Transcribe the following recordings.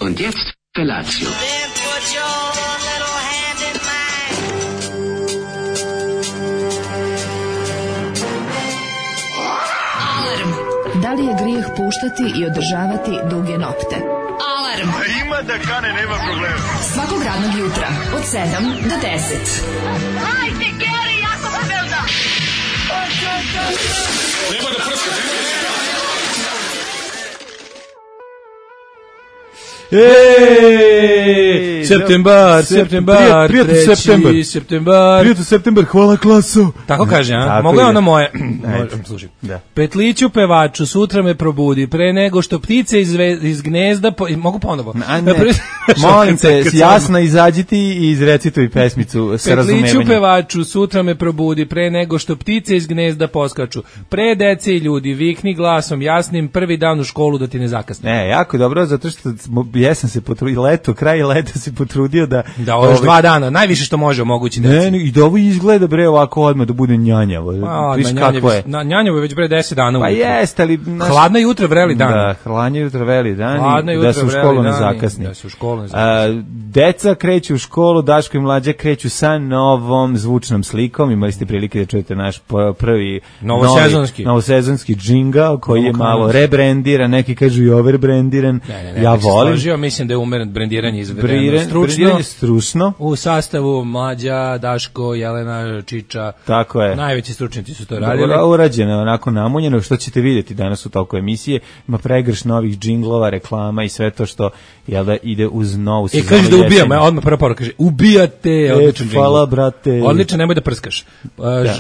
Und jetzt Felatio. Then put your little hand in mine. Da li je grijeh puštati i održavati duge nokte? Alarm! Ima da kane, nema problema. Svakog radnog jutra, od 7 do 10. Hajde, Geri, jako se velda! Nema da prska, Septembar, Prijatno septembar. Prijatno septembar, hvala klaso. Tako kaže, a? Tako Mogu je je. ono moje. Slušaj. Da. Petliću pevaču, sutra me probudi, pre nego što ptice iz gnezda... Mogu ponovo? A ne, molim te, jasno izađite i izrecituj pesmicu sa razumevanjem. Petliću pevaču, sutra me probudi, pre nego što ptice iz gnezda poskaču. Pre dece i ljudi, vikni glasom jasnim, prvi dan u školu da ti ne zakasne. Ne, jako dobro, zato što jesam se potrudio, kraj leta se potrudio da... Da, ovo još 2 dana, najviše što može omogući deci. Ne, i da ovo izgleda, bre, ovako odmah da bude njanjavo. Viš kako je. Njanjavo je već bre 10 dana. Pa jeste, ali... Hladna jutra, vreli dan. Da, hladna jutra, vreli dan. Hladna jutra, da se u školu ne zakasni. Da se u školu ne zakasni. Deca kreću u školu, Daško i Mlađa kreću sa novom zvučnom slikom. Imali ste prilike da čujete naš prvi novosezonski džingl koji je malo rebrendiran, neki kažu i overbrendiran. Ja volim. Složio, mislim da je umeren brendiranje izvedeno stručno. U sastavu Mlađa, Daško, Jelena, Čiča. Tako je. Najveći stručnjaci su to radili. Urađeno, onako namunjeno, što ćete vidjeti danas u toku emisije. Ima pregrš novih džinglova, reklama i sve to što ide uz novu sezonu. Kaže da ubijam, odmah prva poruka kaže ubijate, odličan džingl. Hvala, brate. Odličan, nemoj da prskaš.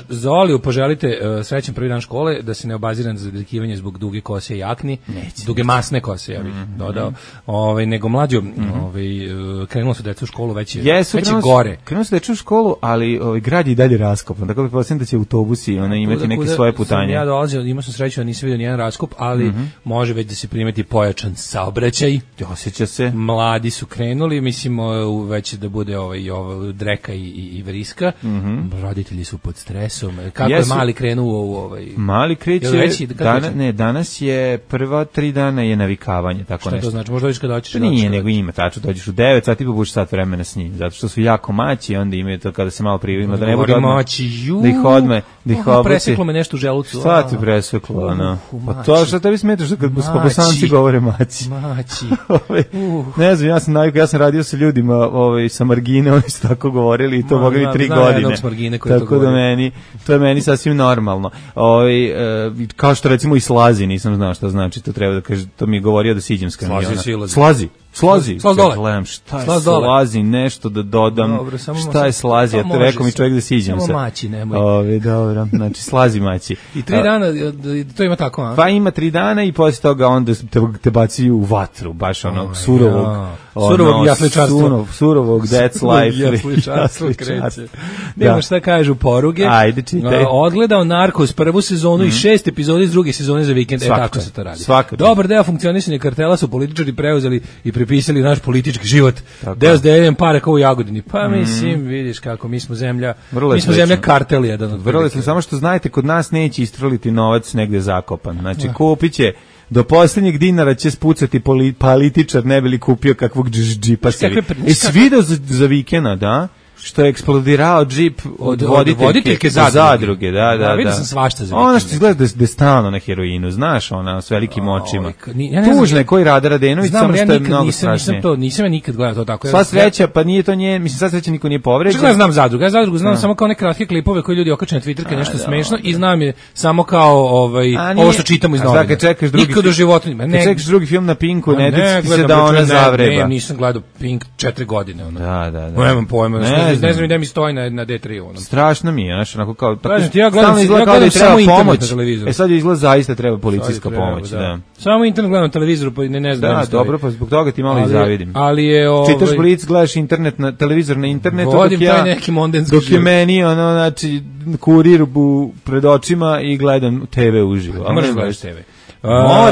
Za Oliju poželite srećan prvi dan škole, da se ne obazira na zadrkivanje zbog duge kose i jakni. Duge masne kose, ja bih dodao. Nego mlađo, krenulo su deca u školu već gore. Krenulo su deca u školu, ali grad je i dalje raskopan. Tako pretpostavljam da će autobusi imati neke svoje putanje. Ja dolazio, imao sam sreću da nisam vidio nijedan raskop, ali može već da se primeti pojačan saobraćaj. Osjeća se. Mladi su krenuli, mislimo već da bude dreka i vriska. Roditelji su pod stresom. Kako je mali krenuo u Mali kreće, danas je prva 3 dana je navikavanje, tako nešto. Šta to znači? Možda dođeš kada hoćeš? Nije, nego ima, tačno, dođeš u 9 sati pa budeš sat vremena s njim, zato što su jako maći, onda imaju to kada se malo privima, da ne bude odmah, da ih odme, da ih obuci. Preseklo me nešto u želucu. Šta ti preseklo, ono? Pa to što tebi smetaš kad Bosanci govore maći. Maći. Ne znam, ja sam radio sa ljudima sa margine, oni su tako govorili i to mogli 3 godine. Tako da to je meni sasvim normalno. Kao što recimo i slazi, nisam znao šta znači, to treba da kaže, to mi je govorio da siđem s kamiona. Slazi dole. Gledam šta je slazi, nešto da dodam. Dobro, šta je slazi? Ja to rekao mi čovjek da siđem se. Samo maći, nemoj. Dobro, znači slazi maći. I 3 dana, to ima tako, a? Pa ima 3 dana i posle toga onda te baci u vatru, baš onog surovog jasličarstva. Surovog that's life. Jasličarstvo kreće. Nemo šta kažu poruge. Ajde, čitaj. Odgledao Narcos prvu sezonu i 6 epizoda iz druge sezone za vikend. Tako se to radi. Dobar deo funkcionisanja kartela su političari preuzeli i prepisali naš politički život. Deo s deljenjem para kao u Jagodini. Pa mislim, vidiš kako mi smo zemlja kartel jedan od vrlo smo, samo što znajte, kod nas neće istroliti novac negde zakopan. Znači, kupit će do posljednjeg dinara će spucati političar, ne bi li kupio kakvog džipa sebi. Jesi video za vikenda, da? Što je eksplodirao džip od voditeljke zadruge, da. Vidio sam svašta za ona što izgleda da je stalno na heroinu, znaš, ona s velikim očima. Tužno je koji Rada Radenović, samo što je mnogo strašnije. Nisam ja nikad gledao to tako. Sva sreća, pa nije to nje, mislim, sva sreća niko nije povređen. Ja znam zadrugu, znam samo kao neke kratke klipove koje ljudi okače na Twitterke, nešto smešno, i znam je samo kao ovo što čitamo iz novina. Kad čekaš drugi film na Pinku, ne ti se da ona zavreba. Ne, nisam gledao Pink 4 godine. Da. Nemam pojma, ne znam gde mi stoji na D3. Strašno mi je, znaš, onako kao... Ja gledam samo internet na televizoru. Sad izgleda zaista treba policijska pomoć, da. Samo internet gledam na televizoru, pa ne znam. Da, dobro, pa zbog toga ti malo i zavidim. Ali je... Čitaš Blic, gledaš internet, televizor na internetu, dok je meni, znači, kurir pred očima i gledam TV uživo. Možeš gledaš TV.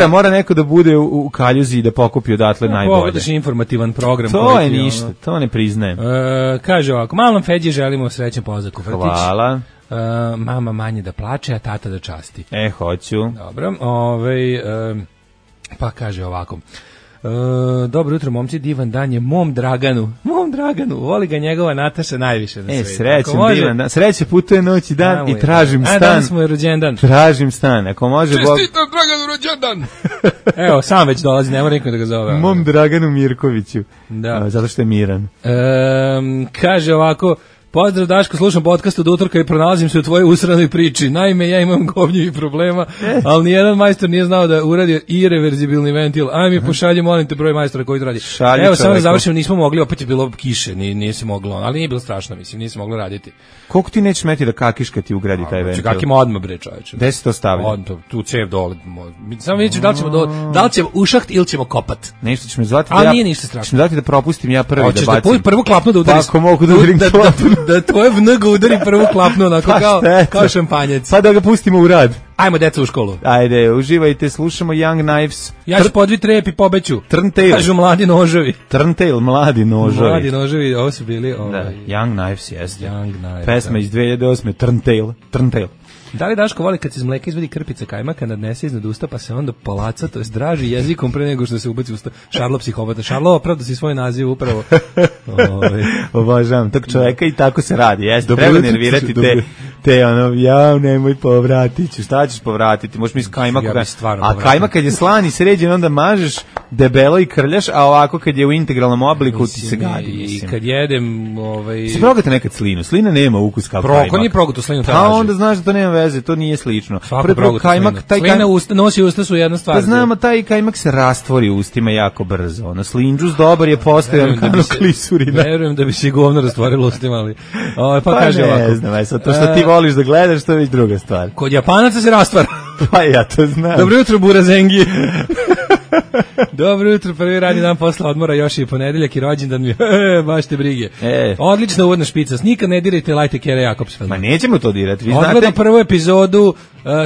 Mora neko da bude u kaljuzi i da pokupi odatle najbolje. Pogledaš informativan program. To je ništa, to ne priznajem. Kaže ovako, malom Feđi želimo srećan pozak u vrtić. Hvala. Mama manje da plače, a tata da časti. Hoću. Dobro, pa kaže ovako. Dobro jutro, momci, divan dan je mom Draganu, voli ga njegova Nataša najviše na svijetu. Srećem, divan dan, sreće putuje noć i dan i tražim stan. Danas mu je rođendan. Tražim stan, ako može Bog. Čestitam Draganu rođendan. Evo, sam već dolazi, ne mora nikom da ga zove. Mom Draganu Mirkoviću, zato što je miran. Kaže ovako, pozdrav Daško, slušam podcast od utorka i pronalazim se u tvojoj usranoj priči. Naime, ja imam govnjivih problema, ali nijedan majstor nije znao da uradi irreverzibilni ventil. Aj mi pošalji, molim te, broj majstora koji to radi. Evo, samo da završim, nismo mogli, opet je bilo kiše, nije se moglo, ali nije bilo strašno, mislim, nije se moglo raditi. Koliko ti nećeš meti da kakiš kad ti ugradi taj ventil? Kak ima odmah, bre, čoveče. Gde se to stavlja? Tu cev dole. Samo vidjet ću da li ćemo ušaht ili ćemo kopat. Nešto ćemo zvati da nije ništa strašno. Ćemo da propustim ja prvi da bacim. Hoćeš da prvo klapnu da udariš. Ako mogu da udarim klapnu. Da tvoje vnga udari prvu klapnu, onako kao šampanjec. Pa da ga pustimo u rad. Ajmo, deca, u školu. Ajde, uživajte, slušamo Young Knives. Ja ću podvit rep i pobeću. Turntail. Kažu mladi noževi. Turntail, mladi noževi. Mladi noževi, ovo su bili... Da, Young Knives, jeste. Young Knives. Pesma iz 2008. Turntail. Da li Daško voli kad se iz mleka izvedi krpica kajmaka, nadnese iznad usta, pa se onda palaca, to je draži jezikom pre nego što se ubaci usta? Šarlo psihopata. Šarlo, opravda si svoj naziv upravo. Obožavam tog čoveka i tako se radi. Jeste, treba nervirati te ono, nemoj povratiti. Šta ćeš povratiti? Možeš mi s kajmaka. A kajmak kad je slan i sređen, onda mažeš debelo i krljaš, a ovako kad je u integralnom obliku ti se gadi. I kad jedem... Si progate nekad slinu? Slina nema ukus kao kajmak. Ko nije progato slinu? Pa onda znaš da to nema veze, to nije slično. Prvo kajmak, slina nosi usta su jedna stvar. Pa znamo, taj kajmak se rastvori u ustima jako brzo. Ono, slinđus dobar je postojan kao klisurina. Verujem da bi se govno rastvorilo ustima, ali... Pa kaže ne ovako. Ne znam, to što ti voliš da gledaš, to je već druga stvar. Kod Japanaca se rastvara. Pa ja to znam. Dobro jutro, Burazengi. Dobro jutro, prvi radni dan posla odmora, još je ponedeljak i rođendan mi. Baš te brige. Odlična uvodna špica. Nikad ne dirajte Lajte Kere Jakobsfeld. Ma nećemo to dirati. Vi znate. Odgledam prvu epizodu,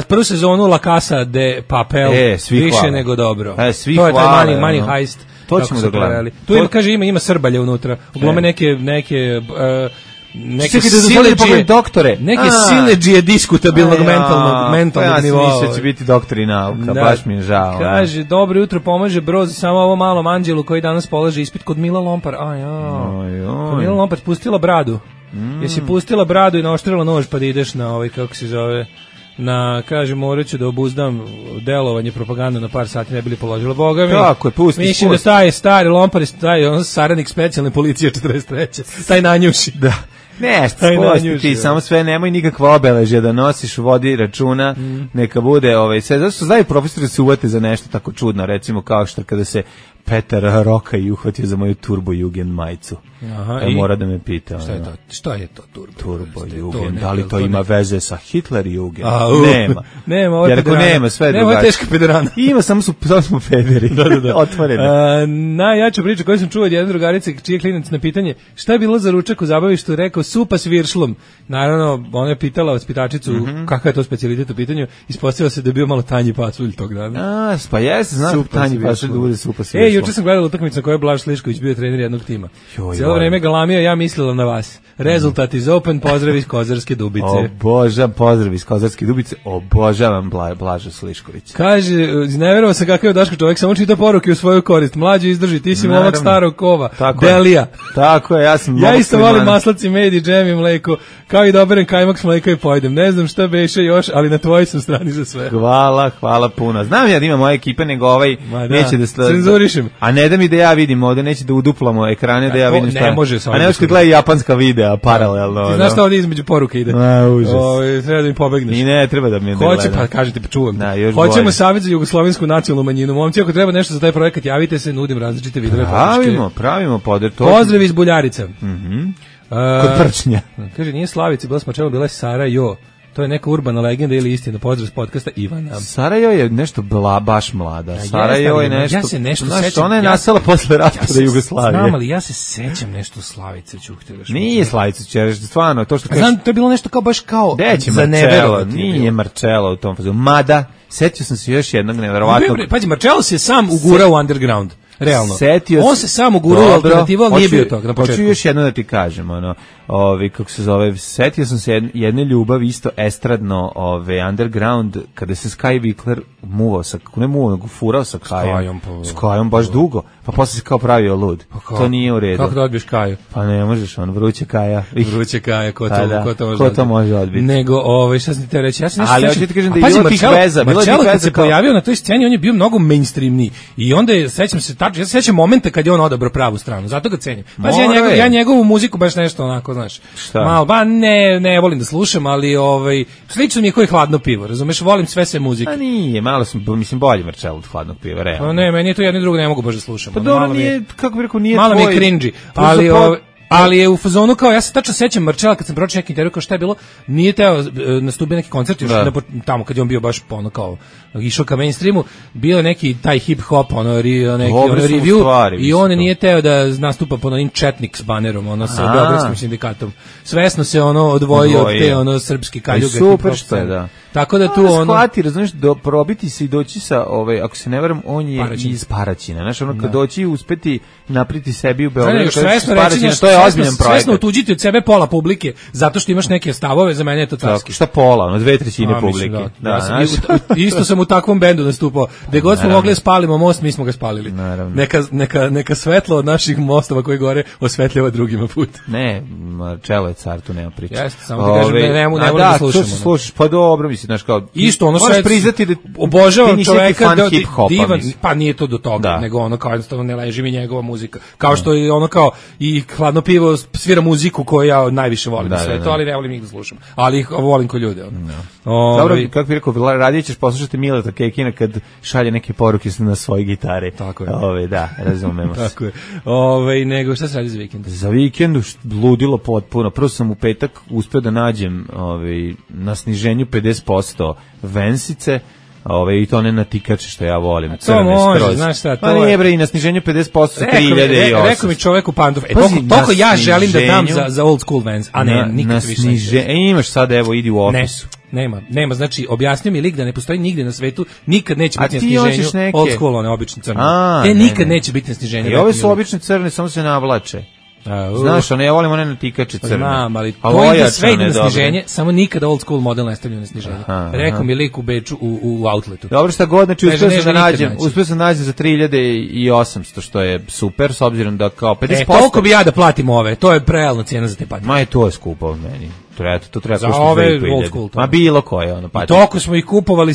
prvu sezonu La Casa de Papel. Više hvala. Nego dobro. Svi to je hvala, taj money heist. To ćemo da gledamo. Tu ima, kaže, ima Srbalje unutra. Uglome neke sileđije diskutabilnog mentalnog nivoa. Ja sam mislio će biti doktori nauka, baš mi je žao. Kaže, dobro jutro, pomaže Broz, samo ovo malom anđelu koji danas polaže ispit kod Mila Lompar. Kod Mila Lompar pustila bradu. Jesi pustila bradu i naoštrila nož pa da ideš na ovaj, kako se zove, kaže, morat ću da obuzdam delovanje propagande na par sati, ne bili položila. Boga mi, tako je, pusti. Mislim da taj stari Lompar, on saradnik specijalne policije 43. Taj nanjuši. Da. Nešto, spusti ti, samo sve, nemoj nikakva obeležja da nosiš, vodi računa, neka bude, sve, zato što znaju profesori da se uvate za nešto tako čudno, recimo kao što kada se Petar Roka i uhvatio za moju Turbo Jugend majicu. Mora da me pita. Šta je to Turbo Jugend? Da li to ima veze sa Hitler Jugend? Nema, ovo je jer ako nema, sve je drugačije. Nema, teška pederana. Ima, samo smo pederi. Otvoreno. Najjača priča koju sam čuo od jedne drugarice, čiji klinac na pitanje šta je bilo za ručak u zabavištu, rekao supa s viršlom. Naravno, ona je pitala vaspitačicu kakav je to specijalitet u pitanju, ispostavilo se da je bio malo tanji pasulj tog dana. Pa jesi, znam tanji pasulj da bude supa s viršlom. Juče sam gledala utakmicu na kojoj je Blaž Slišković bio trener jednog tima. Cijelo vreme galamio, ja mislila na vas. Rezultat iz Open, pozdrav iz Kozarske Dubice. Pozdrav iz Kozarske Dubice, obožavam Blaža Slišković. Kaže, izneverovao sam kakav je Daško čovjek, samo čita poruke u svoju korist. Mlađe izdrži, ti si momak starog kova. Delija. Tako je, ja isto volim maslaci, med i džem i mleko, kao i doberem kajmak s mleka i pojedem. Ne znam šta beše još, ali na tvojoj sam strani za sve. Hvala puno. Znam ja da ima moja ekipa, nego neće da cenzurišem. A ne da mi da ja vidim ovde, neće da uduplamo ekrane, da ja vidim šta. Ne može sa. A ne može kad gleda japanska videa paralelno. Ti znaš šta ovdje između poruke ide? Užas. Treba da mi pobegneš. I ne treba da mi ne gleda. Pa kažete, čuvam. Hoćemo savjet za jugoslovensku nacionalnu manjinu. Momci, ako treba nešto za taj projekat, javite se, nudim različite vidove podrške. Pravimo podršku. Pozdrav iz Buljarica. Kod Prčnja. Kaže, nije Slavici, bila smo čemu, bila je Sarajevo. To je neka urbana legenda ili istina. Pozdrav s podcasta Ivana. Sarajevo je nešto baš mlada. Sarajevo je nešto... Ja se nešto sećam. Ona je nastala posle raspada Jugoslavije. Znam, ali ja se sećam nešto Slavice Ćuhteveš. Nije Slavice Ćuhteveš, stvarno. Znam, to je bilo nešto kao baš kao za neverovati. Nije Marcello u tom fazu. Mada, setio sam se još jednog neverovatnog... Pađi, Marcello se sam ugurao u underground. realno. On se samo gurao u alternativu, ali nije bio tog na početku. Hoću još jedno da ti kažem, kako se zove, setio sam se jedne ljubavi isto estradno, underground, kada se Sky Vikler muvao sa, ne muvao, nego furao sa Kajom. S Kajom baš dugo, pa posle se kao pravio lud. To nije u redu. Kako da odbiješ Kaju? Pa ne možeš, vruće Kaja. Vruće Kaja, ko to može odbiti? Nego, šta sam ti te reći, ja se nešto ali hoću ti kažem da je bilo tih veza. Marcello kad se pojavio na toj sceni, on je bio mnogo mainstreamniji. I onda sećam se tačno, ja se sećam momenta kad je on odabrao pravu stranu, zato ga cenim. Pa ja njegovu muziku baš nešto onako, znaš. Malo, ba ne volim da slušam, ali slično mi je koji Hladno pivo, razumeš, volim sve muzike. A nije, malo sam, mislim, bolje Marcello od Hladnog piva, realno. Pa ne, meni je to jedno i drugo ne mogu baš da slušam. Pa dobro, nije, kako bih rekao, nije malo tvoj. Malo mi je cringy, ali je u fazonu kao, ja se tačno sećam Marcella kad sam pročitao neki intervju kao šta je bilo, nije teo nastupio neki koncert još tamo kad je on bio baš kao išao ka mainstreamu, bio neki taj hip hop review i on nije teo da nastupa pod onim Četnik s banerom, sa Beogradskim sindikatom. Svesno se odvojio od te srpske kaljuge. Super što je, da. Tako da tu shvati, razumiješ, probiti se i doći sa, ako se ne varam, on je iz Paraćina. Znaš, kad doći i uspeti napriti sebi u Beogradu, to je ozbiljan projekt. Svesno otuđiti od sebe pola publike, zato što imaš neke stavove, za mene je to carski. Šta pola, 2/3 publike. Isto sam u takvom bendu nastupao. Gde god smo mogli spalimo most, mi smo ga spalili. Neka svetlo od naših mostova koji gore osvetljava drugima put. Ne, Marcello je car, tu nema priče. Jeste, samo ti kažem, ne volim da slušamo. Pa dobro, mislim, znaš kao... Isto, možeš priznati da obožavam čoveka divan, pa nije to do toga, nego kao jednostavno ne leži mi njegova muzika. Kao što je kao i Hladno pivo svira muziku koju ja najviše volim na svetu, ali ne volim ih da slušam. Ali ih volim ko ljude. Dobro, kako bih rekao, radije ćeš poslušati Mileta Kekina kad šalje neke poruke na svoje gitare. Tako je. Da, razumemo se. Tako je. Nego, šta se radi za vikend? Za vikend ludilo potpuno. Prvo sam u petak uspeo da nađem na sniženju 50% vensice, i to ne na tikače što ja volim. To može, znaš šta, to nije bre, i na sniženju 50% sa 3.800. Rekao mi čovek u pantuf, toliko ja želim da dam za old school Vans, a ne, nikad više. Imaš sad, evo, idi u opisu. Nema, znači objasnio mi lik da ne postoji nigde na svetu, nikad neće biti na sniženju old school, one obične crne. Nikad neće biti na sniženju. I ove su obične crne, samo se navlače. Znaš, ja volim one na tikače crne. Znam, ali to ide sve ide na sniženje, samo nikada old school model ne stavljaju na sniženje. Rekao mi lik u Beču u outletu. Dobro, šta god, znači uspio sam nađem za 3.800, što je super, s obzirom da kao 50%... Toliko bi ja da platim ove, to je prealna cijena za te patike. Ma je to je skupo meni. To treba za ove old school. Ma bilo koje patike. Toliko smo ih kupovali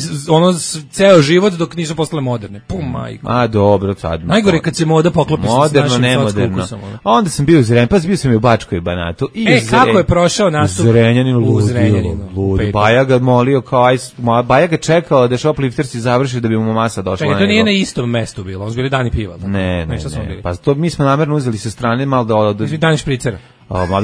ceo život dok nisu postale moderne. Pum, majko. A dobro, sad. Najgore kad se moda poklopi sa našim sotskukusom. Onda sam bio u Zrenjaninu, bio sam i u Bačkoj Banatu. Kako je prošao nastup? U Zrenjaninu. Baja ga molio kao Baja ga čekao da shopliftersi završi da bi mu masa došla. To nije na istom mestu bilo, on su bili dani piva. Ne. Pa to mi smo namerno uzeli sa strane malo da... Dani špricera.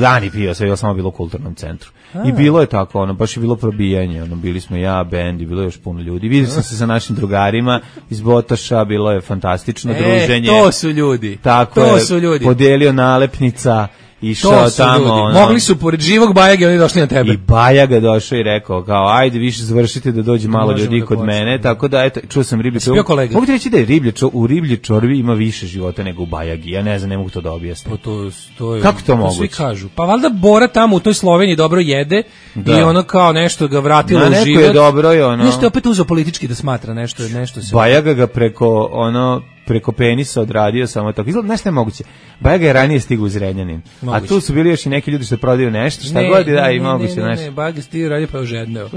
Dani piva, sve je samo bilo u kulturnom centru. I bilo je tako, baš je bilo probijanje, bili smo ja, bend i bilo je još puno ljudi. Vidio sam se sa našim drugarima iz Botoša, bilo je fantastično druženje. To su ljudi. Tako je, podelio nalepnica, išao tamo. Mogli su pored živog Bajage, oni došli na tebe. I Bajaga došao i rekao kao ajde više završite da dođe malo ljudi kod mene, tako da eto čuo sam riblje čorbe. Mogu ti reći da je u riblje čorbi ima više života nego u Bajagi. Ja ne znam, ne mogu to da objasnim. To je, kako to moguće? Svi kažu. Pa valjda Bora tamo u toj Sloveniji dobro jede i ono kao nešto ga vratilo u život. Neko je dobro i nešto je opet uzeo politički da smatra nešto se. Bajaga ga preko penisa odradio samo tako. Izgleda, nešto je moguće. Bajaga je ranije stigao u Zrenjanin. A tu su bili još i neki ljudi što prodaju nešto, šta god i da i moguće nešto. Ne, Bajaga stigao radio pa je ožedneo.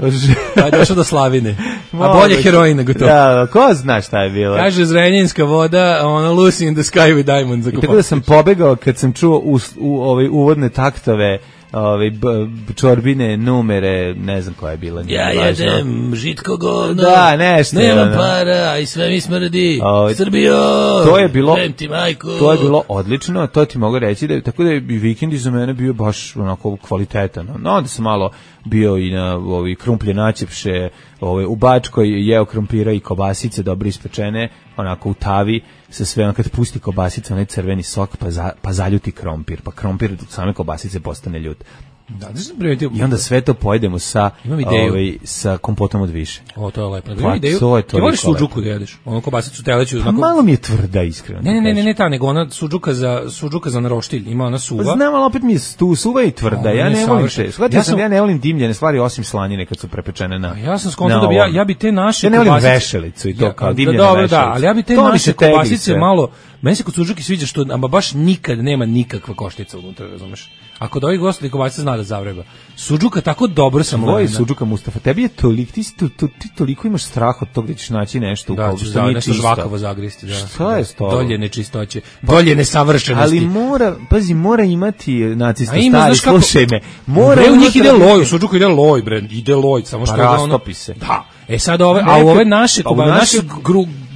Pa je došao do Slavine. A bolje heroin nego to. Da, ko zna šta je bilo. Kaže Zrenjaninska voda, Lucy in the Sky with Diamonds. I tako da sam pobegao kad sam čuo uvodne taktove čorbine, numere, ne znam koja je bila. Ja jedem žitko govno, da, nešto. Nema para i sve mi smrdi. Srbijo, to je bilo odlično, to ti mogu reći, da, tako da je vikend za mene bio baš onako kvalitetan. No, onda sam malo bio i na krumplje načepše, u Bačkoj jeo krompira i kobasice dobro ispečene, onako u tavi, se sve kad pusti kobasica, onaj crveni sok, pa zaljuti krompir, pa krompir same kobasice postane ljut. Da, sam primetio. I onda sve to pojedemo sa kompotom od više. O, to je lepo. Pa, to je to. Ti voliš suđuku da jedeš? Ono kobasicu teleću. Pa malo mi je tvrda, iskreno. Ne, ta, nego ona suđuka za naroštilj. Ima ona suva. Pa znam, ali opet mi je suva i tvrda. Ja ne volim te. Ja ne volim dimljene stvari osim slanjine kad su prepečene na. Ja sam skontao da ja bi te naše kobasice. Ja ne volim vešalicu i to kao dimljene vešalice. Da, ali ja bi te naše kobasice malo. Meni se kod suđuke sviđa što ama baš nikad nema nikakva koštica unutra, razumeš? Ako da ovih gostali kobasice zna da zavreba. Suđuka tako dobro sam lovio. Suđuka Mustafa, tebi je toliko, ti toliko imaš strah od toga da ćeš naći nešto u kogu što nije čisto. Žvakavo zagristi, da. Šta je to? Dolje nečistoće, dolje nesavršenosti. Ali mora imati nacista stari, slušaj me. U njih ide loj, u suđuku ide loj, bre, ide loj, samo što je ono. Rastopi se. Da. Sad u ove naše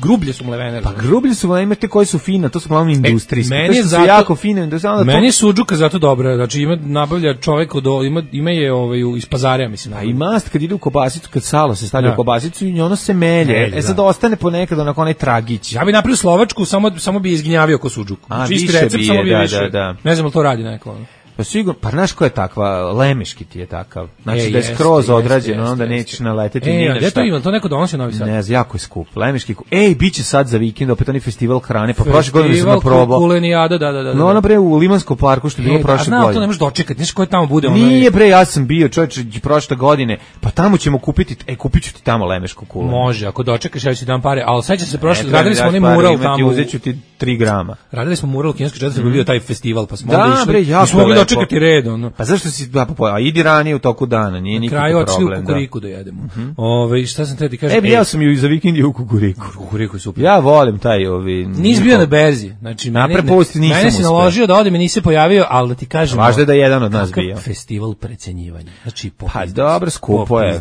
grublje su mlevene. Pa grublje su mlevene, imate koje su fine, to su glavno industrijske. To su jako fine industrijske. Meni je suđuka zato dobra, znači nabavlja čovjek ima je iz pazarja, mislim. A i mast kad ide u kobasicu, kad salo se stavlja u kobasicu i ono se melje. Sad ostane ponekad onako onaj tragić. Ja bi napravio slovačku, samo bi izgnjavio ko suđuku. Čisti recept, samo bi više. Ne znam li to radi neko. Pa sigurno, pa znaš ko je takva, Lemeški ti je takav. Znači da je skroz odrađeno, onda nećeš naleteti ni na šta. To ima, to neko donosi u Novi Sad. Ne znam, jako je skup. Lemeški, biće sad za vikend opet onaj festival hrane, pa prošle godine sam naprobao. Festival kulenijada, da. No ono bre u Limanskom parku što je bilo prošle godine. A to ne možeš dočekati, znaš ko je tamo bude. Nije bre, ja sam bio čovječe prošle godine, pa tamo ćemo kupiti, kupit ću ti tamo Lemešku kulenu. Može, ako dočekaš ja ću ti dam pare, ali sećam se prošle, radili smo onaj mural tamo. Uzeću ti 3 grama. Radili smo mural u kineskoj četvrti, bio taj festival, pa smo onda išli. Smo mogli dočekati red, ono. Pa zašto si a idi ranije u toku dana, nije nikakav problem. Kraju očili u kukuriku da jedemo. Šta sam te ti kažem? Ja sam ju za vikend u kukuriku. Kukuriku je super. Ja volim taj Nis bio na berzi. Znači mene si naložio da odem i nisi pojavio, ali da ti kažem. Važno je da jedan od nas bio. Festival precenjivanja. Znači pa dobro, skupo je.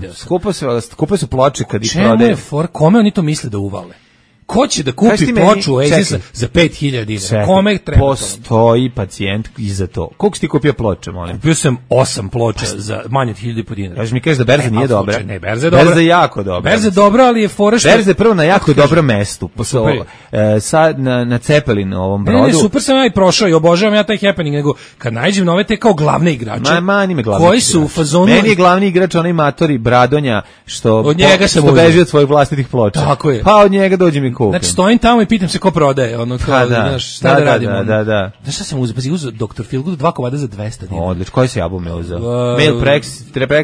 Skupo su ploče kad ih prodaju. Kome oni to misle da uvale? Ko će da kupi ploču Oasisa za 5000 dinara? Kome treba? Postoji pacijent i za to. Koliko si ti kupio ploče, molim? Kupio sam 8 ploča za manje od 1000 dinara. Kažeš mi kažeš da berza nije dobra? Ne, berza je dobra. Berza je jako dobra. Berza je dobra, ali je fora što... Berza je prvo na jako dobrom mestu. Sad na Cepelin ovom brodu. Ne, super sam ja i prošao i obožavam ja taj happening, nego kad nađem nove te kao glavne igrače. Koji su u fazonu... Meni je glavni igrač onaj matori Bradonja što beži od svojih vlastitih ploča. Tako je. Pa od njega dođe mi kupim. Znači stojim tamo i pitam se ko prodaje, ono kao, znaš, šta da radimo. Da. Znaš šta sam uzeo? Pa si uzeo Dr. Feelgood 2 komada za 200 dinara. Odlično, koji si album je uzeo?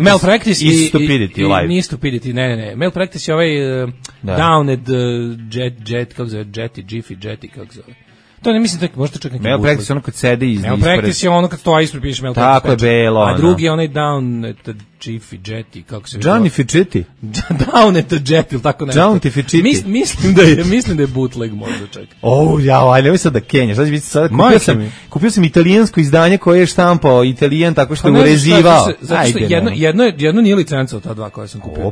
Malpractice i Stupidity live. Nije Stupidity, ne. Malpractice je ovaj Down at Jet, kako zove, Jetty, kako zove. To ne mislim da možda čak neki Malpractice ono kad sedi ispred. Malpractice je ono kad stoji ispred piše Malpractice. Tako je belo. A drugi je onaj Down at Jetty, kako se Johnny Ficchetti. Down at Jetty, tako nešto. Johnny Ficchetti. Mislim da je bootleg možda čak. Nemoj sad da kenjaš. Kupio sam italijansko izdanje koje je štampao Italijan tako što je urezivao. Zato što jedno nije licenca od ta dva koja sam kupio.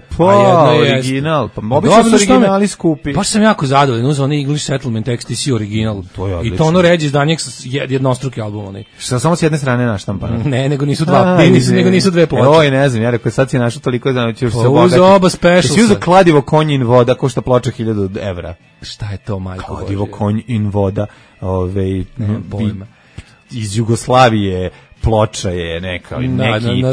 Original. Pa obično su originali skupi. Baš sam jako zadovoljan, uzeo onaj English Settlement XTC original. I to ono ređe izdanje jednostruki album onaj. Šta samo s jedne strane naštampano? Ne, nego nisu dve ploče. Ne znam, ja rekao sad si našao toliko da ćeš se obogati. Uzo oba specialsa. Si uzeo kladivo konj in voda, košta ploča 1000 evra. Šta je to, majko Božje? Kladivo konj in voda, iz Jugoslavije, ploča je neki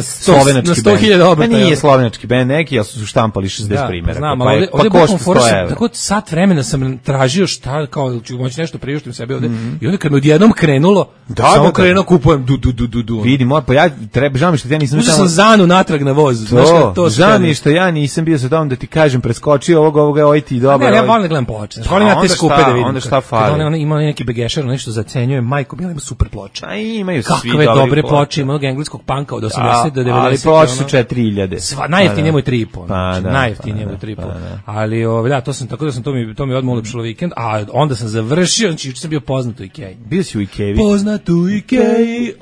slovenački bend. Na 100.000 obrata. Nije slovenački bend neki, ali su štampali 60 primjera. Znam, ali ovdje košta 100 evra. Tako sat vremena sam tražio šta, kao ću moći nešto priuštim sebi ovdje. I onda kad mi odjednom krenulo, samo krenuo kupujem du. Vidi, pa ja žao mi što ja nisam... Uzeo sam Zanu natrag na voz. Žao mi što ja nisam bio sa tom da ti kažem, preskočio ovoga, ti dobro. Ne, ja volim da gledam ploče. Volim ja te skupe da vidim. Onda šta fali? Ima neki begešar, nešto zacenjuje, majko, bila ima super ploče. A imaju svi dobri ploče, imamo engleskog panka od 80 do 90. Ali ploče su 4000. Najjeftinije mu je 3,5. Najjeftinije mu je 3,5. Ali to sam tako da sam to mi odmah ulepšalo vikend, a onda sam završio, znači juče sam bio poznat u Ikeji. Bio si u Ikeji. Poznat u Ikeji.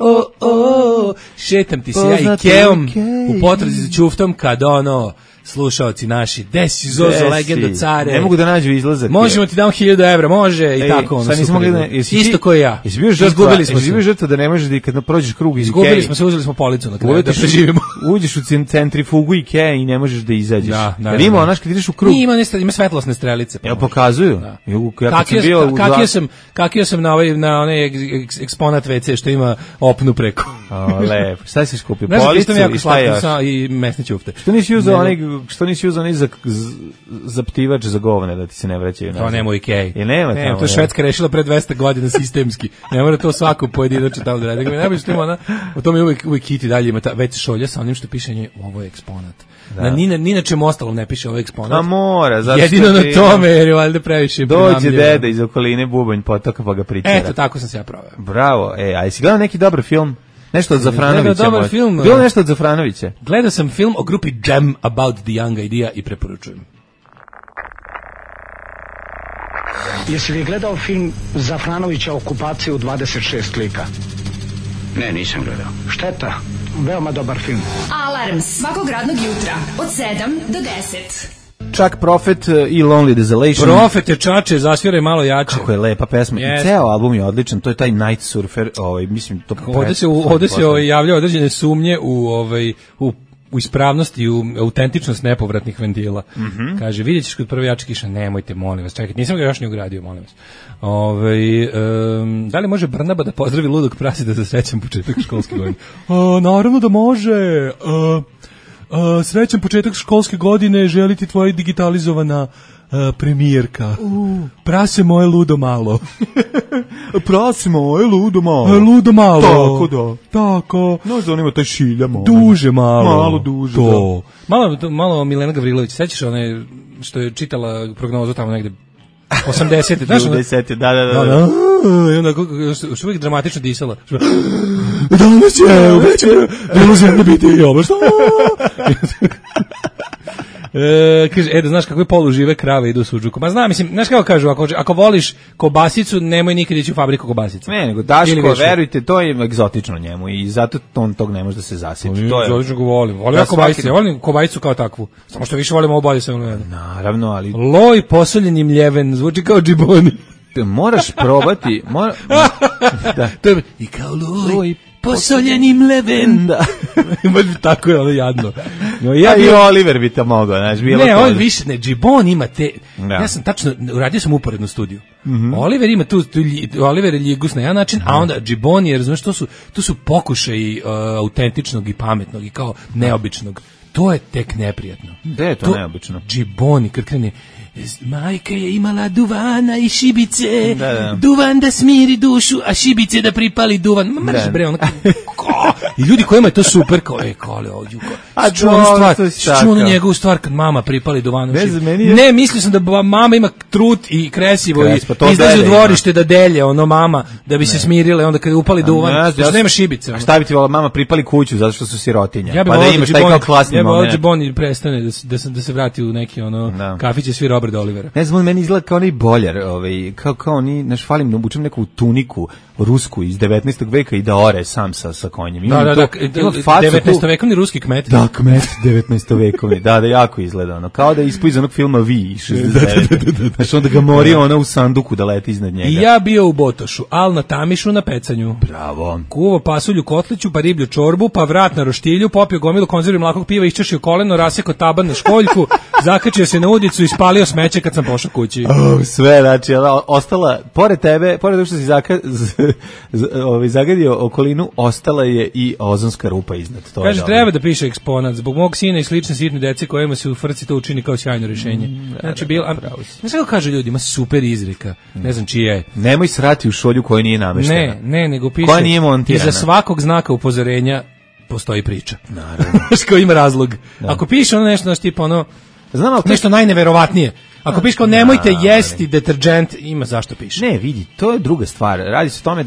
Šetam ti se ja Ikejom u potrazi za ćuftom kad slušaoci naši, desi Zozo, legenda care. Ne mogu da nađu izlazak. Možemo ti dam 1000 evra, može i tako. Sad nismo mogli da... Isto koji ja. Izgubili smo se. Žrtva da ne možeš da kad prođeš krug iz Ikea. Izgubili smo se, uzeli smo policu na kraju da preživimo. Uđeš u centrifugu Ikea i ne možeš da izađeš. Jer ima onaš kad ideš u krug. Ima svetlosne strelice. Ja pokazuju. Kakio sam na onaj eksponat WC što ima opnu preko. Lepo. Šta si skupio? Policu i šta još? I mesne ćufte. Što nisi uzao onaj zaptivač za govne da ti se ne vraćaju nazad? To nema u Ikei. Ne, to je Švedska rešila pre 200 godina sistemski. Ne mora to svako pojedinačno tamo da radi. Najbolje što ima ona, u tome uvijek Kiti dalje ima ta već šolja sa onim što piše ovo je eksponat. Ni na čemu ostalom ne piše ovo eksponat. A mora, zašto? Jedino na tome, jer je valjda previše prenamljivo. Dođe deda iz okoline Bubanj potoka pa ga pričera. Eto, tako sam se ja proveo. Bravo, a jesi gledao neki dobar film? Nešto od Zafranovića. Bilo nešto od Zafranovića? Gledao sam film o grupi Jam About the Young Idea i preporučujem. Jesi li gledao film Zafranovića Okupacija u 26 lika? Ne, nisam gledao. Šteta, veoma dobar film. Alarm svakog radnog jutra od 7 do 10. Chuck Prophet i Lonely Desolation. Prophet je čače, zasviraj malo jače. Kako je lepa pesma. I ceo album je odličan, to je taj Night Surfer, mislim to. Ovde se javljaju određene sumnje u ispravnost i u autentičnost nepovratnih ventila. Kaže, vidjet ćeš kod prve jače kiša, nemojte, molim vas, čekajte, nisam ga još ni ugradio, molim vas. Da li može Brnaba da pozdravi ludog prasida za srećan početak školske godine? Naravno da može. Srećan početak školske godine, želi ti tvoja digitalizovana premijerka. Prase moje ludo malo. Prase moje ludo malo. Ludo malo. Tako da. Tako. No, zanima taj šilja malo. Duže malo. Malo duže. To. Malo Milena Gavrilović. Sećaš one što je čitala prognozu tamo negde 80. Znaš, 80. Da. I onda što uvijek dramatično disala. Danas će bilo zemlje biti ovo što? Kaže, da znaš kakve polužive krave idu u suđuku. Ma znam, mislim, znaš kako kažu, ako voliš kobasicu, nemoj nikad ići u fabriku kobasica. Ne, nego Daško, verujte, to je egzotično njemu i zato on tog ne može da se zasjeti. Egzotično ga volim. Volim kobajice, volim kobajicu kao takvu. Samo što više volim ovo bolje sve. Naravno, ali... Loj posoljen im ljeven, zvuči kao džiboni. Moraš probati. Da. To je i kao loj posoljenim leven. Da. Tako je ono jadno. No, i Oliver bi to mogao, znaš, bilo ne, on više ne, Džibon ima te. Da. Ja sam tačno uradio sam uporednu studiju. Oliver ima tu Oliver je ljigus na jedan način, a onda Džibon je, razumeš, to su pokušaji autentičnog i pametnog i kao neobičnog. To je tek neprijatno. Da je to neobično. Džiboni kad krene majka je imala duvana i šibice, duvan da smiri dušu, a šibice da pripali duvan. Mrš bre, ono i ljudi kojima je to super, kao, kole ovdje, čuo ono njegovu stvar kad mama pripali duvanu. Ne, mislio sam da mama ima trut i kresivo i izlazi u dvorište da delje, ono mama, da bi se smirile, onda kad upali duvan, što nema šibice. A šta bi ti volila mama pripali kuću, zato što su sirotinja, pa da imaš taj kao klasni moment. Ja bi volio Džibon prestane da se vrati u neki ono kafiće svi Robert Olivera. Ne znam, meni izgleda kao onaj boljar, kao oni, naš falim, obučem neku tuniku rusku iz 19. veka i da ore sam sa konjem. Da, 19-vekovni ruski kmet. Da, kmet 19-vekovni, da, jako izgleda ono, kao da je ispao iz onog filma Vi, 69. Znači onda ga mori ona u sanduku da leti iznad njega. I ja bio u Botošu, al na Tamišu na pecanju. Bravo. Kuvo pasulju kotliću, pa riblju čorbu, pa vrat na roštilju, popio gomilu konzervi mlakog piva, iščešio koleno, rasekao taban na školjku, zakačio se na udicu i spalio smeće kad sam pošao kući. Sve, znači, ostala, pored tebe, pored toga što si zagadio okolinu, ostala je i ozonska rupa iznad. To kaže, treba da piše eksponat, zbog mog sina i slične sitne dece kojima se u frci to učini kao sjajno rješenje. Znači, ne znam kako kažu ljudi, ima super izreka, ne znam čije je. Nemoj srati u šolju koja nije nameštena. Ne, nego piše, koja nije montirana. Iza svakog znaka upozorenja postoji priča. Naravno. Koji ima razlog. Da. Ako piše ono nešto, tipa ono, nešto najneverovatnije. Ako piše kao nemojte jesti deterđent, ima zašto piše. Ne, vidi, to je druga stvar. Radi se o tome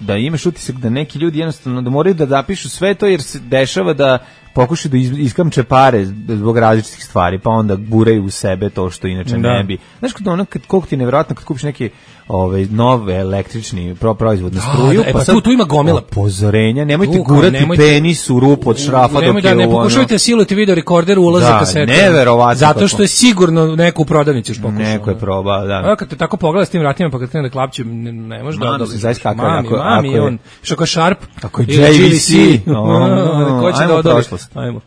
da imaš utisak da neki ljudi jednostavno da moraju da napišu sve to jer se dešava da pokušaju da iskamče pare zbog različitih stvari, pa onda guraju u sebe to što inače ne bi. Znaš, koliko ti je nevjerojatno kad kupiš neki nove električni proizvod na struju, pa sad tu ima gomila upozorenja, nemojte gurati penis u rupu od šrafa dok je ne pokušajte siliti video rekorder ulaza kasete. Neverovatno. Zato što je sigurno neko u prodavnici još pokušao. Neko je probao, da. Kad te tako pogleda s tim vratima, pa kad krene da klapće, ne može da odoliš. Zaista kako je on, što kao Sharp, ako je JVC, ko će da odoli. Ajmo.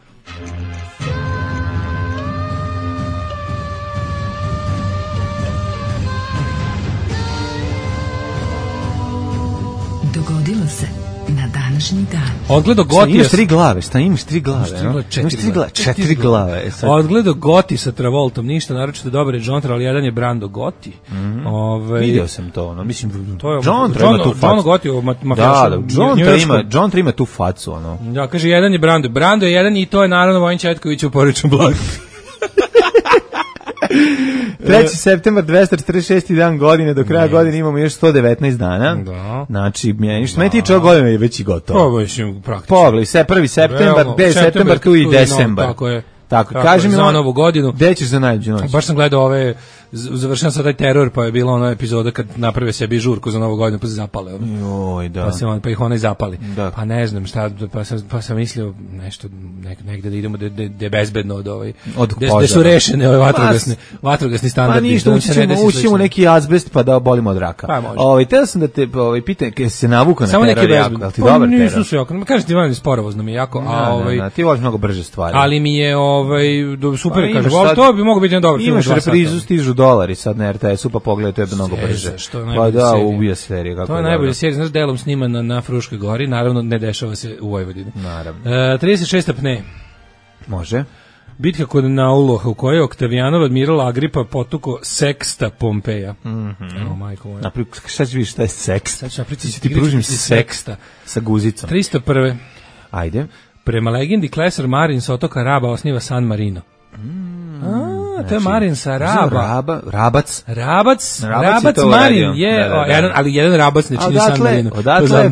Dogodilo se na današnji dan. Odgledo Goti. Imaš 3 glave, imaš 3 glave? Imaš 4 glave. Odgledo Goti sa Travoltom, ništa naročito dobar je John Travolta, ali jedan je Brando Gotti. Vidio sam to, mislim, to je John Travolta ima tu facu. John Gotti, mafijaša. John Travolta ima tu facu, Da, kaže, jedan je Brando. Brando je jedan i to je naravno Vojin Četković u Porečnom blagu. 3. septembar, 246. dan godine, do kraja godine imamo još 119 dana. Da. Znači, što meni tiče ovog godine je već i gotovo. Ovo je praktično. Pogledaj, 1. septembar, 5. septembar, tu i decembar. Tako je. Tako, kaži mi za novu godinu. Gde ćeš za najluđu noć? Baš sam gledao završen sad taj teror, pa je bila ona epizoda kad naprave sebi žurku za novu godinu, pa se zapale. Joj, da. Pa ih ona i zapali. Da. Pa ne znam šta, pa sam mislio nešto, negde da idemo da je bezbedno od gde su rešene ove vatrogasni standardi. Pa ništa, ućemo neki azbest pa da bolimo od raka. Pa teo sam da te pitam, kada se navuka na teror jako, ali ti dobar teror? Nisu se jako, kažem ti, vam sporovozno mi je jako, ti voliš mnogo brže stvari. Ali mi je super, kažem, to bi moglo biti jedan dobar film. Imaš reprizu, stižu dolari sad na RTS-u, pa pogledaj, to je mnogo brže. Pa da, ubija serija. To je najbolja serija, znaš, delom snimana na Fruškoj gori, naravno ne dešava se u Vojvodini. Naravno. 36. Pne. Može. Bitka kod Nauloha, u kojoj je Oktavijanov admiral Agripa potuko Seksta Pompeja. Evo, majko moja. Šta ćeš vidjeti šta je Sekst? Sad ću napriti, ti pružim Seksta sa guzicom. 301. Ajde. Prema legendi, Klesar Marin sa otoka Raba osniva San Marino. To je Marin sa Raba. Rabac Marin je, ali jedan Rabac ne čini San Marino. Odatle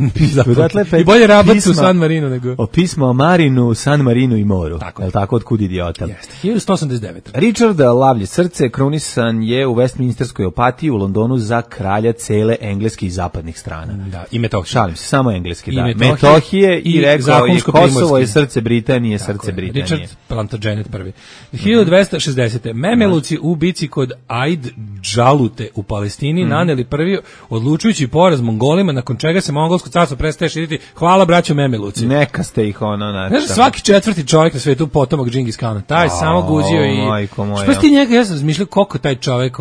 i bolje Rabac u San Marino nego. O pismo o Marinu, San Marinu i moru. Je tako otkud idiota? Jeste. 1189. Richard Lavlje srce krunisan je u Westminsterskoj opatiji u Londonu za kralja cele engleske i zapadnih strana. Da, i Metohije. Šalim se, samo engleski, da. Metohije i rekao je Kosovo je srce Britanije, srce Britanije. Richard Plantagenet prvi. 1260. Memeluci u bici kod Aid Džalute u Palestini naneli prvi odlučujući poraz Mongolima, nakon čega se mongolsko carstvo prestaje širiti. Hvala braćo Memeluci. Neka ste ih Znaš, svaki četvrti čovjek na svetu potomak Džingis Kana. Taj samo guzio i... Što si ti njega, ja sam razmišljao koliko taj čovjek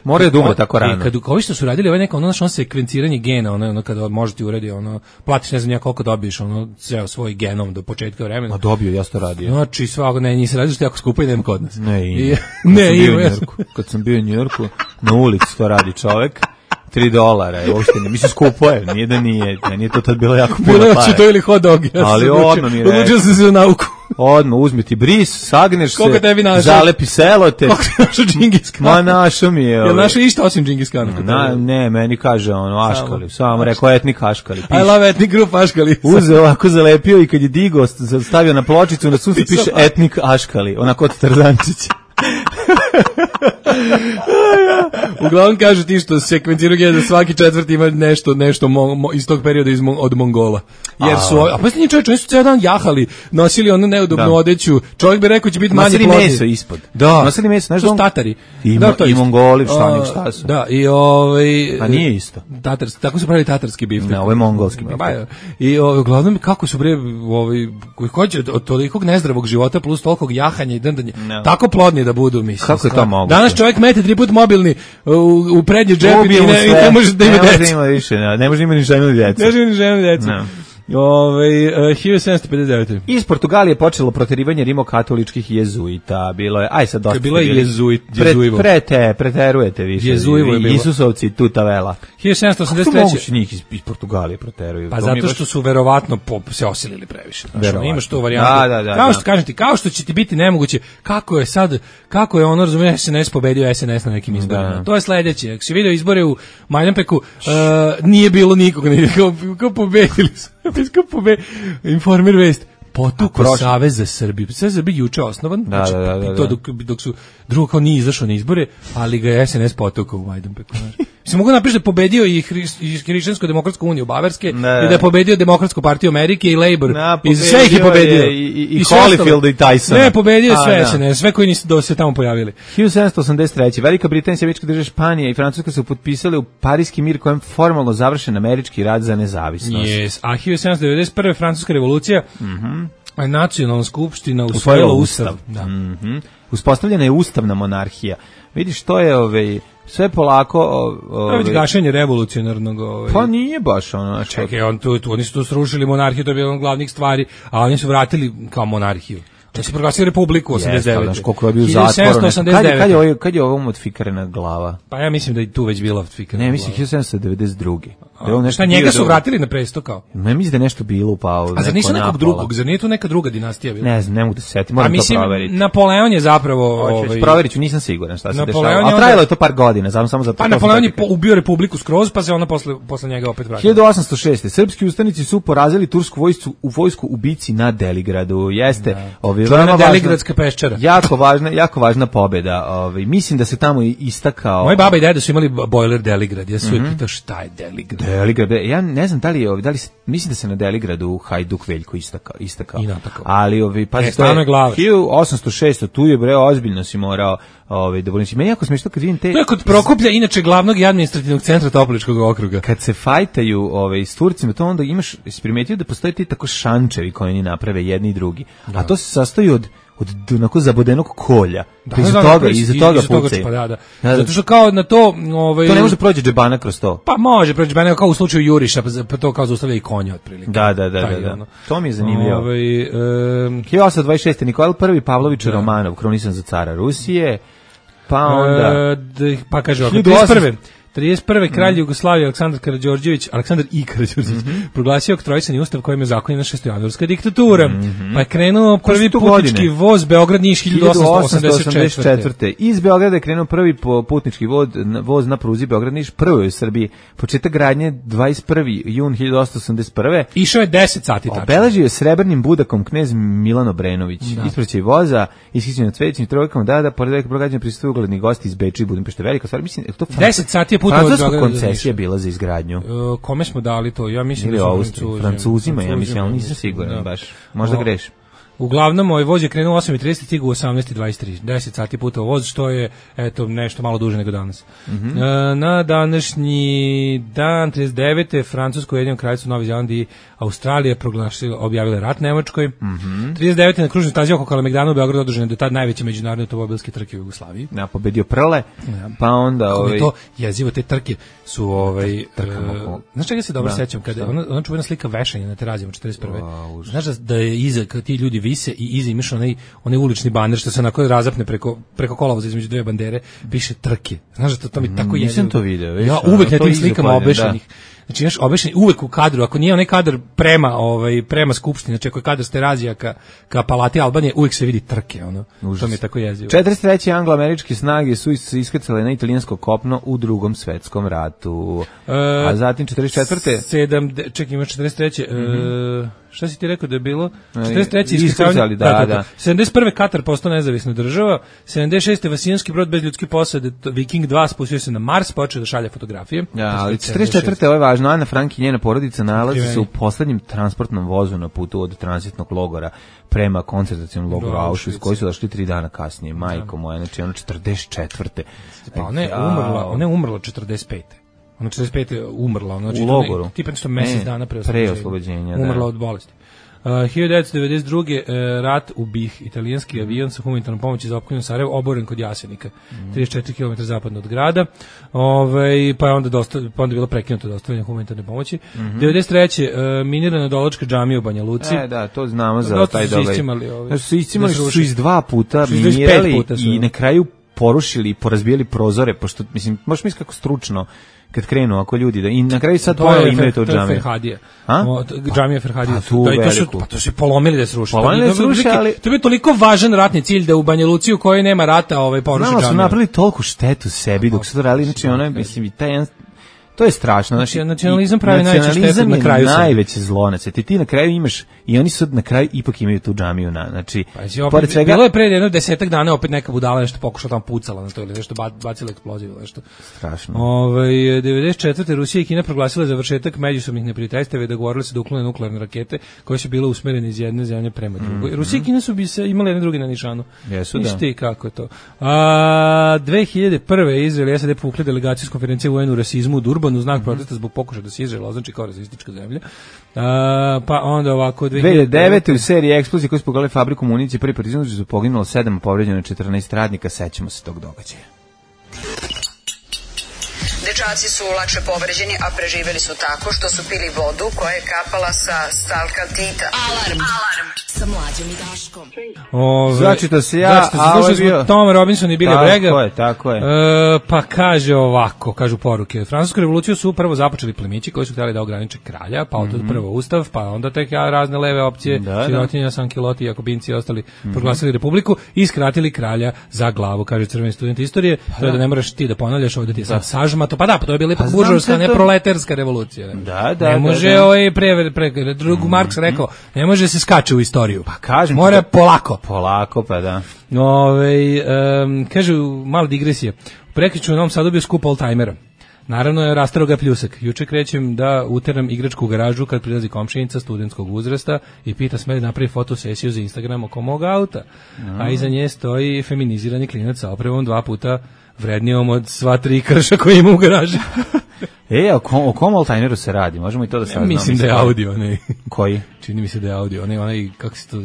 mora da umre tako rano. Kad ovi što su radili neko ono sekvenciranje gena, ono kada može ti uredi, platiš ne znam ja koliko dobiješ, ceo svoj genom do početka vremena. A dobio, ja to radio. Znači svako nisi radio što je jako skupo i nema kod nas. Kad sam bio u Njujorku, na ulici to radi čovek. $3, uopšte ne, mislim skupo je, nije da nije, meni je to tad bilo jako puno para. Bilo je to ili hot dog, ali odmah mi rekao. Odlučio sam se za nauku. Odmah, uzmi ti bris, sagneš se, zalepi selo te. Koliko ti našao Džingis Khan? Ma našao mi je. Jel našao išta osim Džingis Khana? Ne, meni kaže Aškali, samo rekao etnik Aškali. I love ethnic group Aškali. Uzeo ovako, zalepio i kad je digao, stavio na pločicu, na sunce piše etnik Aškali, onako od Tarzančića. Uglavnom kažu ti što sekvenciraju gena da svaki četvrti ima nešto iz tog perioda od Mongola. Jer su, a pa nije čovječ, oni su ceo dan jahali, nosili onu neudobnu odeću, čovjek bi rekao će biti manje plodni. Nosili meso ispod. Da. Nosili meso, znaš to su Tatari. I Mongoli, šta su. Da, i a nije isto. Tako su pravili tatarski biftek. Ne, ovo je mongolski biftek. I uglavnom kako su koji hoće od tolikog nezdravog života plus tolikog jahanja i drndanja, tako plodni da budu, mislim. Kako je to moguće? Danas čovjek mete 3 puta mobilni u prednji džep i ne može da ima djecu. Ne može imati ni ženu ni djecu. Ne može ni ženu ni djecu. 1759. Iz Portugalije počelo proterivanje rimokatoličkih jezuita. Bilo je, aj sad dosta. Bilo je jezuivo. Preterujete više. Jezuivo je bilo. Isusovci tuta vela. 1783. Kako moguće njih iz Portugalije proteruju? Pa zato što su verovatno se osilili previše. Imaš tu varijantu. Da. Kao što kažem ti, kao što će ti biti nemoguće, kako je ono, razumiješ, SNS pobedio SNS na nekim izborima. To je sledeće. Ako si vidio izbore u Majdanpeku, nije bilo nikoga, kao pobedili su. Informer vest. Potukao Savez za Srbiju. Savez za Srbiju juče osnovan, dok su drugo kao nije izašao na izbore, ali ga je SNS potukao u Majdanpeku. Se mogu napisati da je pobedio i Hrišćansko-demokratsku uniju Bavarske i da je pobedio Demokratsku partiju Amerike i Labor. I sve ih je pobedio. I Holyfield i Tyson. Ne, pobedio sve SNS, sve koji nisu se tamo pojavili. 1783. Velika Britanija, Sjemička država Španija i Francuska su potpisali u Parijski mir kojem formalno završen američki rat za nezavisnost. Yes. A 1791. Francuska revolucija, nacionalna skupština usvojila ustav. Da. Uspostavljena je ustavna monarhija. Vidiš, to je sve polako već gašenje revolucionarnog pa nije baš ono. Čekaj, oni su tu srušili monarhiju, to je bilo od glavnih stvari, a oni su vratili kao monarhiju. To se proglasili republiku 89. Znaš koliko je bio zatvor. Kad je ovo modifikarena glava? Pa ja mislim da i tu već bila modifikarena glava. Ne, mislim 1792. Šta, njega su vratili na presto kao? Ne, mislim da je nešto bilo upao. A zar nisu nekog drugog? Zar nije tu neka druga dinastija bila? Ne znam, ne mogu da se setim, moram to proveriti. Napoleon je zapravo... Proverit ću, nisam siguran šta se dešava. A trajalo je to par godina, samo zato... Pa Napoleon je ubio republiku skroz, pa se ona posle njega opet vratila. 1806. Srpski ustanici su porazili tursku vojsku u bici na Deligradu. Jeste, Deligradska peščara. Jako važna pobeda. Mislim da se tamo istakao... Moji baba i deda su imali bojler Deligrad. Ja sam uvijek pitao šta je Deligrad. Deligrad, ja ne znam da li mislim da se na Deligradu Hajduk Veljko istakao. I natakao. Ali pazi, to je 1806, tu je ozbiljno si morao da volim si. Meni jako smiješno kad vidim te... To je kod Prokuplja, inače glavnog i administrativnog centra Topličkog okruga. Kad se fajtaju s Turcima, to onda imaš, si primetio da postoje ti tako šančevi koji oni naprave jedni i drugi. Da. A to se sastoji od onako zabodenog kolja. Iza toga pucaju. Pa zato što kao na to... To ne može prođe džebana kroz to. Pa može prođe džebana, kao u slučaju Juriša, pa to kao zaustavlja i konja otprilike. Da. To mi je zanimljivo. 1826. Nikola I Pavlović Romanov, kronisan za cara Rusije, pa onda... Pa kaže ovako, 31. kralj Jugoslavije Aleksandar I. Karađorđević proglasio oktroisani ustav kojim je zakonjena šestojanuarska diktatura. Pa je krenuo prvi putnički voz Beograd-Niš 1884. Iz Beograda je krenuo prvi putnički voz na pruzi Beograd-Niš, prvi u Srbiji. Početak gradnje 21. jun 1881. Išao je 10 sati tačno. Obeležio je srebrnim budakom knez Milan Obrenović. Ispraćaj voza, ishićen na cvećnim trojkama, pored velikog broja građana prisustuju ugledni gosti iz Beča i Budimpešte. Velika stvar, mislim, to 10 sati je Francuska koncesija bila za izgradnju. Kome smo dali to? Ja mislim da su Francuzima, ja mislim, ali nisam siguran baš. Možda grešim. Uglavnom, ovaj voz je krenuo 8:30, stigao u 18:23. 10 sati putovao voz, što je nešto malo duže nego danas. Na današnji dan 39. Francusko, Ujedinjeno Kraljevstvo, Novi Zeland i Australija objavile rat Nemačkoj. 39. na kružnoj stazi oko Kalemegdana u Beogradu održane do tad najveće međunarodne automobilske trke u Jugoslaviji. Ja, pobedio Prle, pa onda... To jezivo, te trke su... Znaš čega se dobro sećam? Kada ona čuvena slika vešanja na Terazijama 41. Znaš da je iza, kad ti ljudi vise i iza imaš onaj ulični baner što se onako razapne preko kolovoza između dve bandere, piše trke. Znaš da to mi tako jezivo. Nisam to video. Ja uvek na tim slikama obešenih. Znači, znaš, obešeni uvek u kadru, ako nije onaj kadar prema skupštini, znači ako je kadar s Terazija ka Palati Albanije, uvek se vidi trke, ono. To mi je tako jezivo. 43. anglo-američke snage su se iskrcale na italijansko kopno u Drugom svetskom ratu. A zatim 44. Čekaj, ima 43. Šta si ti rekao da je bilo? 43. iskrcali, da. 71. Katar postao nezavisna država, 76. Vasijanski brod bez ljudske posade, Viking 2, spustio se na Mars, počeo da šalje fotografije. Ja, ali 44. ovo je važno, Ana Frank i njena porodica nalazi se u poslednjem transportnom vozu na putu od tranzitnog logora prema koncentracionom logoru Auschwitz, koji su došli 3 dana kasnije. Majko moja, znači ono 44. Pa ona je umrla 45. Ona 45. umrla, znači u logoru. Tipa nešto mesec dana pre oslobođenja. Umrla od bolesti. 1992. rat u Bih, italijanski avion sa humanitarnom pomoći za opkoljenju Sarajevo oboren kod Jasenika, 34 km zapadno od grada, pa je onda bilo prekinuto dostavljanje humanitarne pomoći. 93. minirana Dolačka džamija u Banja Luci. Da, to znamo za taj događaj. Su iscimali su iz 2 puta minirali i na kraju porušili i porazbijali prozore, pošto, mislim, možeš misliti kako stručno kad krenu ako ljudi i na kraju sad ponovo imaju to džamiju. To je Ferhadija. Džamija Ferhadija. To su polomili da se ruši. To je toliko važan ratni cilj da u Banja Luci u kojoj nema rata poruši džamiju. Znamo su napravili toliko štetu sebi dok su to radili, znači ono je, mislim, i taj jedan To je strašno. Znači, nacionalizam pravi najveće štete na kraju. Najveće zlo. Ti na kraju imaš, i oni sad na kraju ipak imaju tu džamiju. Znači, pored svega... Bilo je pre jedno 10 dana opet neka budala nešto pokušala tamo pucala na to ili nešto bacila eksploziju ili nešto. Strašno. 94. Rusija i Kina proglasile završetak međusobnih neprijateljstva i dogovorili se da uklone nuklearne rakete koje su bile usmerene iz jedne zemlje prema drugoj. Rusija i Kina su bi se imali jedne druge na nišanu. Jesu, da. Ti kako je to. 2001. Izrael i SAD povukli delegaciju s konferencije UN u rasizmu u Durbanu u znak protesta zbog pokušaja da se Izrael označi kao rasistička zemlja. Pa onda ovako 2009. u seriji eksplozije koje su pogodile fabriku municije prvi put iznuđu su poginulo 7, povređeno 14 radnika, sećamo se tog događaja. Dečaci su lakše povređeni, a preživeli su tako što su pili vodu koja je kapala sa stalkaltita. Alarm sa Mlađom i Daškom. Začito se ja, a ovo je bio... Tom Robinson i Billy Bragg. Tako je. Pa kaže ovako, kažu poruke. Francusku revoluciju su prvo započeli plemići koji su htjeli da ograniče kralja, pa od prvo ustav, pa onda tek razne leve opcije, sirotinja, sankiloti, jakobinci i ostali proglasili republiku i skratili kralja za glavu, kaže crveni student istorije. To je da ne moraš ti da ponavljaš, ovdje ti je sad sažmato. Pa to je bila ipak buržovska, ne proletarska revolucija. Ne može drugu Marks rekao, ne može se skače u istoriju. Pa kažem. Mora polako. Polako, pa da. Kažu, mala digresija. Prekriču u Novom Sadu bio skup oldtimera. Naravno je rastaro ga pljusak. Juče krećem da uteram igračku u garažu kad prilazi komšinica studentskog uzrasta i pita sme da napravi fotosesiju za Instagram oko mog auta. A iza nje stoji feminizirani klinac sa opremom 2 puta vrednijom od sva 3 krša koje ima u garaži. O kom oldtimeru se radi? Možemo i to da saznamo. Mislim da je audio, ne. Koji? Čini mi se da je audio, onaj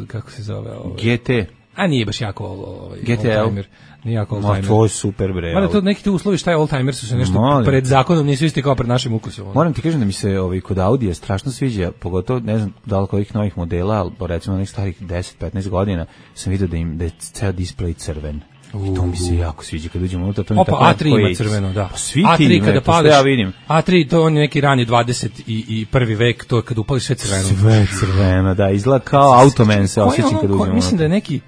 kako se zove? GT. A nije baš jako oldtimer. Nije jako oldtimer. To je super, bre. Mada to neki ti uslovi šta je oldtimer su se nešto pred zakonom nisu isti kao pred našim ukusom. Moram ti kažem da mi se kod Audija strašno sviđa, pogotovo ne znam da li kojih novih modela, ali recimo onih starih 10-15 godina sam vidio da je ceo displej crven. I to mi se jako sviđa kad uđemo unutra. A3 ima crveno, da. Pa svi ti kada pališ, ja vidim. A3, to on je neki rani 21. vek, to kad upališ sve crveno. Sve crveno, da, izgleda kao Automan se osjećam kad uđemo. Mislim da je neki,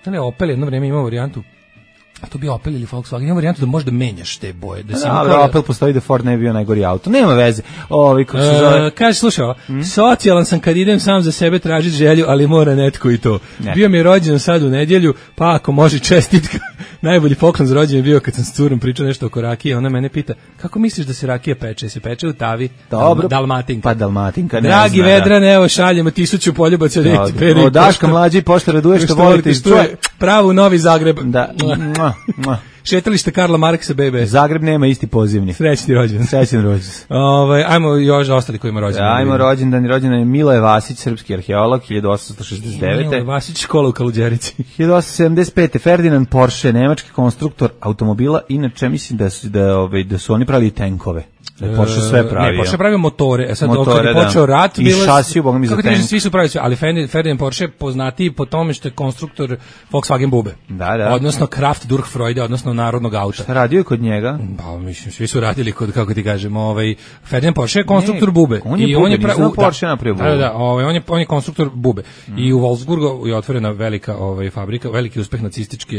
da li je Opel jedno vreme imao varijantu, a to bi Opel ili Volkswagen, ima varijantu da možda menjaš te boje. Da, Opel postoji da Ford ne bi bio najgori auto. Nema veze. Kaže, slušaj, socijalan sam kad idem sam za sebe tražiti želju, ali mora netko i to. Bio mi je rođen sad u nedjelju, pa ako može čestitka. Najbolji poklon za rođenje bio kad sam s curom pričao nešto oko rakije, ona mene pita, kako misliš da se rakija peče? Se peče u tavi? Dobro. Dalmatinka. Pa Dalmatinka, ne Dragi zna, Vedrane, evo šaljemo 1000 poljubaca od Daška mlađi pošto raduje što volite iz čuje. Pravo u Novi Zagreb. Da. Šetalište Karla Marksa, bebe. Zagreb nema isti pozivni. Srećni rođendan. Srećni rođendan. Ajmo još ostali koji ima rođendan. Ajmo rođendan je Miloje Vasić, srpski arheolog, 1869. Miloje Vasić, škola u Kaluđerici. 1875. Ferdinand Porsche, nemački konstruktor automobila, inače mislim da su oni pravili tenkove. Da je Porsche sve pravio. Ne, Porsche pravio motore. Sad kad je počeo rat, i šasiju, boga mi za tank. Svi su pravili sve, ali Ferdinand Porsche poznatiji po tome što je konstruktor Volkswagen Bube. Da. Odnosno Kraft Durchfreude, odnosno narodnog auta. Šta radio je kod njega? Pa mislim, svi su radili kod, kako ti kažem, Ferdinand Porsche je konstruktor Bube. On je Bube, nisam Porsche napravio Bube. Da, on je konstruktor Bube. I u Wolfsburgu je otvorena velika fabrika, veliki uspeh nacističke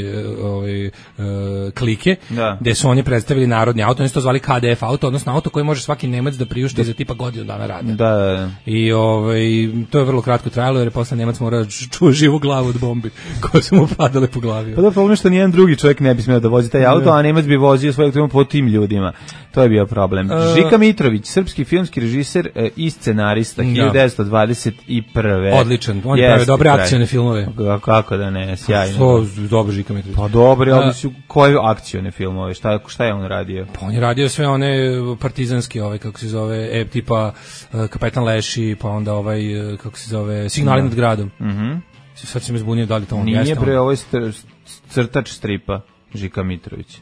klike, gde su oni predstavili narodni auto, oni su to zvali KDF auto, odnosno auto koji može svaki Nemac da priušti za tipa godinu dana rada. Da. I to je vrlo kratko trajalo jer je posle Nemac morao čuo živu glavu od bombi koje su mu padale po glavi. Pa da problem što nijedan drugi čovjek ne bi smeo da vozi taj auto, a Nemac bi vozio svojeg tema po tim ljudima. To je bio problem. Žika Mitrović, srpski filmski režiser i scenarista, 1921. Odličan, on je pravio dobre akcione filmove. Kako da ne, sjajno. To dobro Žika Mitrović. Pa dobri, ali su koje akcione filmove, šta je on radio? Pa on je radio sve one partizanske, kako se zove, tipa Kapetan Leši, pa onda kako se zove, Signali nad gradom. Sad se me zbunio da li to on jeste. Nije bre, ovo je crtač stripa, Žika Mitrović.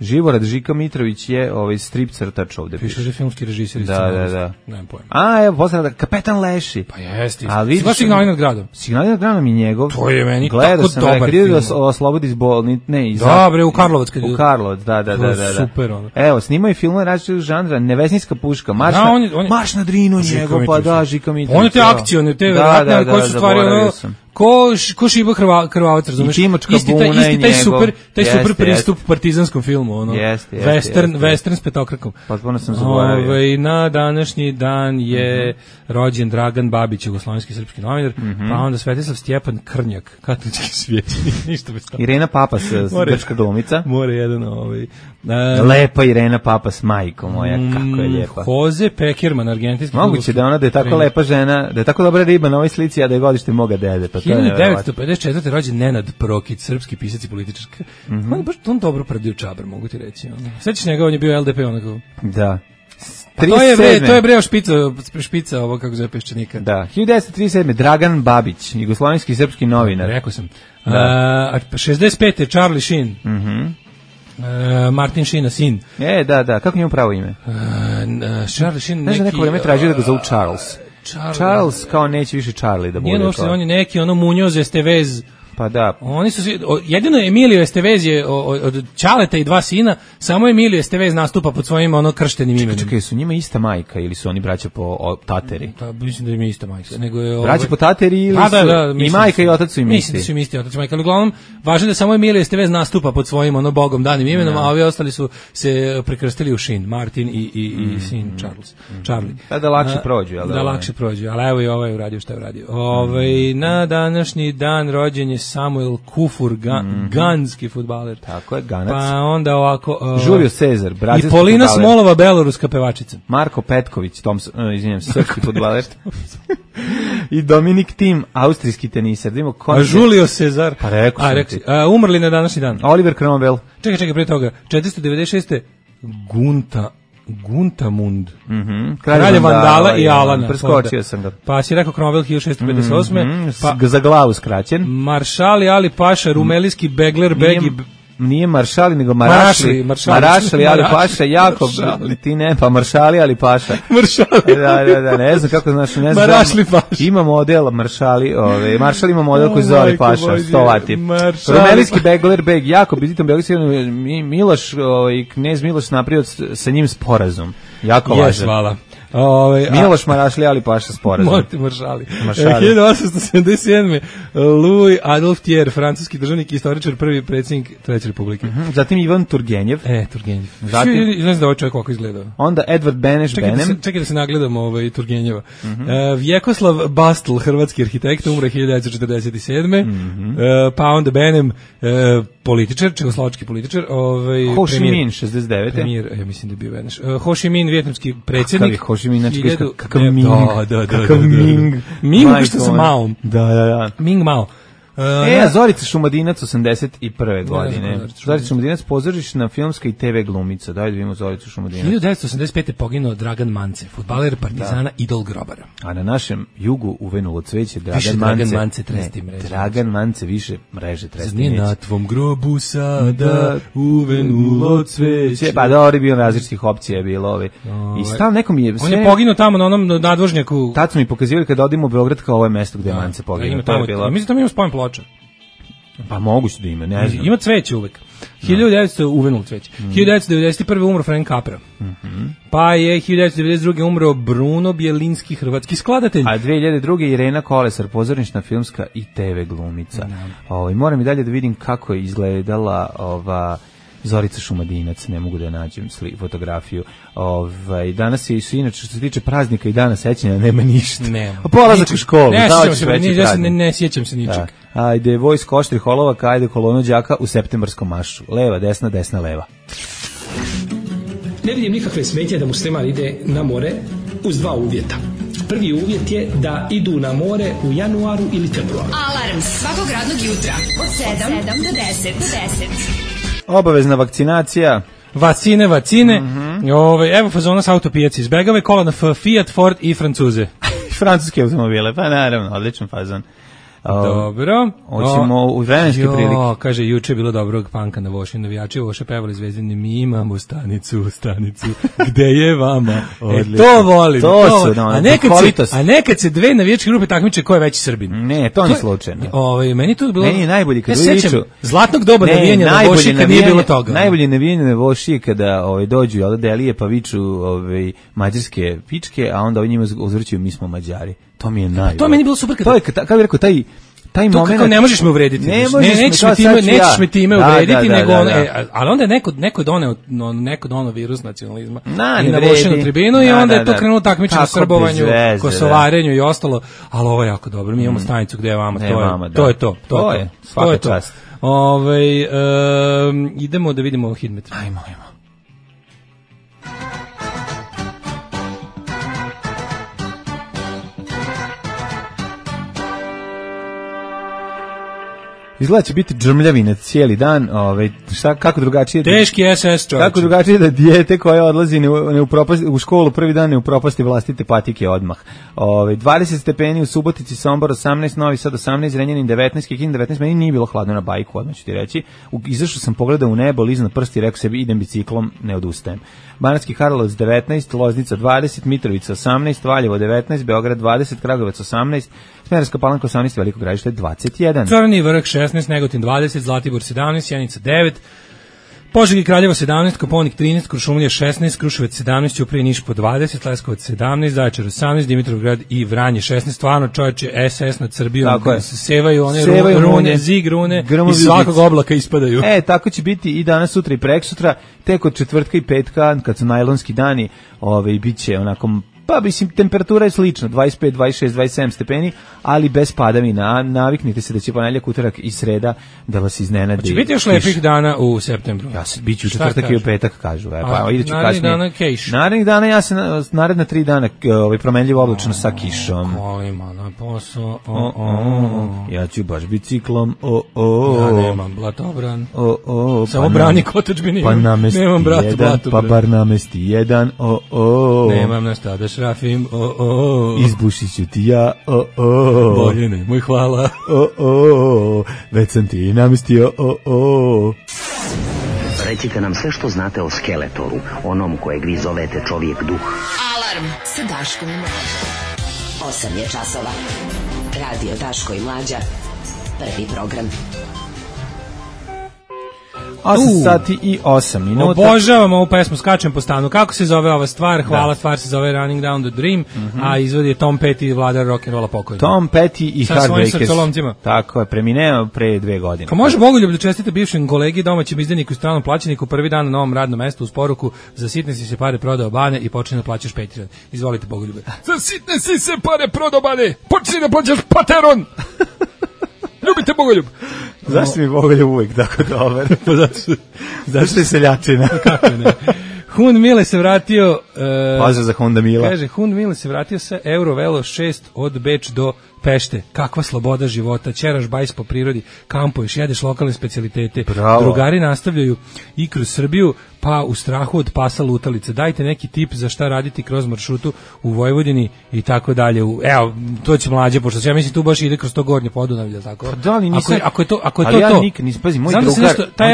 Živorad Žika Mitrović je strip crtač ovde. Piše da je filmski režiser. Da. Nemam pojma. Evo, posle Kapetan Leši. Pa jeste. Sva Signali nad gradom. Signali nad gradom je njegov. To je meni tako dobar film. Gledao sam da oslobodi iz bolnice. Dobre, u Karlovac. U Karlovac, da. Super ono. Evo, snimaju filmove različitog žanra, Nevesninska puška, Marš na Drinu njegov, pa da, Žika Mitrović. On je te akcione, te verovatne, koje su stvari Ko Šibo Krvavac, razumeš? Isti taj super pristup partizanskom filmu, ono. Western s petokrakom. Potpuno sam zaboravio. Na današnji dan je rođen Dragan Babić, jugoslovenski srpski novinar, pa onda Svetislav Stjepan Krnjak, katolički svećenik, ništa bez toga. Irena Papas, grčka glumica. More jedan lepa Irena Papas, majko moja, kako je lijepa. Jose Pekerman, argentinski. Moguće da ona da je tako lepa žena, da je tako dobra riba na ovoj slici, a da je godište moga dede. 1954. rođen Nenad Prokić, srpski pisac i političar. On dobro predio čabar, mogu ti reći. Sećaš njega, on je bio LDP onako. Da. To je breo špica ovo kako zove Peščanika. Da, 1937. Dragan Babić, jugoslovenski srpski novinar. Rekao sam. 65. Charlie Sheen. Martin Sheena sin. Da, kako njemu pravo ime? Charlie Sheen. Znaš da neko vreme traži da ga zovu Charles. Charles kao neće više Charlie da bude. Nije uopšte, on je neki Muñoz Estevez. Pa da. Oni su jedino Emilio Estevez je od Ćaleta i dva sina, samo Emilio Estevez nastupa pod svojim krštenim imenom. Čekaj, su njima ista majka ili su oni braća po tateri? Da, mislim da im je ista majka. Nego je braća po tateri ili i majka i otac su im isti? Mislim da su im isti otac i majka, ali uglavnom važno da samo Emilio Estevez nastupa pod svojim bogom danim imenom, a ovi ostali su se prekrstili u Sheen, Martin i sin Charlie. Da lakše prođu, jel da? Da lakše prođu, ali evo i ovaj uradio šta je uradio. Na današnji dan rođen je Samuel Kufur, ganski fudbaler. Tako je, Ganac. Pa onda ovako... Julio Cezar, brazilski fudbaler. I Polina Smolova, beloruska pevačica. Marko Petković, srpski fudbaler. I Dominik Thiem, austrijski teniser. A Julio Cezar. Pa rekao sam ti. Umrli na današnji dan. Oliver Cromwell. Čekaj, pre toga. 496. Guntamund. Kralj Vandala i Alana. Preskočio sam ga. Pa si rekao Cromwell 1658. Za glavu skraćen. Maršali Ali Paša, rumelijski begler begi. Nije Maršali, nego Marašli Ali Paša, jako, ti ne, pa Maršali Ali Paša. Da, ne znam kako znaš, ne znam. Marašli Paša. Ima model Maršali, Maršal ima model koji zove Ali Paša, 100 vati. Rumelijski begler beg, jako bizitan belgijski, Miloš, knez Miloš napravio sa njim sporazum. Jako važan. Hvala. Miloš Marašli Ali Paša sporazum. Moti Maršali. 1877. Louis Adolphe Thiers, francuski državnik i istoričar, prvi predsjednik Treće republike. Zatim Ivan Turgenjev. Turgenjev. Zatim, ne znam da ovaj čovjek kako izgledao. Onda Edvard Beneš Benem. Čekaj da se nagledam Turgenjeva. Vjekoslav Bastl, hrvatski arhitekt, umre 1947. Pa onda Benem, političar, čehoslovački političar. Ho Chi Minh, 69. Premijer, ja mislim da je bio Beneš. Ho Chi Minh, vijetnamski predsjednik. Kakav Ming. Kakav Ming. Ming što sa Maom. Da. Ming Mao. Zorica Šumadinac 81. godine. Zorica Šumadinac, pozorišna filmska i TV glumica. Daj da vidimo Zoricu Šumadinac. 1985. poginuo Dragan Mance, fudbaler Partizana, idol grobara. A na našem jugu uvenulo cveće Dragan Mance tresti mreže. Dragan Mance više mreže tresti mreže. Na tvom grobu sada uvenulo cveće. Pa dobro, bio različitih opcija je bilo. I stalno nekom je... On je poginuo tamo na onom nadvožnjaku. Tad su mi pokazivali kada odimo u Beograd kao ovo je mesto gde je Mance poginuo. Mislim tamo ima spomen ploča. Pa moguće da ima, ne znam. Ima cveće uvek. 1900 uvenulo cveće. 1991. umro Frank Capra. Pa je 1992. umro Bruno Bjelinski, hrvatski skladatelj. A 2002. Irena Kolesar, pozornična filmska i TV glumica. Moram i dalje da vidim kako je izgledala Zorica Šumadinac, ne mogu da nađem fotografiju. Danas je inače što se tiče praznika i dana sećanja nema ništa. Polazak u školu. Ne sjećam se ničeg. Ajde, vojsko oštrih olovaka, ajde kolonu đaka u septembarskom maršu. Leva, desna, desna, leva. Ne vidim nikakve smetnje da musliman ide na more uz dva uvjeta. Prvi uvjet je da idu na more u januaru ili februaru. Alarm svakog radnog jutra od 7 do 10. Obavezna vakcinacija. Vacine. Evo fazona sa autopijaci. Izbegave kola na Fiat, Ford i Francuze. Francuske automobile, pa naravno, odličan fazon. Dobro. Hoćemo u vremenske prilike. Kaže, juče je bilo dobrog panka na Voši. Navijači Voša pevali Zvezdini, mi imamo stanicu, gde je vama? To volim. A nekad se dve navijačke grupe takmiče ko je veći Srbin. Ne, to nije slučajno. Meni to bilo... Meni je najbolji kad zlatnog doba navijanja na Voši kad nije bilo toga. Najbolje navijanje na Voši je kada dođu delije pa viču mađarske pičke, a onda oni njima uzvrćuju mi smo Mađari. To mi je najbolje. To meni bilo super kako bih rekao, taj to moment kako ne možeš me uvrediti. Nećeš me time uvrediti, nego ali onda je neko doneo virus nacionalizma i navošio na tribinu i onda je to krenulo takmičenje na srbovanju, kosovarenju i ostalo, ali ovo je jako dobro. Mi imamo stanicu gde je vama, to je to. To je svaka čast. Idemo da vidimo Hidmet. Ajmo. Izgleda će biti džrmljavina cijeli dan, kako drugačije... Teški SS, čovječe. Kako drugačije da dijete koje odlazi u školu prvi dan ne upropasti vlastite patike odmah. 20 stepeni u Subotici, Sombor 18, Novi Sad 18, Renjanin 19, Kikin 19, meni nije bilo hladno na bajku, odmah ću ti reći. Izašao sam, pogledao u nebo, liz na prsti i rekao sebi, idem biciklom, ne odustajem. Banatski Karlovac 19, Loznica 20, Mitrovica 18, Valjevo 19, Beograd 20, Kragujevac 18, Smederevska Palanka 18, Veliko Gradište 21. Crni vrh 16, Negotin 20, Zlatibor 17, Sjenica 9, Požega i Kraljevo 17, Koponik 13, Kuršumlija 16, Kruševac 17, Ćuprija Niš po 20, Leskovac 17, Zaječar 18, Dimitrovgrad i Vranje 16. Stvarno, čovječe, SS nad Srbijom se sevaju one rune, zig rune i svakog oblaka ispadaju. Tako će biti i danas, sutra i preksutra, tek od četvrtka i petka, kad su najlonski dani, bit će onako... Pa, mislim, temperatura je slična, 25, 26, 27 stepeni, ali bez padavina. Naviknite se da će ponedjeljak, utorak i sreda da vas iznenadi. Će biti još lepih dana u septembru? Ja se biću u četvrtak i u petak, kažu. Narednih dana kejš. Narednih dana ja se naredna 3 dana promenljivo oblačno sa kišom. Kolima na posao, ja ću baš biciklom, ja nemam blatobran. Samo brani kotačbini. Pa namesti jedan, pa bar namesti jedan, nemam na šta da šrafim, izbušit ću ti ja, bolje nemoj, hvala, već sam ti namestio, Recite nam sve što znate o Skeletoru, onom kojeg vi zovete čovjek duh. Alarm sa Daškom i Mlađa. 8 je časova. Radio Daško i Mlađa. Prvi program. 8 sati i 8 minuta. Obožavam ovu pesmu, skačem po stanu. Kako se zove ova stvar? Hvala, stvar se zove Running Down the Dream, a izvodi je Tom Petty, vladar rock'n'rolla pokojni. Tom Petty i Heartbreakers. Srcolomcima. Tako je, premineo pre 2 godine. Pa može Bogoljub da čestite bivšem kolegi, domaćem izdajniku i stranom plaćeniku, prvi dan na novom radnom mestu uz poruku: za sitne si se pare prodao bane i počne da plaćaš Patreon. Izvolite Bogoljube. Za sitne si se pare prodao bane, počni da plaćaš Patreon. Ljubite Bogoljub. Zašto mi Bogoljub uvijek tako dobar? Zašto je seljačina? Kako ne? Hun Mile se vratio... Pozdrav za Honda Mila. Kaže, Hun Mile se vratio sa Eurovelo 6 od Beč do Pešte. Kakva sloboda života, ćeraš bajs po prirodi, kampuješ, jedeš lokalne specijalitete. Bravo. Drugari nastavljaju i kroz Srbiju, pa u strahu od pasa lutalice. Dajte neki tip za šta raditi kroz maršrutu u Vojvodini i tako dalje. Evo, to će Mlađe, pošto ja mislim tu baš ide kroz to Gornje Podunavlje, tako? Pa da li nisam... Ako je to ali ja nikad nisam, pazi, moj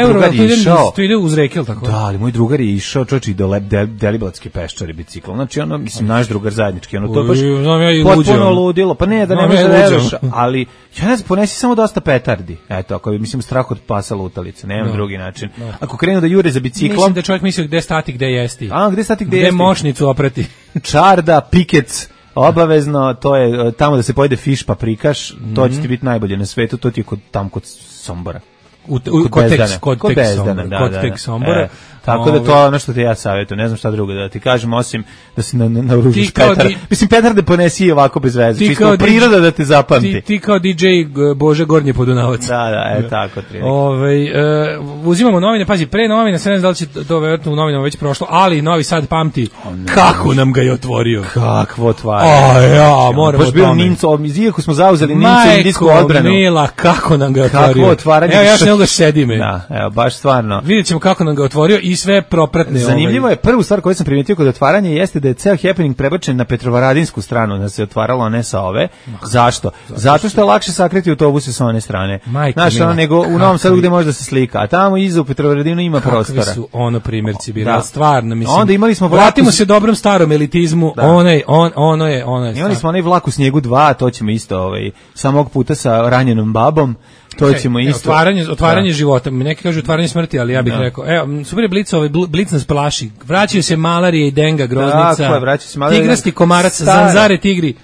drugar je išao... To ide uz reke, tako? Da, ali moj drugar je išao, čovječe, i do Deliblatske Peščare biciklom. Znači, ono, mislim, naš drugar zajednički, ono, to je baš potpuno ludilo. Pa ne, da ne može da veruješ, ali ja ne znam, ponesi samo dosta petardi. Eto, ako je, mislim, strah od pasa lutalice, nemam drugi način. Ako krenu da jure za biciklom... Mislim da čovjek misli gde stati, gde jesti. Gde stati, gde jesti? Gde mošnicu oprati. Čarda, pikec, obavezno, to je tamo da se pojede fiš paprikaš, to će ti biti najbolje na svetu, to ti je tamo kod Sombora. Kod tek Sombora. Tako da to je ono što ti ja savjetujem, ne znam šta drugo da ti kažem, osim da se naoružiš petarde. Mislim, petarde ponesi i ovako bez veze, čisto priroda da te zapamti. Ti kao DJ Bože Gornje Podunavac. Da, tako. Uzimamo novine, pazi, pre novine, sve ne znam da li će to vjerojatno u novinama već prošlo, ali Novi Sad pamti kako nam ga je otvorio. Kakvo otvaranje. Moramo baš bio Ninco, iako smo zauzeli Ninco indijsku odbranu. Majko mila, kako nam ga otvorio. Kakvo otvaranje. Evo, ja još nego sedime. Da, evo, baš stvarno. Vidjet ćemo kako nam ga otvorio i sve propratne. Zanimljivo je, prvu stvar koju sam primijetio kod otvaranja jeste da je ceo happening prebačen na Petrovaradinsku stranu, da se otvaralo, a ne sa ove. Zašto? Zato što je lakše sakriti autobuse sa one strane. Znaš, nego u Novom Sadu gde može da se slika, a tamo iza u Petrovaradinu ima prostora. Kakvi su primjerci bili, stvarno, mislim. Onda imali smo vratimo se dobrom starom elitizmu, ono je. Imali smo onaj vlak u snijegu 2, to ćemo isto samog puta sa ranjenom babom. To ćemo isto. Otvaranje života. Neki kažu otvaranje smrti, ali ja bih rekao, evo, super je Blic nas plaši. Vraćaju se malarije i denga, groznica. Tako je, vraćaju se malarije. Tigrasti komarac, zanzare tigri.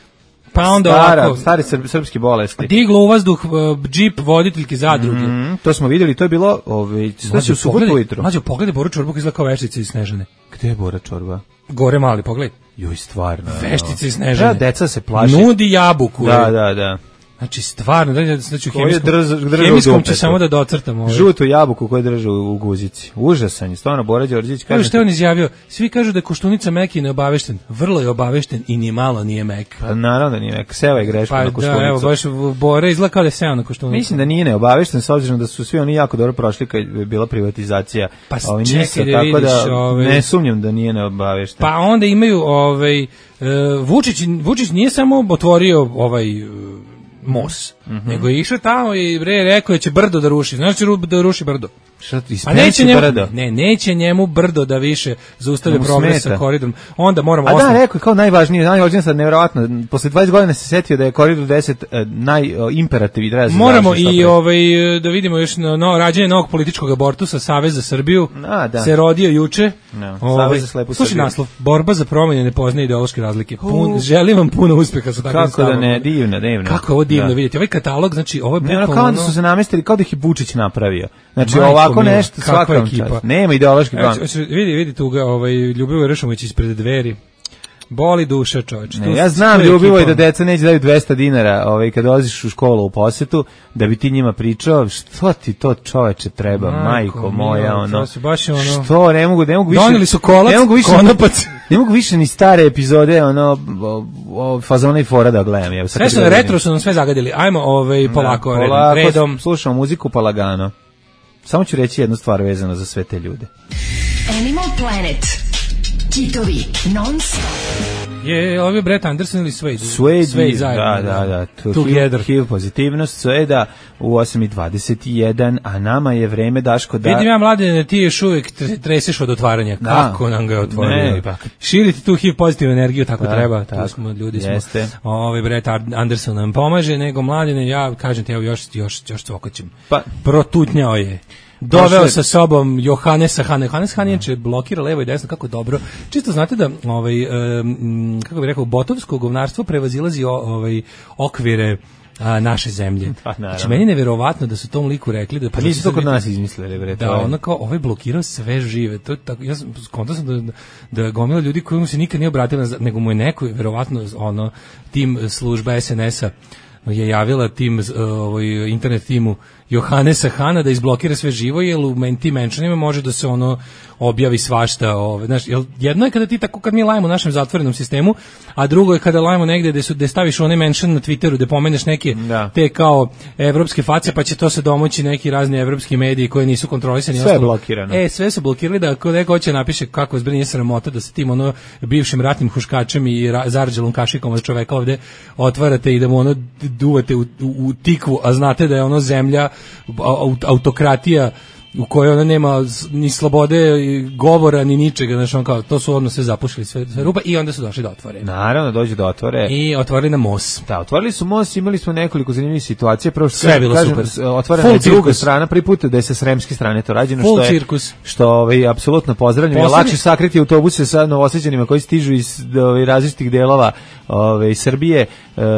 Pa onda stare srpske bolesti. Diglo u vazduh džip voditeljke zadruge. To smo vidjeli, to je bilo sve u subotu ujutru. Mlađo, pogledaj Boru Čorbu koji izgleda kao veštica iz Snežane. Gde je Bora Čorba? Gore mali, pogledaj. Joj, stvarno. Veštica iz Snežane. Deca se plaše. Nudi jabuku. Da. Znači, stvarno, znači hemijskom će samo da docrtamo. Žutu jabuku koju drže u guzici. Užasan je, stvarno, Bora Đorđević kaže. Što je on izjavio? Svi kažu da je Koštunica mek i neobavešten. Vrlo je obavešten i ni malo nije mek. Pa naravno da nije mek. Seva je greška na Koštunicu. Da, evo, baš Bora izgleda kao da je seo na Koštunicu. Mislim da nije neobavešten, s obzirom da su svi oni jako dobro prošli kad je bila privatizacija. Pa čekaj da vidiš. Ne sumnjam da nije neobavešten. Pa onda imaju, Vučić nije samo otvorio Mos, nego je išao tamo i rekao da će brdo da ruši. Znaš da ruši brdo? A neće njemu brdo da više zaustavlja progres sa koridorom. Onda moramo rekao kao najvažnije sad nevjerovatno. Posle 20 godina se setio da je koridor 10 najimperativ i treba. Moramo i da vidimo još rađenje novog političkog abortusa. Savez za Srbiju se rodio juče. Savez za slepu Srbiju. Slušaj naslov, borba za promjene ne poznaje ideološke razlike. Želim vam puno uspeha sa takvim stavom. Kako da ne, divno. Kako je ovo divno vidjeti. Ovaj katalog, znači ovo je bukvalno kao da su se namestili, kao da ih je Vučić napravio. Znači ovako nešto svaka ekipa. Nema ideološki plan. Vidi tu ga Ljubivoj Ršomović ispred Dveri. Boli duša, čoveče. Ja znam Ljubivoj da deca neće daju 200 dinara kad dolaziš u školu u posetu, da bi ti njima pričao što ti to čoveče treba, majko moja, što, ne mogu više. Doneli su kolac, konopac. Ne mogu više ni stare epizode, fazona i fora da gledam. Sve su retro su nam sve zagadili. Ajmo polako, redom. Slušamo muziku pa lagano. Samo ću reći jednu stvar vezano za sve te ljude. Animal Planet. Kitovi non-stop. Je ovdje Brett Anderson ili Suede? Suede, da. Together. HIV pozitivnost Sueda u 8:21, a nama je vreme, Daško, da... Vidim ja, Mladene, ti još uvijek treseš od otvaranja. Kako nam ga je otvorio? Širiti tu HIV pozitivnu energiju, tako treba. Tu smo, ljudi smo. Brett Anderson nam pomaže, nego Mladene, ja kažem ti, evo još cvokoćem. Protutnjao je. Doveo sa sobom Johannes Han. Johannes Han je blokira levo i desno, kako dobro. Čisto znate da kako bih rekao, botovsko govnarstvo prevazilazi okvire naše zemlje. Znači, meni je neverovatno da su tom liku rekli da... Pa nisu to kod nas izmislili, bre. Da, ono kao, ovaj blokirao sve žive. To je tako, ja skontao sam da gomila ljudi koji mu se nikad nije obratila, nego mu je neko, verovatno, tim služba SNS-a je javila tim, internet timu Johannesa Hana da izblokira sve živo, jer u tim mentionima može da se objavi svašta. Jedno je kada ti tako, kad mi lajemo u našem zatvorenom sistemu, a drugo je kada lajemo negde gde staviš onaj mention na Twitteru, gde pomeneš neke te kao evropske face, pa će to se domoći neki razni evropski mediji koji nisu kontrolisani. Sve je blokirano. Sve su blokirali, da ako neko hoće napiše kako zbrinje sramota da se tim bivšim ratnim huškačem i zarđelom kašikom od čoveka ovde otvarate i da mu duvate u tikvu, a znate da je zemlja autokratija u kojoj ona nema ni slobode govora ni ničega, znači kao to su odmah sve zapušili sve rupa i onda su došli da otvore. Naravno, dođe da otvore. I otvorili na Mos. Da, otvorili su Mos, imali smo nekoliko zanimljivih situacija, prvo što sve je bilo super. Otvorena je druga strana, prvi put da je sa sremske strane to rađeno, što je apsolutno pozdravljeno. Je lakše sakriti autobuse sa Novosađanima koji stižu iz različitih delova Srbije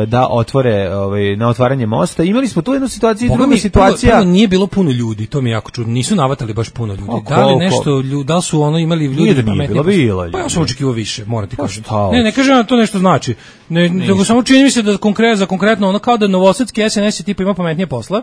da otvore na otvaranje mosta. Imali smo tu jednu situaciju, druga situacija. Nije bilo puno ljudi, to mi je jako čudno. Nisu navatali baš puno ljudi. Da li su imali ljudi pametnije? Pa ja sam očekivao više, moram ti kažem. Ne kažem da to nešto znači. Nego samo čini mi se da konkretno kao da novosadski SNS tipa ima pametnije posla,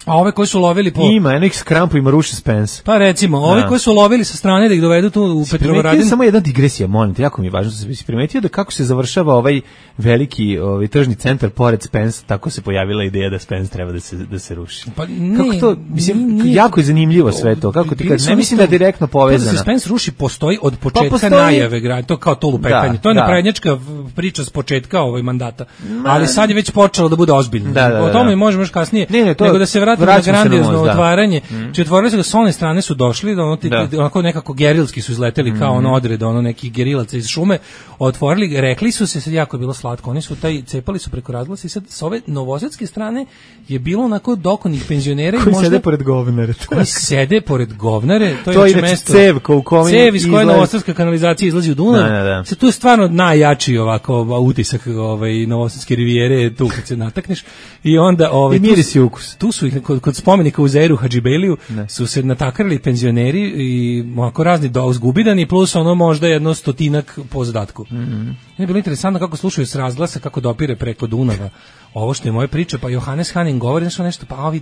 a ove koji su lovili po... Ima, jednih skrampu ima ruši Spence. Pa recimo, ovi koji su lovili sa strane da ih dovedu tu u Petrovaradin... Samo jedna digresija, molim te, jako mi je važno da se primetio da kako se završava ovaj veliki tržni centar pored Spence, tako se pojavila ideja da Spence treba da se ruši. Pa ne, kako to, mislim, jako je zanimljivo sve to, kako ti kažeš, ne mislim da je direktno povezano. To da se Spence ruši postoji od početka najave grada, to kao to lupetanje, to je naprednjačka priča s početka mandata, ali sad je već počelo da bude ozbiljno. O tome možemo još kasnije, nego da se vratimo na grandiozno otvaranje. Či otvorili se da s one strane su došli, onako nekako gerilski su izleteli kao odred, nekih gerilaca iz šume, otvorili, rekli su se, sad jako je bilo slatko, oni su cepali su preko razglasa i sad s ove novosadske strane je bilo onako dokonih penzionera koji sede pored govnara. oni sede pored govnare, to je mesto cevka u kome cev iz koje novosadska kanalizacija izlazi u Dunav. Da. Tu je stvarno najjači ovako utisak novosadske rivijere tu kad se natakneš i onda i miris i ukus. Tu su ih kod spomenika u Zeiru Hadžibeliju su se natakarili penzioneri i ovako razni uzgubidani plus ono možda jedno 100 po zadatku. Je bilo interesantno kako slušaju s razglasa kako dopire preko Dunava. Ovo što je moja priča, pa Johannes Haning govori nešto, pa ovi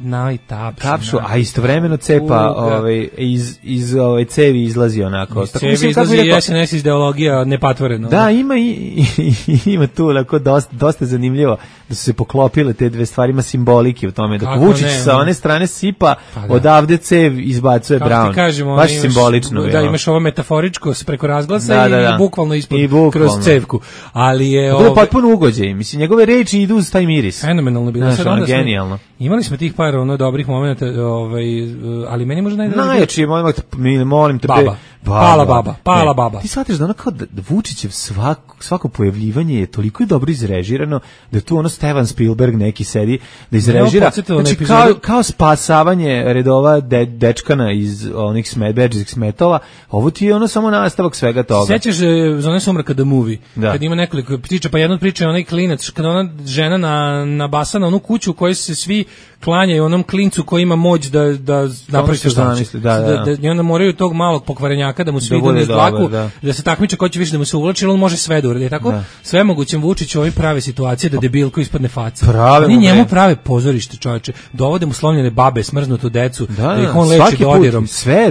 tapšu, a istovremeno cepa iz cevi izlazi onako. Cevi izlazi i SNS ideologija nepatvoreno. Da, ima tu onako dosta zanimljivo da su se poklopile te dve stvari, ima simbolike u tome. Dok Vučić sa one strane sipa, odavde cev izbacuje Brown. Kažemo, baš simbolično. Da, imaš ovo metaforično preko razglasa i bukvalno ispod kroz cevku. Ali je... To je potpuno ugođaj. Mislim, njegove reči idu uz taj miris. Fenomenalno bilo. Genijalno. Imali smo tih par dobrih momenata, ali meni možda najjači je molim te Pala baba. Ti shvatiš da ono kao da Vučićev svako pojavljivanje je toliko dobro izrežirano da tu ono Steven Spielberg neki sedi da izrežira. Znači kao spasavanje redova dečkana iz onih beđskih smetova, ovo ti je ono samo nastavak svega toga. Sećaš Zone sumraka The Movie? Kad ima nekoliko priča, pa jedna od priča je onaj klinac, kada ona žena nabasa na onu kuću u kojoj se svi klanjaju onom klincu koji ima moć da napravi što znači. I onda moraju tog malog pokvarenjaka da mu svi idu niz dlaku, da se takmiče ko će više da mu se uvlači, on može sve da uradi. Tako sve mogućem Vučiću ovi prave situacije da debilko ispadne faca. Oni njemu prave pozorište, čoveče. Dovode mu slomljene babe, smrznutu decu, da ih on leči dodirom.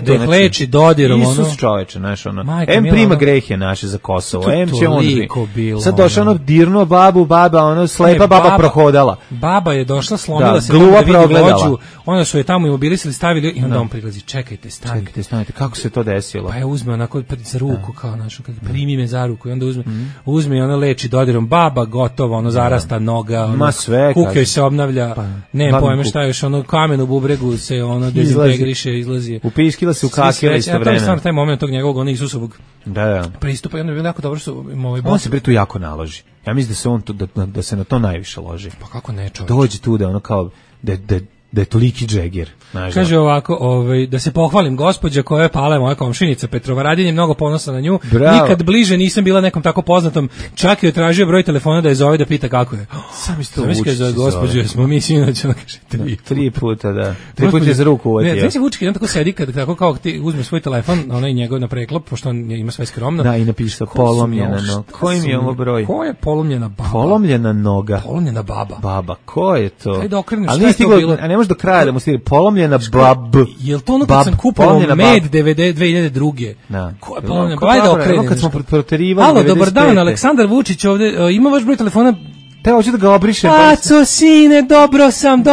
Da ih leči dodirom. Isus čoveče, znaš ono. Prima grehe naše za Kosovo. Će on sad došao ono dirno baba, ono slepa baba prohodala. Baba je došla, slomila se da vidi vođu, onda su je tamo imobilisali, stavili i onda on prilazi, čekajte, stanite. Kako se to desilo? Pa je uzme onako za ruku, kao našo, primi me za ruku i onda uzme i ona leči dodirom, baba gotovo, ono zarasta noga, ono, kukjoj se obnavlja, ne pojme šta još, ono kamen u bubregu se ono dezintegriše, izlazi. Upiškila se, ukakila isto vreme. Ja taj moment tog njegovog, ono Isusovog pristupa i onda je bilo jako dobro što on se pri tu jako naloži. Ja mislim da se on da se na to najviše loži. Pa kako ne, čovječ? Dođe tu da ono kao da je toliki džegir. Kaže ovako, da se pohvalim, gospođa koja je Pala, moja komšinica Petrova Radin, je mnogo ponosa na nju. Bravo. Nikad bliže nisam bila nekom tako poznatom, čak je tražio broj telefona da je zove da pita kako je. Sam isto Vučić za gospođu, smo mi sinoć, ona kaže 3 puta, da. 3 puta je za ruku uvatio. Ne, znači Vučić on tako sedi kad tako kao ti uzme svoj telefon, onaj njegov na preklop, pošto on ima sve skromno. Da, i napiše polomljena noga. Koji mi je ovo broj? Ko je polomljena baba? Polomljena noga. Polomljena baba. Baba, ko je to? Ajde okreneš šta je to bilo. A ne može do kraja da mu stigne polomljena bab. Jel to ono kad sam kupovao med 2002. Da. Ko je polomljena baba? Ajde okreneš. Kad smo proterivali 95. Alo, dobar dan, Aleksandar Vučić ovde. Ima vaš broj telefona? Te hoću da ga obrišem. Aco, sine, dobro sam.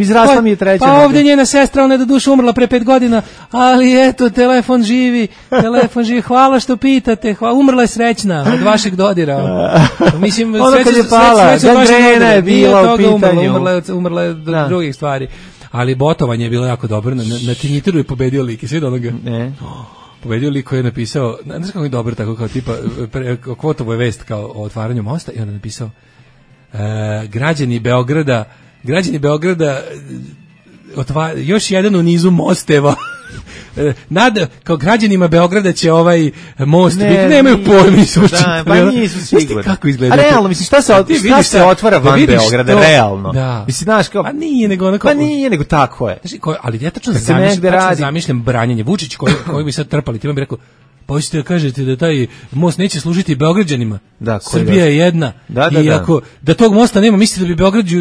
Izrasla mi je treća. Pa ovdje njena sestra, ona je do duše umrla pre 5 godina, ali eto, telefon živi, hvala što pitate, umrla je srećna od vašeg dodira. Mislim, ono kad je pala, gangrena je bila u pitanju. Umrla je do drugih stvari. Ali botovanje je bilo jako dobro, na Tinjiteru je pobedio lik, sve do onoga. Ne. Pobedio lik koji je napisao, ne znam kako je dobro, tako kao tipa, Kvotovo je vest kao o otvaranju mosta i onda je napisao, građani Beograda još jedan u nizu mosteva. Kao građanima Beograda će ovaj most biti, nemaju pojma, nisu sigurni. Kako izgleda? A realno, mislim, šta se otvara van Beograda, realno? Da. Mislim, znaš, kao... Pa nije, nego tako je. Ali ja tačno zamišljam branjenje. Vučić koji bi sad trpali, ti vam bi rekao, pa hoćete da kažete da taj most neće služiti Beograđanima. Srbija je jedna. I ako da tog mosta nema, mislite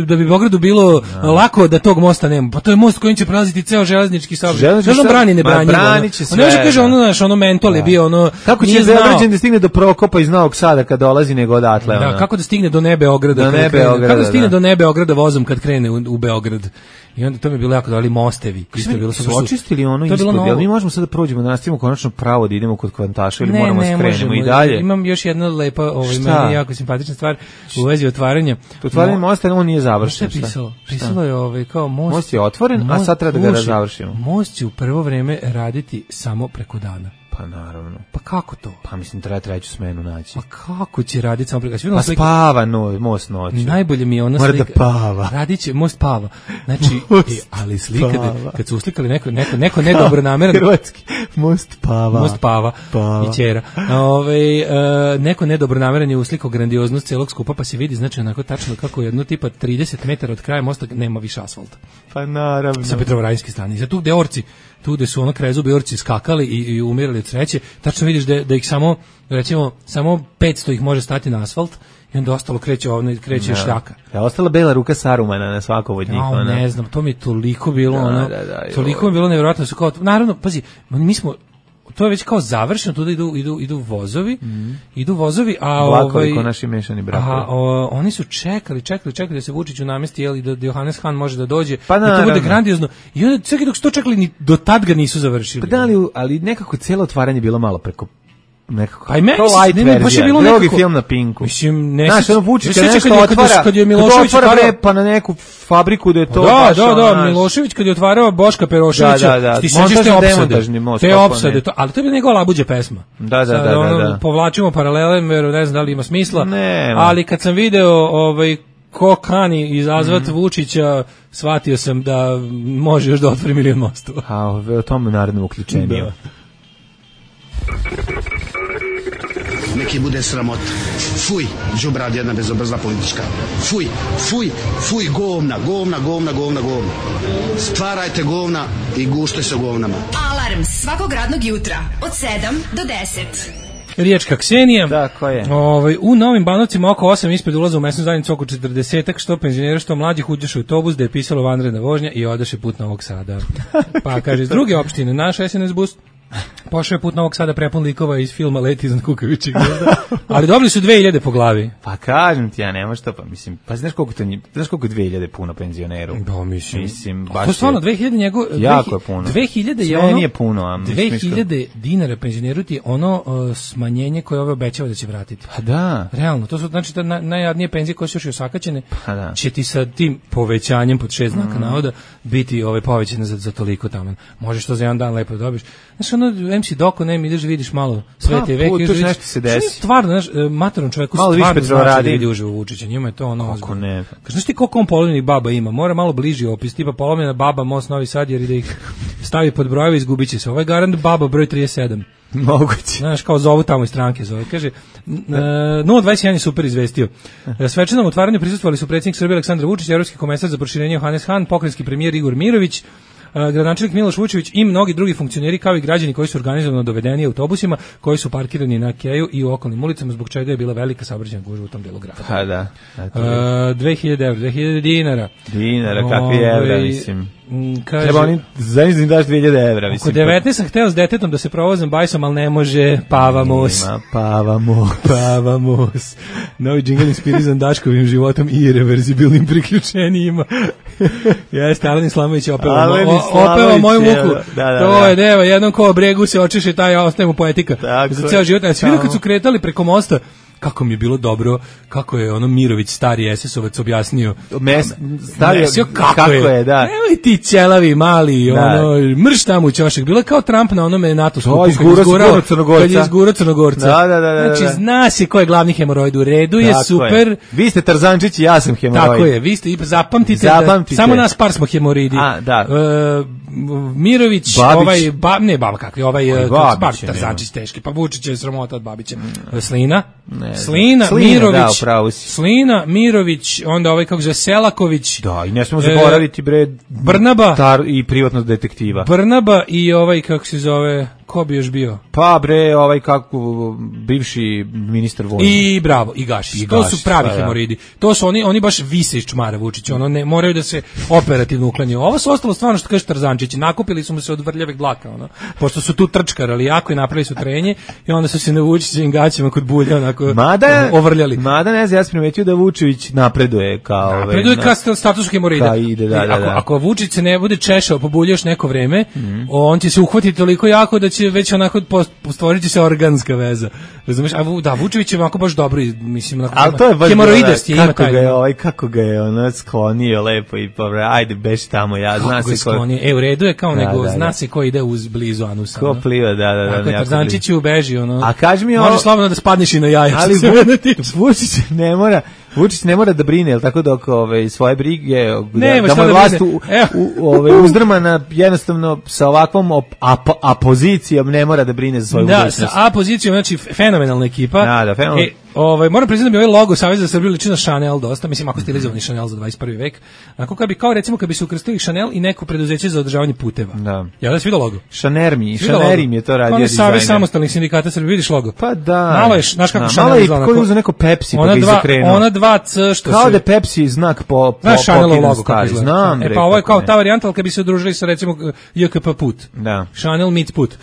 da bi Beogradu bilo lako da tog mosta nema. Pa to je most kojim će prolaziti ceo železnički saobraćaj. Što brani nebranjivo? On može kaže ono mentol je bio ono. Kako će Beograđanin da stigne do Prokopa iz Novog Sada kad dolazi nego odatle? Da, kako da stigne do Beograda? Kako da stigne do Beograda vozom kad krene u Beograd? I onda to mi je bilo jako dali mostevi. Su očistili ono ispod, jel mi možemo sad da prođemo, da nastavimo konačno pravo da idemo kod Kvantaša ili moramo skrenemo i dalje? Imam još jedna lepa, meni jako simpatična stvar u vezi otvaranja. Otvaranje mosta, on nije završen. Šta je pisalo? Pisalo je kao most je otvoren, a sad treba da ga završimo. Most će u prvo vreme raditi samo preko dana. Pa naravno. Pa kako to? Pa mislim treba treću smenu naći. Pa kako će raditi samo prikaz? Pa spava most noću. Najbolje mi je ona slika. Mora da pava. Radiće most pava. Znači, ali slika kad su uslikali neko nedobronameran hrvatski most pava. Most pava. I ćera. Neko nedobronameran je uslikao grandioznost celog skupa, pa se vidi znači onako tačno kako jedno tipa 30 metara od kraja mosta nema više asfalta. Pa naravno. Sa Petrovaradinske strane. Za tu gde orci, tu gde su ono krezubi orci skakali i umirali od sreće, tačno vidiš da ih samo 500 ih može stati na asfalt i onda ostalo kreće šljaka. Ja ostala bela ruka Sarumana na svakom od njih. Ne znam, to mi je toliko bilo toliko mi je bilo nevjerojatno, su kao naravno, pazi, mi smo to je već kao završeno, tu idu vozovi, a vlakovi ko naši mešani brakovi. Oni su čekali da se Vučiću namesti, jel, i da Johannes Hahn može da dođe, pa i to bude grandiozno. I onda sve dok su to čekali, ni do tad ga nisu završili. Pa da, ali nekako cijelo otvaranje bilo malo preko nekako. Pa i meni baš je bilo nekako film na Pinku. Mislim, ne. Znaš, ono Vučić kad nešto otvara, kad je Milošević otvarao pa na neku fabriku da je to baš. Da, Milošević kad je otvarao Boška Peroševića, ti sećaš te opsade, ali to je bila njegova labuđa pesma. Da. Povlačimo paralele, ne znam da li ima smisla, ali kad sam video ko kani izazvat Vučića, shvatio sam da može još da otvori milion mostova. A o tome naredno uključenje. Neki bude sramota. Fuj, đubrad jedna bezobrazna politička. Fuj, govna. Stvarajte govna i gušte se govnama. Alarm svakog radnog jutra od 7 do 10. Riječka Ksenija. Da, ko je? U Novim Banovcima oko 8 ispred ulaza u mesnu zajednicu oko 40-ak, što penzionera, što mlađih uđeš u autobus da je pisalo vanredna vožnja i odeše put Novog Sada. Pa kaže, iz druge opštine, naš SNS bus pošao je put Novog Sada prepun likova iz filma Leti iznad kukavičjeg gnezda, ali dobili su 2000 po glavi. Pa kažem ti, ja nema što, pa mislim, pa znaš koliko 2000 puno penzioneru? Da, mislim baš to stvarno 2000 njegov, jako je puno. 2000 je ono, nije puno, a 2000 dinara penzioneru ti je ono smanjenje koje ove obećava da će vratiti. Pa da. Realno, to su znači ta najjadnije penzije koje su još i osakaćene, će ti sa tim povećanjem pod 6 znaka navoda biti povećane za toliko taman. Možeš to za jedan dan lepo dobiš. Znaš, ono, MC Doko, ne, ideš vidiš malo sve te veke. Tu nešto se desi. Stvarno, znaš, matorom čovjeku stvarno znači da vidi uživo Vučića. Njima je to ono... Kako ne? Znaš ti koliko on polovljenih baba ima? Mora malo bliži opis, tipa polovljena baba, Most Novi Sad, jer da ih stavi pod brojeve, izgubit će se. Ovo je garant baba broj 37. Moguće. Znaš, kao zovu tamo iz stranke zove. Kaže, 021 je super izvestio. Svečanom otvaranju prisustvovali su predsjednik Srbije Aleksandar Vučić, evropski komesar za proširenje Johannes Hahn, pokrajinski premijer Igor Mirović, gradonačelnik Miloš Vučević i mnogi drugi funkcioneri kao i građani koji su organizovano dovedeni autobusima koji su parkirani na Keju i u okolnim ulicama, zbog čega je bila velika saobraćajna gužva u tom delu grada. Pa da. 2000 evra, 2000 dinara. Dinara, kakvi evra, mislim. Kaže, treba oni zajedno daš 2000 evra, mislim. Oko 19 sam hteo s detetom da se provozam bajsom, ali ne može, pavamos. Ima pavamos. Pavamos. Novi džingl inspirisan Daškovim životom i irreverzibilnim priključenjima. Jeste, Alen Islamović je opevao moju muku. To je deva, jednom ko bregu se očeše, taj ostaje mu poetika. Za ceo život. A svi kad su kretali preko mosta, kako mi je bilo dobro, kako je ono Mirović, stari SS-ovac, objasnio. Kako je, da. Nemoj ti ćelavi, mali, mrš tamo u ćošak. Bilo je kao Trump na onome NATO skupu. Kad je izgurao Crnogorca. Da. Znači, zna se ko je glavni hemoroid, u redu je, super. Vi ste Tarzančić i ja sam hemoroid. Tako je, vi ste, zapamtite. Samo nas par smo hemoroidi. Mirović, Tarzančić teški, pa Vučić je sramota od Babića. Slina, Mirović, onda kako zove Selaković. Da, i ne smemo zaboraviti Brnaba i privatnog detektiva. Brnaba i kako se zove, ko bi još bio? Pa kako bivši ministar vojne. I bravo, i Gašić. To su pravi hemoroidi. To su oni baš vise iz čmara Vučića, ne moraju da se operativno uklanjaju. Ovo su ostalo stvarno što kaže Tarzančić, nakupili su mu se od vrljavih dlaka, pošto su tu trčkarali jako i napravili su trenje i onda su se na Vučićevim gaćima kod bulja onako ovrljali. Mada ne znam, ja sam primetio da Vučević napreduje kao status hemoroida. Ako Vučić se ne bude češao po bulju još neko vreme, on će se uhvatiti toliko jako da će već onako stvorit će se organska veza. Razumeš? Da, Vučević je onako baš dobro, mislim, hemoroides je ima taj. Kako ga je ono sklonio lepo i ajde, beži tamo, zna se ko... U redu je kao nego, zna se ko ide blizu anusa. Ko pliva, da. Tako je, Tarzančić ubeži, ono. A kaži mi može slobodno da spadneš i na jaja. Ali Vučić ne mora da brine, jel tako, dok svoje brige, da mu vlast uzdrma na jednostavno sa ovakvom apozicijom ne mora da brine za svoju budućnost. Da, sa apozicijom, znači fenomenalna ekipa. Da, fenomenalna. Moram priznati da mi ovaj logo Saveza za Srbiju liči na Chanel dosta, mislim ako stilizovani Chanel za 21. vek. Onako kao recimo kad bi se ukrstili Chanel i neko preduzeće za održavanje puteva. Da. Ja da se vidio logo. Chanerim je to radio dizajner. Savez samostalnih sindikata Srbije, vidiš logo. Pa da. Malo je, znaš kako Chanel izgleda. Malo je uzeo neko Pepsi pa ga izokrenuo. Ona 2C što kao da je Pepsi znak po Chanelov logo kako izgleda. Znam. Pa ovo je kao ta varijanta, al kad bi se udružili sa recimo JKP put. Da. Chanel meets put.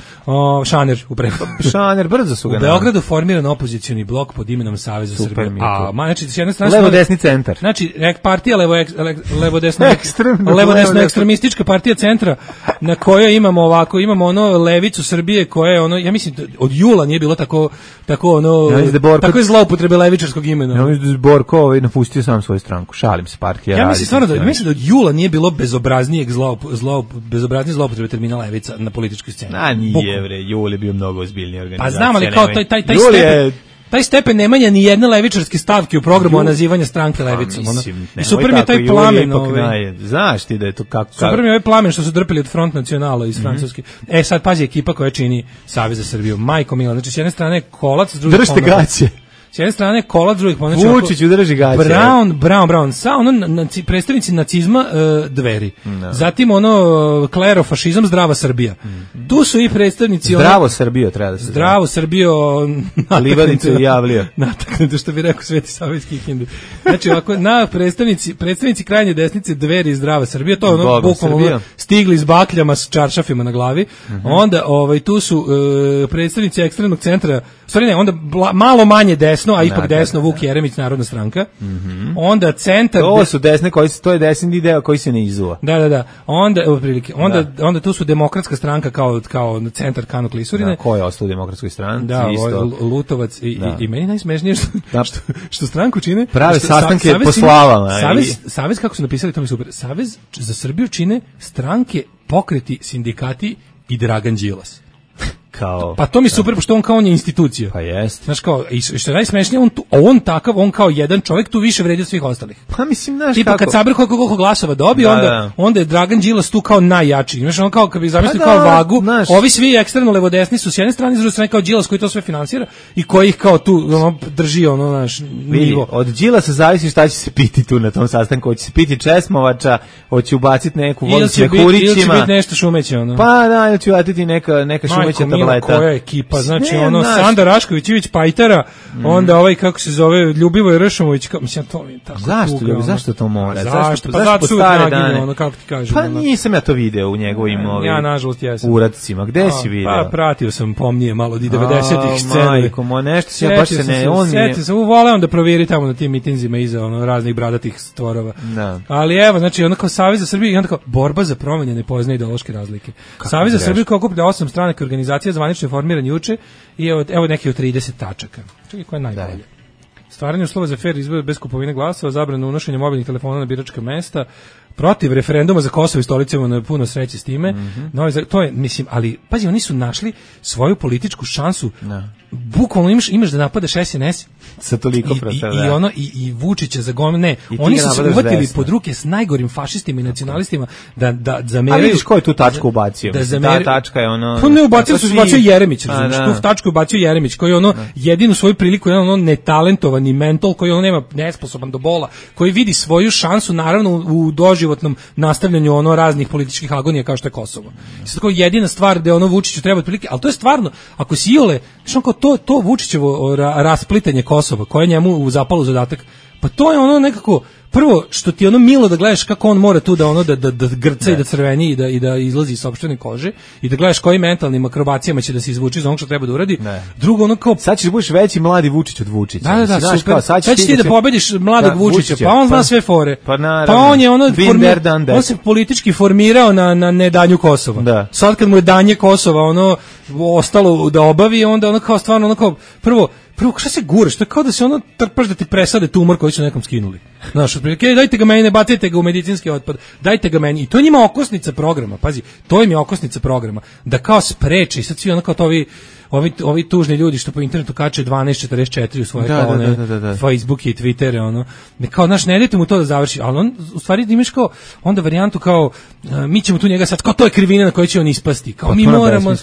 Šaner u prevodu. Šaner brzo su ga. U Beogradu formiran opozicioni blok pod imenom Savez za Srbiju. Znači, s jedne strane levo-desni centar. Znači, partija levo-desno ekstremistička partija centra na kojoj imamo ono levicu Srbije koja je ono, ja mislim, od jula nije bilo tako je zloupotrebe levičarskog imena. Ja mislim da Borko napustio sam svoju stranku. Šalim se, partija. Ja mislim stvarno da od jula nije bilo bezobraznije zloupotrebe termina levica na političkoj sceni. Nije, jul je bio mnogo ozbiljniji organizacija. Pa znam, ali kao taj stepen nemanja ni jedne levičarske stavke u programu nazivanja stranke levicom. I super mi je taj plamen. Znaš ti da je to kako... Super mi je ovaj plamen što su drpili od Front Nacionala iz Francuske. Sad pazi ekipa koja čini Savez za Srbiju. Majko mila, znači s jedne strane Kolac, s druge držite gaće. S jedne strane Kolac, drugih Vučić udrži gaće. Brown, sa predstavnici nacizma Dveri. Zatim klerofašizam Zdrava Srbija. Tu su i predstavnici Zdravo Srbijo treba da se Zdravo Srbijo Livadicu javlio. Nataknuto što bi rekao Sveti Savijski hindu. Znači ovako predstavnici krajnje desnice Dveri i Zdrava Srbija, to je bukvalno stigli s bakljama s čaršafima na glavi. Onda tu su predstavnici ekstremnog centra, onda malo manje desno, a ipak desno Vuk Jeremić, Narodna stranka. Onda centar... To su desne, to je desni deo koji se ne izuva. Da. Onda tu su Demokratska stranka kao centar Kano Klisurine. Ko je ostao u Demokratskoj stranci? Da, Lutovac i meni najsmešnije što stranku čine... Prave sastanke po slavama. Savez, kako su napisali, to mi super. Savez za Srbiju čine stranke, pokreti, sindikati i Dragan Đilas. Pa to mi super, pošto on kao on je institucija. Pa jest. Znaš kao, i što je najsmešnije, on kao jedan čovjek tu više vredi od svih ostalih. Pa mislim, znaš tipa, kad sabir koliko glasova dobije, onda je Dragan Đilas tu kao najjači. Znaš, on kao, kad bi zamislili kao vagu, ovi svi ekstremno levodesni su s jedne strane, s druge strane kao Đilas koji to sve finansira i koji ih kao tu drži naš nivo. Od Đilasa zavisi šta će se piti tu na tom sastanku. Hoće se piti česmovača, hoće ubaciti neku vodu s mehurićima. Ili će biti nešto šumeće, Pa da, ili će ubaciti neka šumeća tableta. Koja ekipa, znači Sanda Rašković-Ivić Pajtara, onda kako se zove Ljubivoj Ršomović, mislim to mi tako. Zašto to mora? Zašto stare dane? Kako ti kažem? Pa nisam ja to video u njegovim ja nažalost jesam. Uradcima. Gde si video? Pa pratio sam pomnije malo od 90-ih scene. Majko, nešto se baš se ne on je. Sjeti se, voleo da provjeri tamo na tim mitinzima iza raznih bradatih stvorova. Ali evo, znači kao Savez za Srbiju i onda kao borba za promene ne poznaje ideološke razlike. Savez za Srbiju kao okuplja 8 stranaka organizacija zvanično formiran juče i evo neki od 30 tačaka. Čekaj, koja je najbolje? Stvaranje uslova za fer izbor bez kupovine glasova, zabrana unošenja mobilnih telefona na biračka mesta, protiv referenduma za Kosovo i stolicama, na puno sreće s time. To je, mislim, ali pazi, oni su našli svoju političku šansu. Bukvalno imaš da napadaš SNS sa toliko i Vučića za gomil. Ne, oni su se uvatili pod ruke s najgorim fašistima i nacionalistima da zameraju. A vidiš ko je tu tačku ubacio? Ta tačka je Pa ne ubacio, su ubacio Jeremić, razumiješ? Tu tačku ubacio Jeremić, koji je jedinu svoju priliku, jedan netalentovani mental, koji nema nesposoban do bola, koji vidi svoju šansu, naravno, u doživotnom nastavljanju raznih političkih agonija kao što je Kosovo. Tako jedina stvar da Vučiću treba otprilike, ali to je stvarno, ako si Iole, to Vučićevo rasplitanje Kosova, koje je njemu zapalo zadatak, pa to je nekako, prvo što ti ono milo da gledaš kako on mora tu da ono da grca i da crveni i da izlazi iz sopstvene kože i da gledaš kojim mentalnim akrobacijama će da se izvuči iz onog što treba da uradi. Drugo ono kao sad ćeš budeš veći mladi Vučić od Vučića. Da, znaš, super. Sad ćeš ti da pobediš mladog Vučića, pa on zna sve fore. Pa on je ono on se politički formirao na nedanju Kosova. Sad kad mu je danje Kosova ono ostalo da obavi, onda ono kao stvarno ono kao prvo šta se guraš, to je kao da se ono trpaš da ti presade tumor koji su nekom skinuli. Znaš, otprilike, dajte ga meni, ne bacite ga u medicinski otpad, dajte ga meni. I to je njima okosnica programa, pazi, to im je okosnica programa, da kao spreči, sad svi ono kao to ovi tužni ljudi što po internetu kače 1244 u svoje kao one Facebook i Twittere, ono, kao, znaš, ne idete mu to da završi, ali on, u stvari imaš kao, onda varijantu kao, mi ćemo tu njega sad, kao to je krivina na kojoj će on ispasti, kao mi moramo,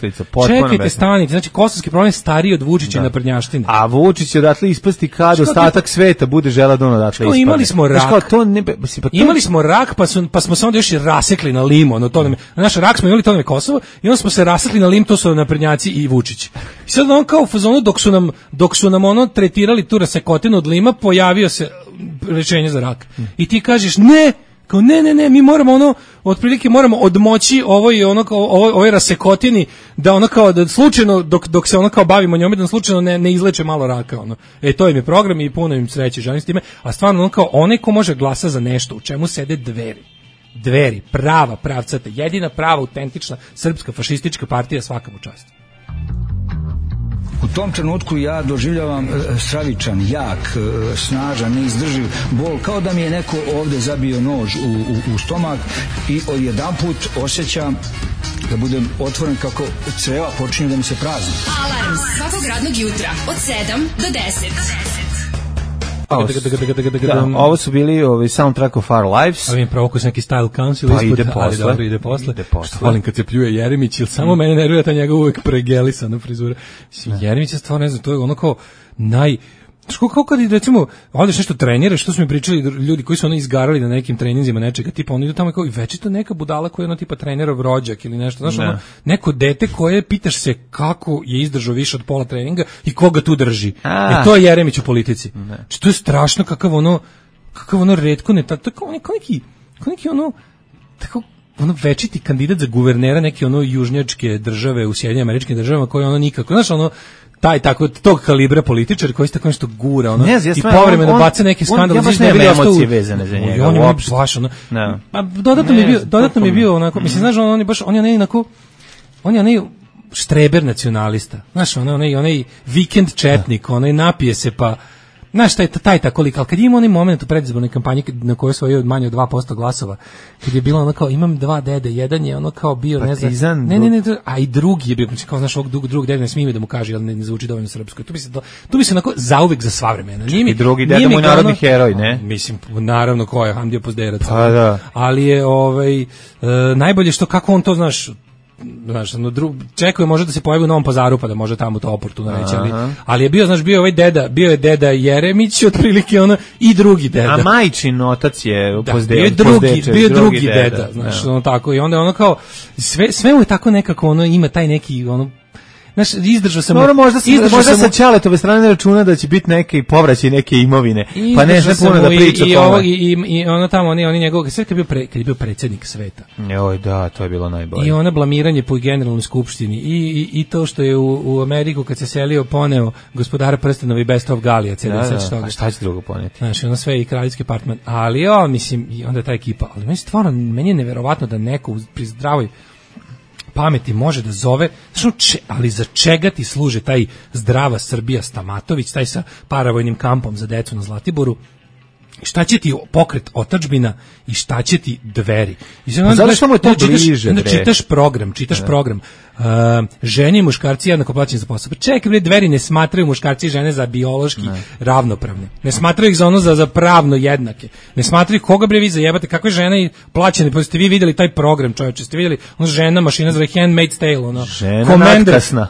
čekajte, stanite, znači kosovski problem je stariji od Vučića i naprednjaštine. A Vučić će odatle ispasti kad ostatak sveta bude želeo da on odatle ispade. Imali smo rak, pa smo se onda još i rasekli na lim, ono, to nam, naš rak smo imali, to nam je Kosovo, i onda smo se rasekli na lim, to su naprednjaci i Vučić. I sad on kao u fazonu dok su nam ono tretirali tu rasekotinu od lima, pojavio se rešenje za rak. I ti kažeš ne, kao ne, mi moramo ono, otprilike moramo odmoći ovoj rasekotini da ono kao da slučajno dok se ono kao bavimo njome da slučajno ne izleče malo raka ono. To im je program i puno im sreće, želim s time, a stvarno ono kao onaj ko može glasa za nešto u čemu sede Dveri, prava, pravcata, jedina prava, autentična srpska fašistička partija, svaka mu čast. U tom trenutku ja doživljavam stravičan, jak, snažan, neizdrživ bol, kao da mi je neko ovde zabio nož u stomak i odjedanput osjećam da budem otvoren kako creva počinju da mi se prazni. Alarm svakog radnog jutra od 7 do 10. Ovo su bili soundtrack of Our Lives. Ali im provokuje se neki style council pa ispod, ali dobro ide posle. Volim kad se pljuje Jeremić, ili samo mene nervira ta njega uvek pregelisana frizura. Jeremić je stvarno, ne znam, to je ono kao kao kad recimo odeš nešto treniraš, što su mi pričali ljudi koji su ono izgarali na nekim treninzima nečega, tipa oni idu tamo kao i večito neka budala koja je ono tipa trenerov rođak ili nešto, znaš, ono, neko dete koje pitaš se kako je izdržao više od pola treninga i koga tu drži. To je Jeremić u politici. Znači, to je strašno kakav ono retko ne, tako neki ono, tako ono večiti kandidat za guvernera neke ono južnjačke države u Sjedinjenim Američkim Državama koji ono nikako, znaš, ono taj tako tog kalibra političar koji se tako nešto gura ono i povremeno baca neke skandale, znači ne bi emocije vezane za njega. On je baš ono. Pa dodatno mi je bio onako, mislim, znaš, on je baš on je onaj štreber nacionalista. Znaš, onaj vikend četnik, onaj napije se pa znaš, taj tako lik, ali kad ima onaj moment u predizbornoj kampanji na kojoj su manje od 2% glasova, kad je bilo ono kao, imam dva dede, jedan je ono kao bio, Partizan, ne, a i drugi je bio, kao, znaš, ovog drugog dede ne smije da mu kaže, ali ne zvuči dovoljno srpsko. Tu bi se onako zauvek za sva vremena. I drugi dede mu je narodni heroj, ne? Mislim, naravno, ko je Hamdija Pozderac. Pa da. Ali je, najbolje što, kako on to, znaš, čekuje može da se pojavi u Novom Pazaru pa da može tamo to oportuno reći, ali je bio, znaš, bio je deda Jeremić otprilike ono i drugi deda. A majčin otac je bio drugi deda, znaš, ono tako, i onda ono kao sve mu je tako nekako, ono ima taj neki ono, znaš, izdržao sam. Možda sa Ćaletove strane računa da će biti neke povraćaj neke imovine. Pa ne puno da priča o tome. I ono tamo, oni njegovog, sve kad je bio predsjednik sveta. Joj, da, to je bilo najbolje. I ona blamiranje po generalnoj skupštini i to što je u Ameriku kad se selio poneo gospodara prstenova i Best of Galija. A šta će drugo poneti? Znaš, ono sve i kraljevski apartman. Ali mislim, i onda ta ekipa. Ali meni je neverovatno da neko pri zdravoj pameti može da zove, ali za čega ti služe taj Zdrava Srbija Stamatović, taj sa paravojnim kampom za decu na Zlatiboru, šta će ti pokret Otadžbina i šta će ti Dveri. Zato što mu je to bliže. Čitaš program. Žene i muškarci jednako plaćeni za posao. Čekaj, Dveri ne smatraju muškarci i žene za biološki ravnopravne. Ne smatraju ih za ono za pravno jednake. Ne smatraju koga vi zajebate, kakve žene plaćene. Pa ste vi vidjeli taj program, čovječe, ste vidjeli ono žena, mašina zove Handmaid's Tale, ono.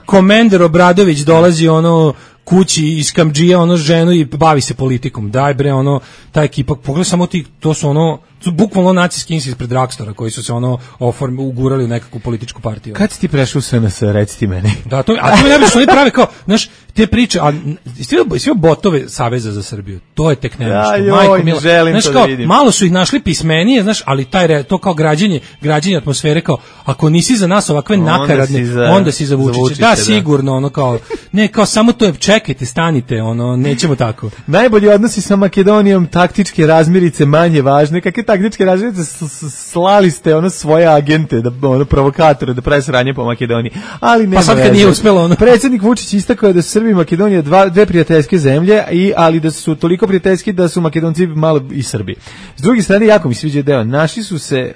Komender Obradović dolazi ono kući iz Kamdžija, ono ženu i bavi se politikom. Daj bre, ono, ta ekipa, pogledaj samo ti, to su su bukvalno nacisti ispred Dragstora koji su se ugurali u nekakvu političku partiju. Kad si ti prešao u SNS, reci ti meni. Da, to mi najbolje što oni prave kao, znaš, te priče, a sve botove Saveza za Srbiju, to je tek nešto. Majko mila. Znaš, kao, malo su ih našli pismenije, znaš, ali to kao građenje atmosfere, kao, ako nisi za nas ovakve nakaradne, onda si za Vučića. Da, sigurno, kao, ne, kao, samo to je, čekajte, stanite, nećemo tako. Najbolji odnosi sa Makedonijom, taktičke razmirice manje važne. Kakve taktičke razmirice? Slali ste svoje agente, provokatore, da prave sranje po Makedoniji. Ali nema pa sad kad nije uspelo Predsjednik Vučić istakao da su Srbi i Makedonija dve prijateljske zemlje, ali da su toliko prijateljski da su Makedonci malo i Srbi. S druge strane, jako mi sviđa deo, naši su se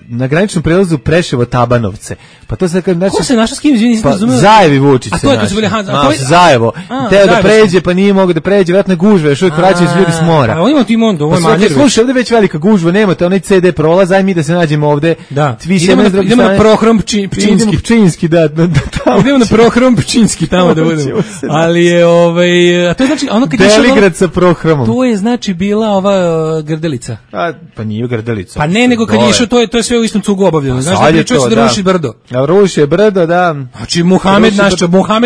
na graničnom prelazu Preševo-Tabanovce. Pa to sad znači, ko se našao s kim, nisam razumeo? Zajevi Vučić. A to je kad su bili Zajevo. Teo da pređe, pa nije mogao da pređe, vjerojatno gužve, još uvijek vraćaju se ljudi s mora. A on ima Timondo, ovo je Maljer. Slušaj, ovdje već velika gužva, nemate onaj CD prolaz, aj mi da se nađemo ovde. Da. Idemo na Prohrom Pčinski. Idemo na Prohrom Pčinski tamo da budemo. Ali je a to je znači ono kad je Deligrad sa Prohromom. To je znači bila ova Grdelica. Pa nije Grdelica. Pa ne, nego kad je išao, to je sve u istom cugu obavljeno. Znaš, da pričao se da ruši brdo. Da ruši brdo, da. Znači, Muhamed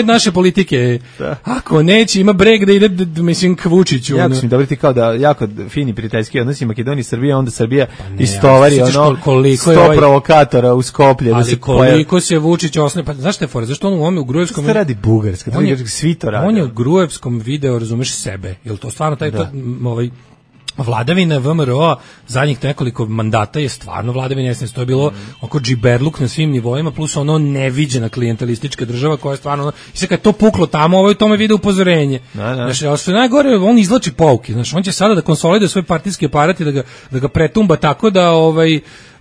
naše politike. Da. Ako neće, ima breg da ide, mislim, k Vučiću. Jako su mi dobri ti kao da jako fini prijateljski odnosi Makedonija i Srbija, onda Srbija istovari 100 provokatora u Skoplje. Ali koliko se Vučić osnovi, pa znaš te fore, zašto on u ovome u Grujevskom... Što radi Bugarska, svi to radi. On je u Grujevskom video, razumeš, sebe. Jel to stvarno vladavina VMRO zadnjih nekoliko mandata je stvarno vladavina, to je bilo oko džiberluk na svim nivoima, plus neviđena klijentelistička država koja je stvarno, i sad kad je to puklo tamo, ovo je tome vide upozorenje. Znači, ali što je najgore, on izvlači pouke, znači, on će sada da konsoliduje svoj partijski aparat i da ga pretumba tako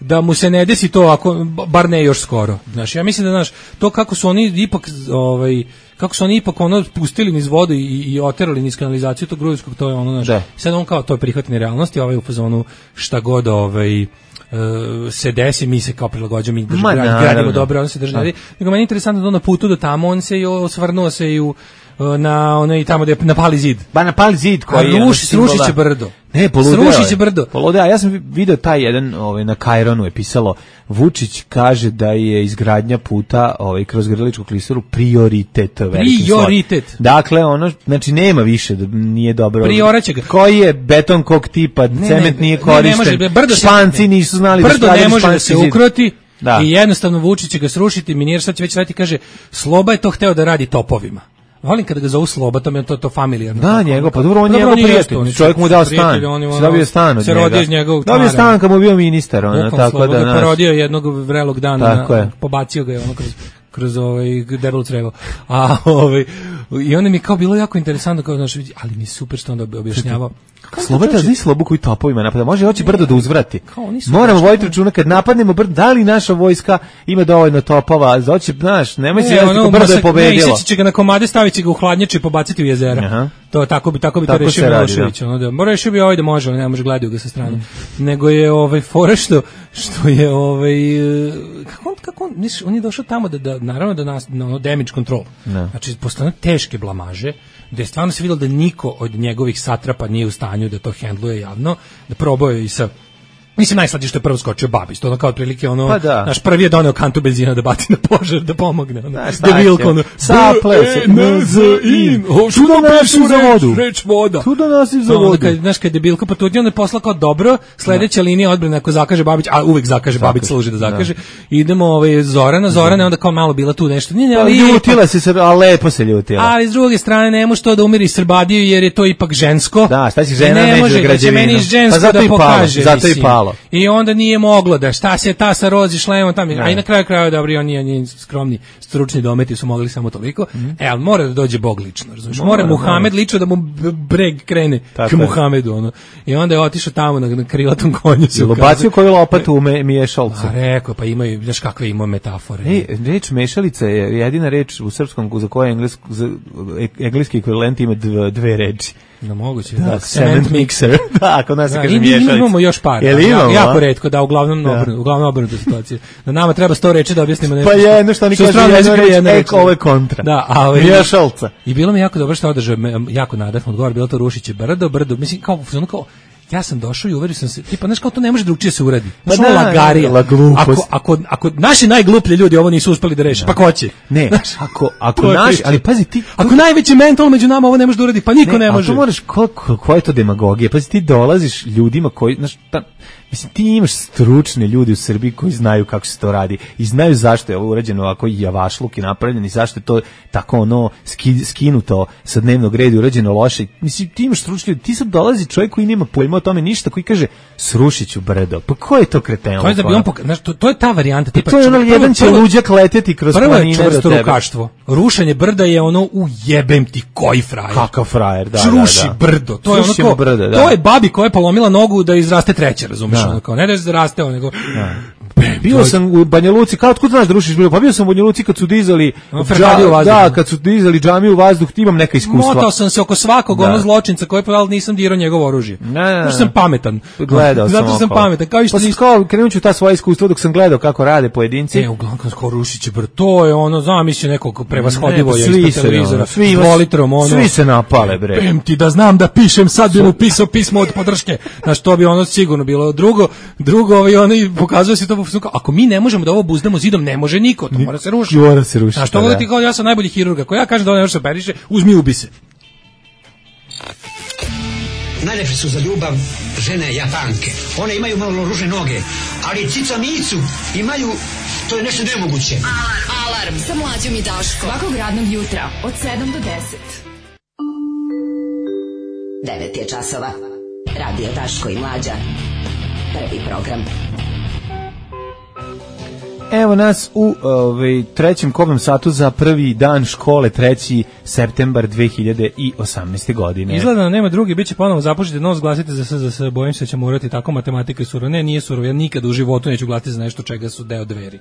da mu se ne desi to, ako bar ne još skoro. Znači, ja mislim da, to kako su oni ipak pustili niz vodu i oterali niz kanalizaciju tog Grujevskog, to je sad on kao to je prihvatne realnosti, u fazonu šta god se desi, mi se kao prilagođamo i gradimo dobro, on se drži. Nego meni je interesantno da na putu do tamo on se i osvrnuo se i i tamo da je na pali zid. Ba na pali zid koji je srušit će brdo. Ne, srušit će brdo. Poludeo, ja sam video taj jedan na Kaironu je pisalo Vučić kaže da je izgradnja puta kroz Grličku klisuru prioritet. Prioritet. Dakle, znači nema više, nije dobro. Prioraće ga. Koji je beton kog tipa, cement nije korišten. Španci nisu znali da brdo ne može da se ukroti. I jednostavno Vučić će ga srušiti, minir sad će već raditi, kaže, Sloba je to hteo da radi topovima. Volim kada ga zovu Sloba, to mi je to familijarno. Da, njegov, pa dobro, on je njegov prijatelj. Čovjek mu dao stan. Se dobio stan od njega. Se rodio iz njegovog tvara. Dobio stan kad mu bio ministar. Tako da, porodio jednog vrelog dana, pobacio ga je kroz debelu crevo. I onda mi kao bilo jako interesantno, kao, ali mi super što onda objašnjavao. Slobata zna Slobu koji topovima napada. Može hoće brdo da uzvrati. Moramo voditi računa kad napadnemo brdo, da li naša vojska ima dovoljno topova, hoće, znaš, nemoj se jesti brdo je pobedilo. Ne, će ga na komade, stavit će ga u hladnjače i pobaciti u jezera. To tako bi to rešio Milošević. Mora rešio bi da može, ne može gledaju ga sa strane. Nego je fore što je kako on je došao tamo da naravno da nas damage control. Znači postane teške blamaže, gde stvarno se vidjelo da niko od njegovih satrapa nije u stanju da to hendluje javno, da probao je i sa... Mislim, najslađe što je prvo skočio Babić, to kao otprilike naš prvi je doneo kantu benzina da baci na požar, da pomogne, debilko, Saple-in, tu da nosiš za vodu, reč voda, tu da nosiš za vodu. Znaš, kad debilko, pa tu onda je posla kao dobro, sledeća linija odbrane, ako zakaže Babić, a uvek zakaže Babić, služi da zakaže, idemo Zorana, onda kao malo bila tu nešto, ljutila se, a lepo se ljutila. Ali s druge strane, ne može to da umiri Srbadiju, jer je to ipak žensko. Da, šta si žena među građevinu, pa zato i palo. I onda nije moglo da šta se ta sa rozi šlemom tamo, a i na kraju krajeva dobro, on nije skromni, stručni dometi su mogli samo toliko. Ali mora da dođe Bog lično, razumiješ? Mora Muhamed lično da mu breg krene k Muhamedu, I onda je otišao tamo na krilatom konju. Bacio koju lopatu u miješalcu. A rekao, pa imaju, znaš kakve ima metafore. Reč mešalica je jedina reč u srpskom za koje engleski ekvivalent ima dve reči. No moguće, cement mixer. Da, kod nas se kaže miješalica. Imamo još par. Jako retko, da, uglavnom obrnuta situacija. Da nama treba 100 reči da objasnimo nešto. Pa jedno što oni kažu jedno reč, ovo je kontra. Da, miješalca. I bilo mi jako dobro što održao, jako nadahno odgovor, bilo to rušiće brdo, mislim, kao ja sam došao i uverio sam se, tipa, znaš kao to ne može drugčije se uradi. Znaš, lagarija. Ako naši najgluplji ljudi ovo nisu uspeli da reše, pa ko će? Ne, ako naši, ali pazi ti... Ako najveći mental među nama ovo ne može da uradi, pa niko ne može. A to moraš, koja je to demagogija? Pazi, ti dolaziš ljudima koji, znaš, mislim, ti imaš stručne ljudi u Srbiji koji znaju kako se to radi i znaju zašto je ovo urađeno ovako javašluk i napravljen i zašto je to tako ono skinuto sa dnevnog reda i urađeno loše. Mislim, ti imaš stručne ljudi, ti sad dolazi čovjek koji nema pojma o tome ništa, koji kaže srušit ću brdo. Pa ko je to kreten? To je da bi on znaš, to je ta varijanta. Tipa, to je ono jedan će luđak leteti kroz planine do tebe. Prvo je čvrstorukaštvo. Rušenje brda je ono ujebem ti koji frajer. Kakav frajer, da. Ruši brdo. To je ono brdo, to je babi koja je polomila nogu da izraste treće, razumiješ? Kao ne da se rasteo, nego bio sam u Banja Luci, kao otkud znaš da rušiš bilo? Pa bio sam u Banja Luci kad su dizali kad su dizali džamiju u vazduh, imam neka iskustva. Motao sam se oko svakog ono zločinca koji pa nisam dirao njegovo oružje. Zato sam pametan. Gledao sam. Zato sam pametan. Kao i što krenut ću ta svoja iskustva dok sam gledao kako rade pojedinci. Uglavnom kako rušiće brdo. To je ono, zamisli nekog prevashodivo je ispod televizora. Svi se napale, bre. Pem ti da znam da pišem, sad bi mu pisao pismo od podrške. Znaš, to bi ono sigurno bilo. Drugo oni pokazuje se to, ako mi ne možemo da ovo buzdamo zidom, ne može niko, to mora se rušiti. Mora se rušiti. A što god ti kao, ja sam najbolji hirurg, ako ja kažem da ovo ne može se operiše, uzmi ubi se. Najlepše su za ljubav žene Japanke. One imaju malo ružne noge, ali cica micu imaju, to je nešto nemoguće. Alarm sa Mlađom i Daškom. Svakog radnog jutra od 7 do 10. 9 je časova. Radio Daško i Mlađa. Prvi program. Evo nas u trećem kobnom satu za prvi dan škole, 3. septembar 2018. godine. Izgleda da nema drugi, bit će ponovo započeti nos, glasite za SZS, bojim se da će morati tako, matematika je surova. Ne, nije surova, ja nikad u životu neću glasiti za nešto čega su deo dveri.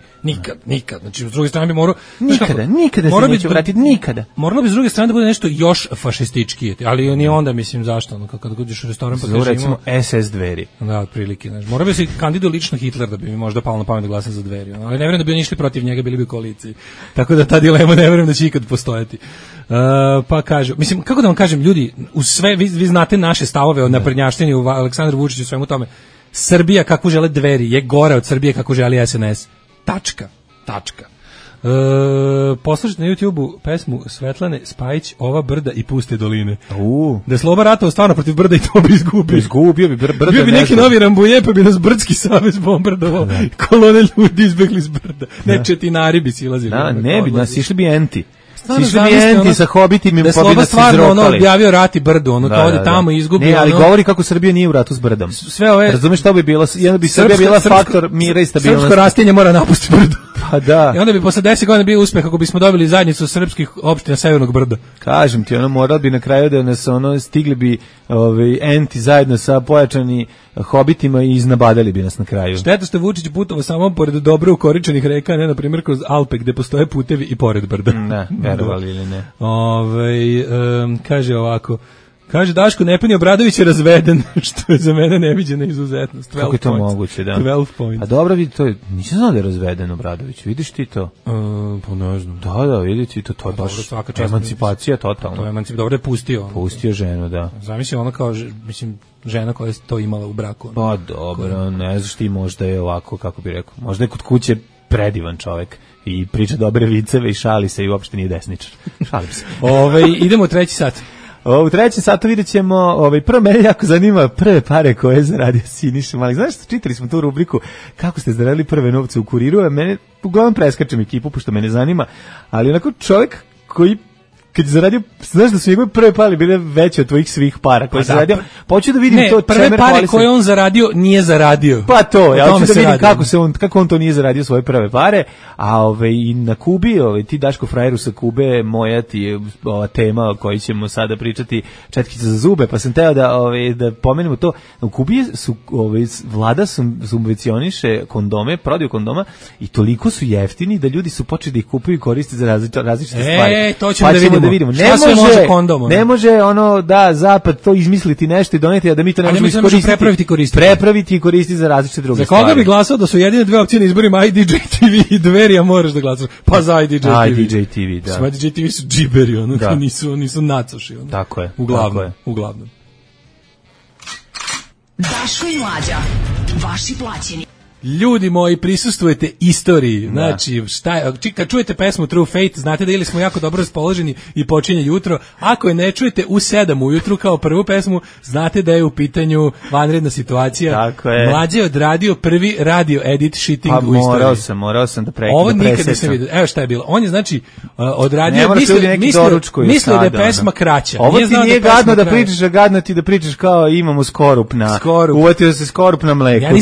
Nikad. Znači, s druge strane bi morao... Nikada se neću vratiti, nikada. Moralo bi s druge strane da bude nešto još fašističkije, ali ni onda, mislim, zašto? Ono, kad uđeš u restoran pa kažeš recimo SS dveri. Da, otprilike. Znači, morao bi se kandidovao lično Hitler da bi mi možda palo na pamet da glasam za dveri. Ali ne vjerujem da bi oni išli protiv njega, bili bi u koaliciji. Tako da ta dilema ne vjerujem da će ikad postojati. Pa kažu, mislim, kako da vam kažem, ljudi, uz sve, vi znate naše stavove o naprednjaštini u Aleksandru Vučiću i svemu tome. Srbija kakvu žele dveri je gora od Srbije kakvu želi SNS. Tačka. Poslušajte na YouTube-u pesmu Svetlane Spajić Ova brda i puste doline. Da je Sloba ratovao stvarno protiv brda i to bi izgubio. Izgubio bi brda. Bio bi neki novi Rambuje, pa bi nas Brdski savez bombardovao. Kolone ljudi izbegli s brda. Ne, četinari bi silazili. Da, ne bi, nas išli bi enti. Sišli bi enti sa hobitima, da pa bi nas stvarno ono objavio rat i brdo, ono to ode tamo i izgubi. Ne, ali govori kako Srbija nije u ratu s brdom. Sve ove... Razumeš što bi bilo? Jedna bi Srbija bila faktor mira i stabilnosti. Srpsko rastinje mora napustiti brdo. Pa da. I onda bi posle 10 godina bio uspeh ako bismo dobili zajednicu srpskih opština Severnog brda. Kažem ti, ono moralo bi na kraju da nas ono stigli bi enti zajedno sa pojačani hobitima i iznabadali bi nas na kraju. Šteta što Vučić putovao samo pored dobro ukoričenih reka, ne na primjer kroz Alpe gde postoje putevi i pored brda. Ne, verovali ili ne. Kaže ovako. Kaže Daško, Nepeni Obradović je razveden, što je za mene neviđena izuzetnost. Kako je to moguće, da? 12 points. A dobro, vidi, to je, nisam znao da je razveden Obradović, vidiš ti to? Pa ne znam. Da, vidi ti to, to je baš emancipacija totalno. To je emancipacija, dobro je pustio. Pustio ženu, da. Zamisli ono kao, mislim, žena koja je to imala u braku. Pa dobro, ne znaš ti, možda je ovako, kako bi rekao, možda je kod kuće predivan čovjek i priča dobre viceve i šali se i uopšte nije desničar. Šalim se. Idemo u treći sat. U trećem satu vidjet ćemo, prvo mene jako zanima prve pare koje je zaradio Siniša Mali. Znaš što čitali smo tu rubriku kako ste zaradili prve novce u Kuriru, a mene uglavnom preskačem ekipu, pošto mene zanima, ali onako čovjek koji kad je zaradio, znaš da su njegove prve pare bile veće od tvojih svih para koje je zaradio, pa hoću da vidim to. Prve pare koje on zaradio nije zaradio. Pa to, ja hoću da vidim kako on to nije zaradio svoje prve pare, a i na Kubi, ti Daško frajeru sa Kube, moja ti je ova tema o kojoj ćemo sada pričati, četkice za zube, pa sam teo da pomenemo to. U Kubi su vlada subvencioniše kondome, prodaju kondoma i toliko su jeftini da ljudi su počeli da ih kupuju i koriste za različite stvari. To ćemo da vidimo. Ne može ono da zapad to izmisliti nešto i doneti, a da mi to ne možemo iskoristiti. Prepraviti i koristiti za različite druge stvari. Za koga bi glasao da su jedine dve opcije na izborima IDJ TV i Dveri, a moraš da glasaš? Pa za IDJ TV. IDJ TV, da. Sve IDJ TV su džiberi, ono, nisu nacoši. Ono. Tako je. Uglavnom. Daško i Mlađa, vaši plaćeni. Ljudi moji, prisustvujete istoriji. Znači, kad čujete pesmu True Fate, znate da ili smo jako dobro raspoloženi i počinje jutro. Ako je ne čujete u 7 ujutru kao prvu pesmu, znate da je u pitanju vanredna situacija. Tako je. Mlađe je odradio prvi radio edit shitting u istoriji. Morao sam da prekidam. Ovo nikad nisam vidio. Evo šta je bilo. On je znači odradio, mislio da je pesma kraća. Ovo ti nije gadno da pričaš, a gadno ti da pričaš kao imamo skorup na... Uvatio se skorup na mleku.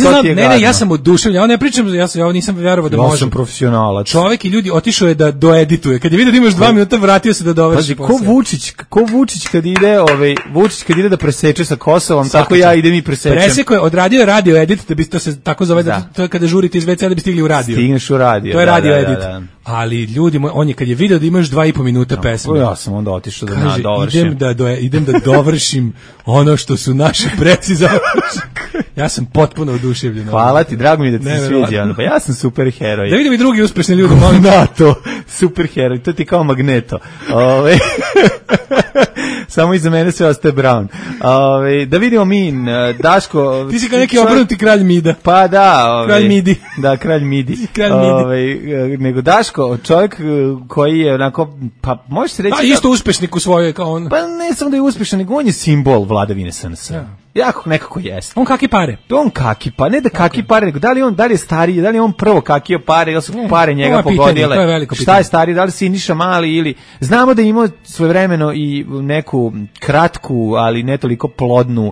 Ja sam ja ne pričam, ja nisam verovao da može. Ja sam profesionalac. Čovjek i ljudi otišao je da doedituje. Kad je vidio da imaš 2 minuta, vratio se da dovrši posao. Ko Vučić kad ide, Vučić kad ide da preseče sa Kosovom, tako ja idem i presečem. Preseko je odradio radio edit, da bi to se tako zove, to je kada žurite iz WC da bi stigli u radio. Stigneš u radio. To je radio edit. Ali ljudi moji, on je kad je video da imaš 2,5 minuta pesme. Ja sam onda otišao da dovršim. Idem da dovršim ono što su naši preci završili. Ja sam potpuno oduševljen. Hvala ti, drago mi da ti se sviđa. Pa ja sam super heroj. Da vidim i drugi uspešni ljudi, molim. NATO, super heroj, to ti kao Magneto. Samo iza mene sve ostaje Brown. Da vidimo mi, Daško... Ti si kao neki obrnuti kralj Mida. Pa da. Kralj Midi. Da, kralj Midi. Nego Daško, čovjek koji je onako, pa možeš se reći... Pa isto uspešnik u svojoj kao on. Pa ne samo da je uspešan, nego on je simbol vladavine SNS. Jako nekako jeste. On kaki pare. On kaki pa, ne da kaki pare, nego da li je stariji, da li je on prvo kakio pare, ili su pare njega pogodile. Šta je stariji, da li Siniša Mali ili... Znamo da je imao svojevremeno i neku kratku, ali ne toliko plodnu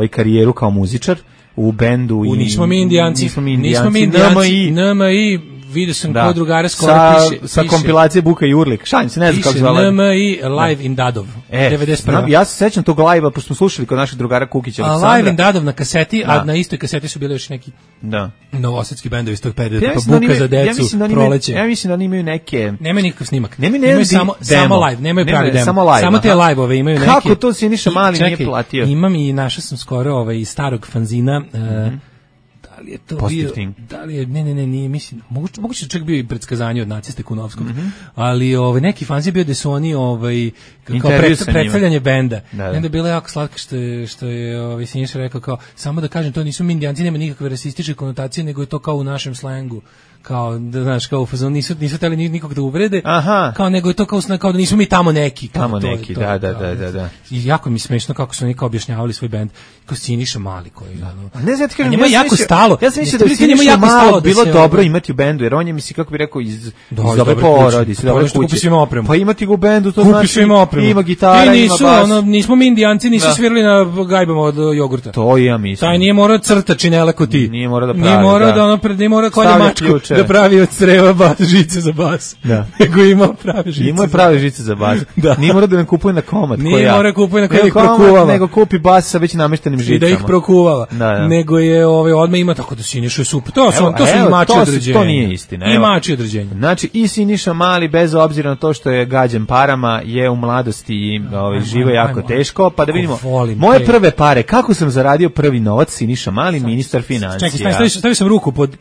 karijeru kao muzičar u bendu. Nismo mi Indijanci. NMI, vidio sam kod drugara skoro piše. Sa kompilacije Buka i Urlik. Šalim se, ne znam kako zvala. NMI Live in Dadov, 91. Ja se sećam tog live-a, pošto smo slušali kod naših drugara Kukića Aleksandra. Live in Dadov na kaseti, a na istoj kaseti su bili još neki novosadski bendovi iz tog perioda, pa Buka za decu, Proleće. Ja mislim da oni imaju neke... Nema nikakav snimak. Nemaju samo live, nemaju pravi demo. Samo te live-ove imaju neke. Kako to Siniša Mali nije platio? Imam i našao sam skoro iz starog fanzina, da li je to bio, da li je, nije, mislim, moguće čak bio i predskazanje od naciste Kunovskog, ali neki fanzi bio da su oni kao predstavljanje benda. Onda je bilo jako slatko što je Siniša rekao kao, samo da kažem, to nisu mi Indijanci, nema nikakve rasističke konotacije, nego je to kao u našem slengu. Kao da znaš, kao u fazonu nisu hteli nikog da uvrede, kao nego je to kao da nismo mi tamo neki, da. I jako mi smešno kako su oni kao objašnjavali svoj bend, kao Siniša Mali koji ne znam, kažem, njima jako stalo. Ja sam mislio da Siniša Mali bilo dobro imati u bendu, jer on je, mislim, kako bi rekao, iz dobre porodice, dobre kuće. Pa imati ga u bendu, to znači ima gitara, ima bas. Nismo mi Indijanci, nisu svirali na gajbama od jogurta. To ja mislim. Taj nije morao crta činele ko ti. Nije morao da pravi. Nije morao kao da mačku da pravi od creva žice za bas. Nego imao prave žice. Imao je prave žice za bas. Nije morao da nam kupuje na komad. Nije morao da kupuje na komad, ih prokuvava. Nego kupi bas sa već nameštenim žicama. I da ih prokuvava. Nego je odmah ima tako da Siniša je super. To su imači određenja. To nije istina. Imači određenja. Znači i Siniša Mali, bez obzira na to što je gađen parama, je u mladosti i živo jako teško. Pa da vidimo. Moje prve pare, kako sam zaradio prvi novac, Siniša Mali, ministar financija. Čekaj, stavio sam ruku pod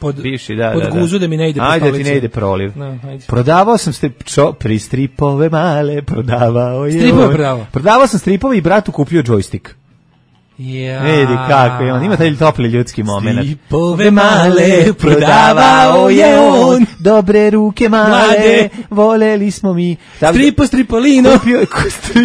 guzu da mi ne ide po stolici. Ajde ti ne ide proliv. Prodavao sam pri stripove male, prodavao je. Stripove prodavao. Prodavao sam stripove i bratu kupio džojstik. Vidi kako je on, ima taj topli ljudski moment. Stripove male, prodavao je on. Dobre ruke male, voleli smo mi. Stripolino,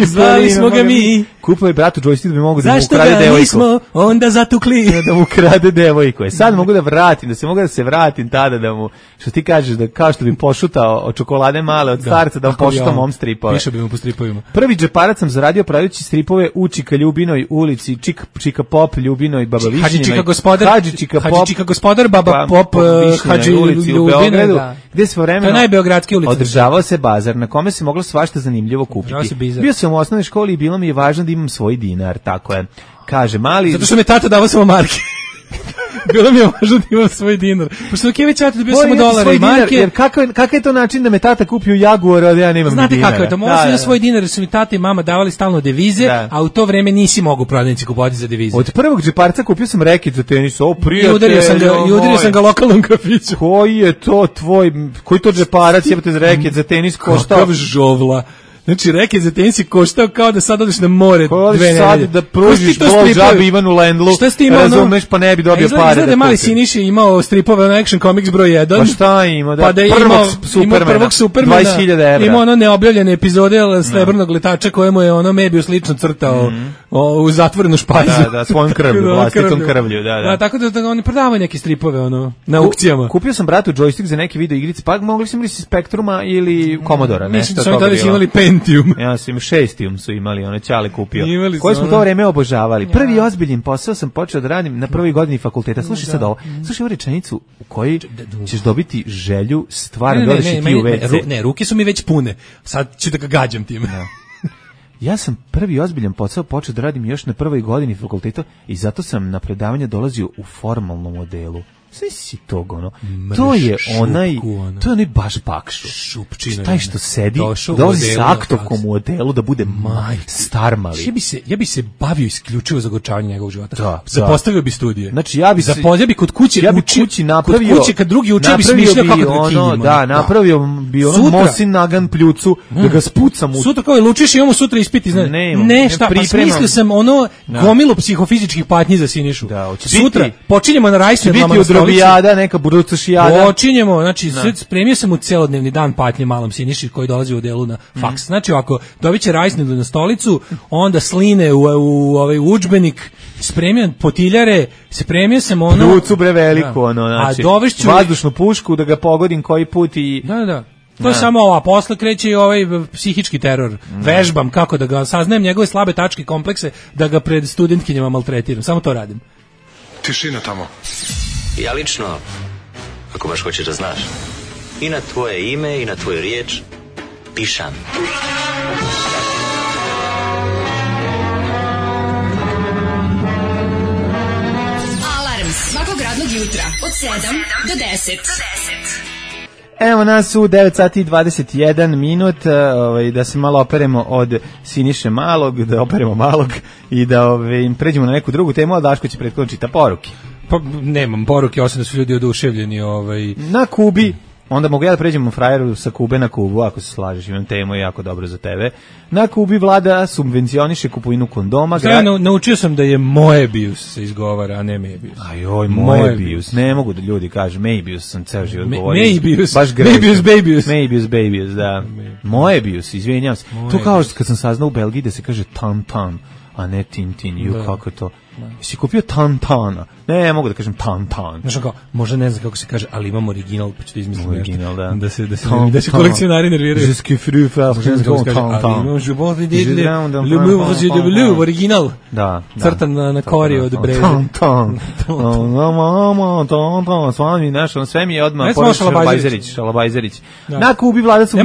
zvali smo ga mi. Kupio je bratu joystick da bi mogu da mu ukrade devojku. Zašto ga nismo onda zatukli? Da mu ukrade devojku. Sad mogu da vratim, da se vratim tada da mu, što ti kažeš, da kao što bi pošutao od čokolade male od starca, da mu pošutam mom stripove. Više bi mu po stripovima. Prvi džeparac sam zaradio pravići stripove u Čika Ljubinoj ulici, Čika Pop Ljubinoj, Baba Višnjinoj. Hadži Čika gospodar, Baba Pop, Hadži Ljubinoj. Gde se vremeno najbeogradske ulice. Održavao se bazar na kome se moglo svašta zanimljivo kupiti. Bio sam u osnovnoj školi i bilo mi je važno da imam svoj dinar, tako je. Kaže Mali. Zato što mi tata davao samo marke. Bilo mi je važno da imam svoj dinar. Pošto ok, već ja dobio samo dolare i marke. Jer kakav je to način da me tata kupio Jaguar, a da ja nemam dinara? Znate kako je to? Mogao sam svoj dinar jer su mi tata i mama davali stalno devize, a u to vreme nisi mogu prodavnici kupovati za devize. Od prvog džeparca kupio sam reket za tenis. O, prijatelj. I udario sam ga lokalnom kafiću. Koji je to tvoj, koji to džeparac jebate za reket za tenis koštao? Kakav žovla. Znači, reket za tenis je koštao kao da sad odeš na more 2 nedelje. Sad da pružiš blowjob Ivanu Lendlu, razumeš, pa ne bi dobio pare. Izgleda mali Siniša imao stripove na Action Comics broj 1. Pa šta ima? Pa da je imao prvog Supermana, 20.000 evra. Imao ono neobjavljene epizode Srebrnog letača kojemu je ono Mebius lično crtao u zatvorenu špajzu. Da, svojom krvlju, vlastitom krvlju, da. Tako da oni prodavaju neke stripove na aukcijama. Kupio sam bratu joystick za neke video igrice, pa mogli smo imali Spektruma ili Commodora, nešto toga bilo. Mislim da su imali Pentium. Ja sam Šestium su imali, one Ćale kupio. Koji smo to vreme obožavali. Prvi ozbiljan posao sam počeo da radim na prvoj godini fakulteta. Slušaj sad ovo. Slušaj ovu rečenicu u kojoj ćeš dobiti želju stvarno da odeš i ti u WC. Ne, ruke su mi već pune. Sad ću da ga gađam time. Ja sam prvi ozbiljan posao počeo da radim još na prvoj godini fakulteta i zato sam na predavanje dolazio u formalnom modelu. Sve si tog, ono. To je onaj baš pakšu. Šupčina. Taj što sedi, dolazi sa aktovkom u odelu da bude star mali. Ja bi se bavio isključivo zagorčavanjem njegovog života. Zapostavio bi studije. Znači, ja bi kod kuće napravio, kod kuće kad drugi uče bi smišljao kako da kinjimo. Da, napravio bi ono Mosin Nagan pljucu, da ga spucam u... Sutra kao je lučiš i imamo sutra ispiti, znaš. Ne, šta, pa smislio sam ono gomilu psihofizičkih patnji za Sinišu. Sutra počinjemo na rajsnedlama na Robijada, neka budućijada. Počinjemo, znači spremio sam u celodnevni dan patnje malom Siniši koji dolazi u delu na faks. Znači ako dobiće rajsnedu na stolicu, onda sline u ovaj udžbenik, spremio potiljare, spremio sam ono pljucu bre veliku, ono, znači vazdušnu pušku da ga pogodim koji put i Da. To je samo ova, posle kreće i ovaj psihički teror. Vežbam kako da ga saznajem njegove slabe tačke, komplekse, da ga pred studentkinjama maltretiram. Samo to radim. Tišina tamo. Ja lično, ako baš hoćeš da znaš, i na tvoje ime i na tvoju riječ pišam. Alarm svakog radnog jutra od 7 do 10. Evo nas u 9 sati i 21 minut, da se malo operemo od Siniše Malog, da operemo Malog i da pređemo na neku drugu temu, a Daško će prethodno čita poruke. Pa nemam poruke, osim da su ljudi oduševljeni. Na Kubi, onda mogu ja da pređemo frajeru sa Kube na Kubu, ako se slažeš, imam temu jako dobro za tebe. Na Kubi vlada subvencioniše kupovinu kondoma. Naučio sam da je Moebius se izgovara, a ne Mebius. Ajoj, Moebius. Ne mogu da ljudi kažu, Mebius sam ceo život govorio. Mebius, baš Babius, da. Moebius, izvinjam se. To kao kad sam saznao u Belgiji da se kaže Tantan, a ne Tintin, kako to... Jesi kupio Tantana? Ne, mogu da kažem Tantan. Znaš kao, možda ne znam kako se kaže, ali imam original, pa ću da izmislim original, nešto. Da se kolekcionari nerviraju. Je suis fru faire Tantan. Je bon le monsieur de bleu, original. Da. Crtan na kori od breze. Tantan. Tantan. Svami našo, sve mi je odmah Šalabajzerić. Na Kubi vlada su...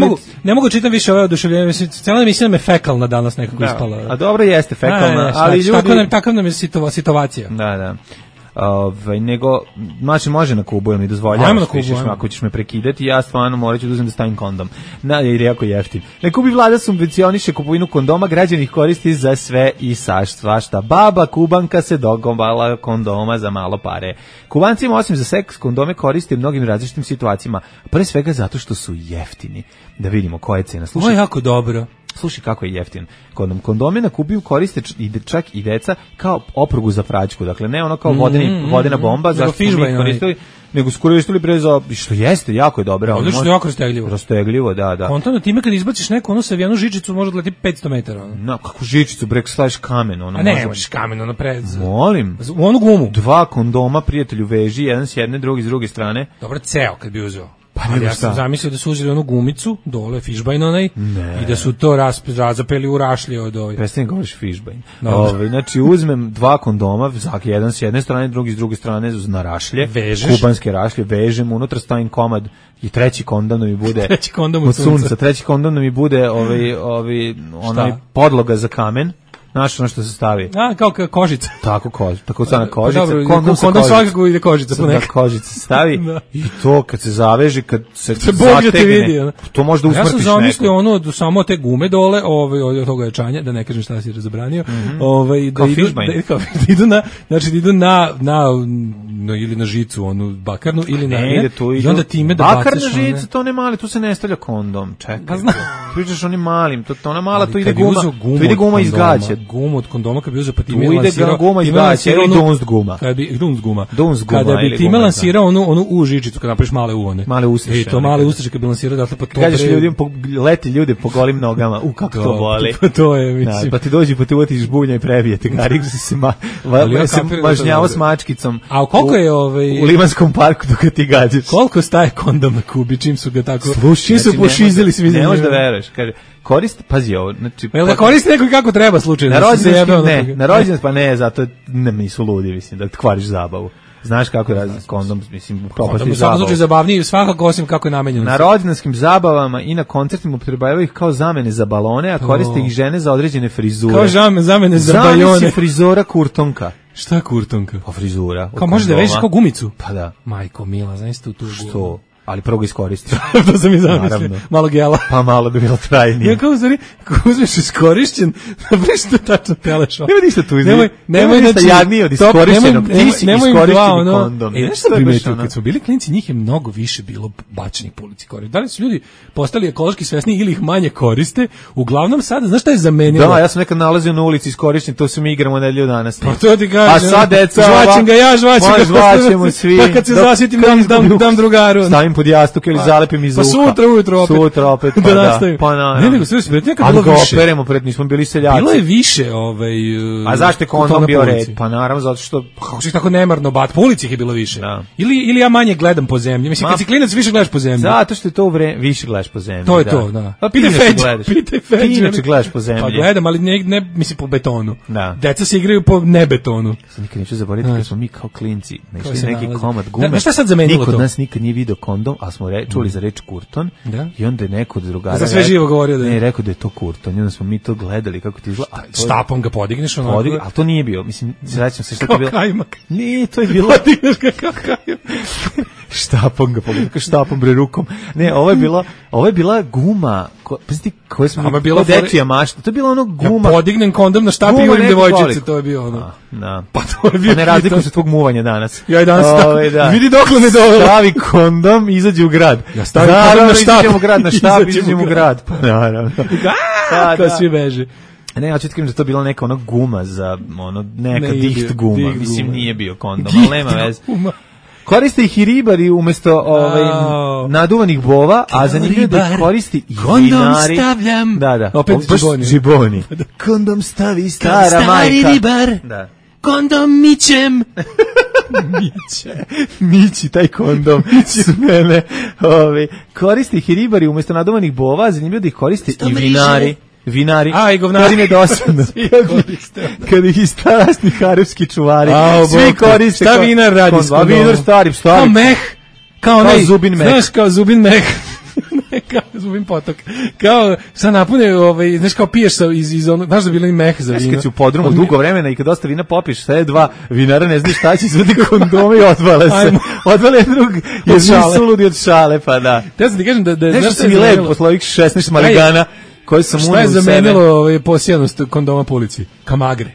Ne mogu čitam više ove oduševljenje. Cijela emisija nam je fekalna danas nekako ispala. A dobro jeste fekalna, ali ljudi... Takav nam je situacija. Da. Nego, znači može na Kubu, mi dozvoljavaš, ako ćeš me prekidati, ja stvarno morat ću da uzem da stavim kondom. Jer je jako jeftin. Na Kubi vlada subvencioniše kupovinu kondoma, građani ih koristi za sve i svašta. Baba Kubanka se dogovala kondoma za malo pare. Kubancima osim za seks kondome koriste u mnogim različitim situacijama, pre svega zato što su jeftini. Da vidimo koja je cena. Ovo je jako dobro. Slušaj kako je jeftin kondom. Kondome na Kubi koriste čak i deca kao oprugu za praćku. Dakle, ne ono kao vodena bomba, zašto smo mi koristili, nego su koristili breza, što jeste, jako je dobro. Odlično, jako rastegljivo. Rastegljivo, da. Kontano time kad izbaciš neku ono savijanu žičicu, može da leti 500 metara. No, kako žičicu, bre, staviš kamen. A ne, možeš kamen, ono pred... Molim. U onu gumu. 2 kondoma, prijatelju, veži, jedan s jedne, drugi s druge strane. Dobro, ceo kad bi uzeo. Ali ja sam zamislio da su uzeli onu gumicu, dole, fišbajn onaj, i da su to razapeli u rašlje od ovoj. Prestani govoriš fišbajn. Znači, uzmem 2 kondoma, jedan s jedne strane, drugi s druge strane, na rašlje, kubanske rašlje, vežem, unutra stavim komad i treći kondom da mi bude od sunca. Treći kondom da mi bude onaj podloga za kamen. Znaš ono što se stavi? Kao kožica. Tako sana kožica. Kondom svakako ide kožica. Kožica stavi i to kad se zaveži, kad se zategne, to može da usmrtiš neko. Ja sam zamislio samo te gume dole, od toga jačanja, da ne kažem šta si razabranio, kao fišbajn. Da idu na ili na žicu, onu bakarnu, ili na i onda time da baciš. Bakarna žica, to ne mali, tu se ne stavlja kondom. Čekaj. pričaš onim malim, to ona mala, to ide guma iz gaća. Gumu od kondoma kad bi uzeo pa ti ide guma iz gaća, ili Dunst guma. Kada bi ti lansirao onu U žičicu, kad napraviš male U one. Male ustaše. I to male ustaše kad bi lansirao, dakle pa to kažeš ljudima, leti ljude po golim nogama, kako to boli. To je, mislim. Pa ti dođi, pa ti uvati žbunja i prebije te garik, se mažnjavo s mačkicom. A koliko je u Limanskom parku dok ti gađaš? Koliko staje kondom na Kubi, čim su ga tako, čim su pošizili svi za njega? Ne možeš da veruješ, kaže, koristi ovo, znači... Jel da koristi neko kako treba slučajno? Na rođendan pa ne, zato nisu ludi, mislim, da kvariš zabavu. Znaš kako je kondom, mislim, propasti zabavu. U slučaju zabavniji, svakako osim kako je namenjeno. Na rođendanskim zabavama i na koncertima upotrebljavaju ih kao zamene za balone, a koriste ih žene za određene frizure. Kao zamene za bajone. Zamisli frizora kurtonka. Šta je kurtonka? Pa frizura. Kao možeš da vežeš kao gumicu? Pa da. Majko mila, znaš tu gumu. Što? Ali prvo ga iskoristi. To sam i zamislio. Malo gela. Pa malo bi bilo trajnije. Ja kao stvari, kako uzmeš iskorišćen, napriš tačno teleš. Nema ništa tu. Nemoj ništa jadnije od iskorišćenog. Ti si iskorišteni kondom. Znaš što primetio, kad smo bili klinici, njih je mnogo više bilo bačenih po ulici koriste. Da li su ljudi postali ekološki svesni ili ih manje koriste? Uglavnom sada, znaš šta je zamenilo? Da, ja sam nekad nalazio na ulici iskorišćen, to se mi igramo nedelju danas. Pa to ti kažem. A sad deca, žvaćem ga ja, žvaćemo svi. Pa kad se zasjetim dam drugaru. Pod jastuk ili zalepim iz uha. Pa sutra opet. Pa da. Pa na. Ne, nego sve nekad bilo više. Ali operemo pred, nismo bili seljaci. Bilo je više, A zašto je kondom bio red? Pa naravno, zato što... Kako si tako nemarno bat, po ulici je bilo više. Ili ja manje gledam po zemlji. Mislim, kad si klinac više gledaš po zemlji. Zato što je to više gledaš po zemlji. To je to, da. Pa pitaj Feđ. Ti inače gledaš po zemlji. Pa gledam, ali ne mislim po betonu. Da. Deca se igraju po nebetonu. Nikad neću zaboraviti kad smo mi kao klinci našli neki komad gume. Šta sad zamenilo to? Niko od nas nikad nije video kondom, a smo čuli za reč kurton, i onda je neko od drugara... Za sve živo govorio da je... Ne, rekao da je to kurton, i onda smo mi to gledali kako ti izgleda... Štapom ga podigneš onako... Ali to nije bio, mislim, srećam se što to bilo... Kao kajmak. Nije, to je bilo... Podigneš ga kao kajmak. Štapom ga podigneš, štapom bre rukom. Ne, ovo je bila guma, koje smo... Ko dečija mašta, to je bila ono guma... Ja podignem kondom na štapi i urim devojčice, to je bio ono... Da. Pa to je bio... Pa ne razlikuju se tvog muvanja danas. Ja i danas vidi dokle me dovela. Stavi kondom i izađi u grad. Ja stavim kondom na štap. Izađemo u grad. Pa naravno. Kao svi beže. Ne, ja ću ti kažem da to bila neka ona guma za neka diht guma. Mislim, nije bio kondom, ali nema veze. Koriste ih i ribari umjesto naduvanih bova, a zanimljivo da ih koristi i vinari. Kondom stavljam. Da. Opet žiboni. Kondom stavi stara majka. Stari ribar. Da. Kondom mićem. Mići taj kondom s mene. Koriste ih i ribari umjesto naduvanih bova, a zanimljivo da ih koriste i vinari. I govnari. Kad im je dosadno. Kad ih i starasni karibski čuvari. Svi koriste. Šta vinar radi s kondomom? Vinar stari. Kao meh. Kao zubin meh. Znaš, kao zubin meh. Kao zubin potok. Kao, sad napune, znaš, kao piješ iz onog, znaš da bilo i meh za vino. Znaš, kad si u podrumu dugo vremena i kad dosta vina popiš, sve dva vinara ne znaš šta će, izvedi kondome i odvale se. Odvale drug, jer nisu ludi od šale, pa da. Te sam ti kažem da nešto sam mi lep posle ovih 16 maligana koji sam unio u sebe. Šta je zamenilo posijanost kondoma po ulici? Kamagre.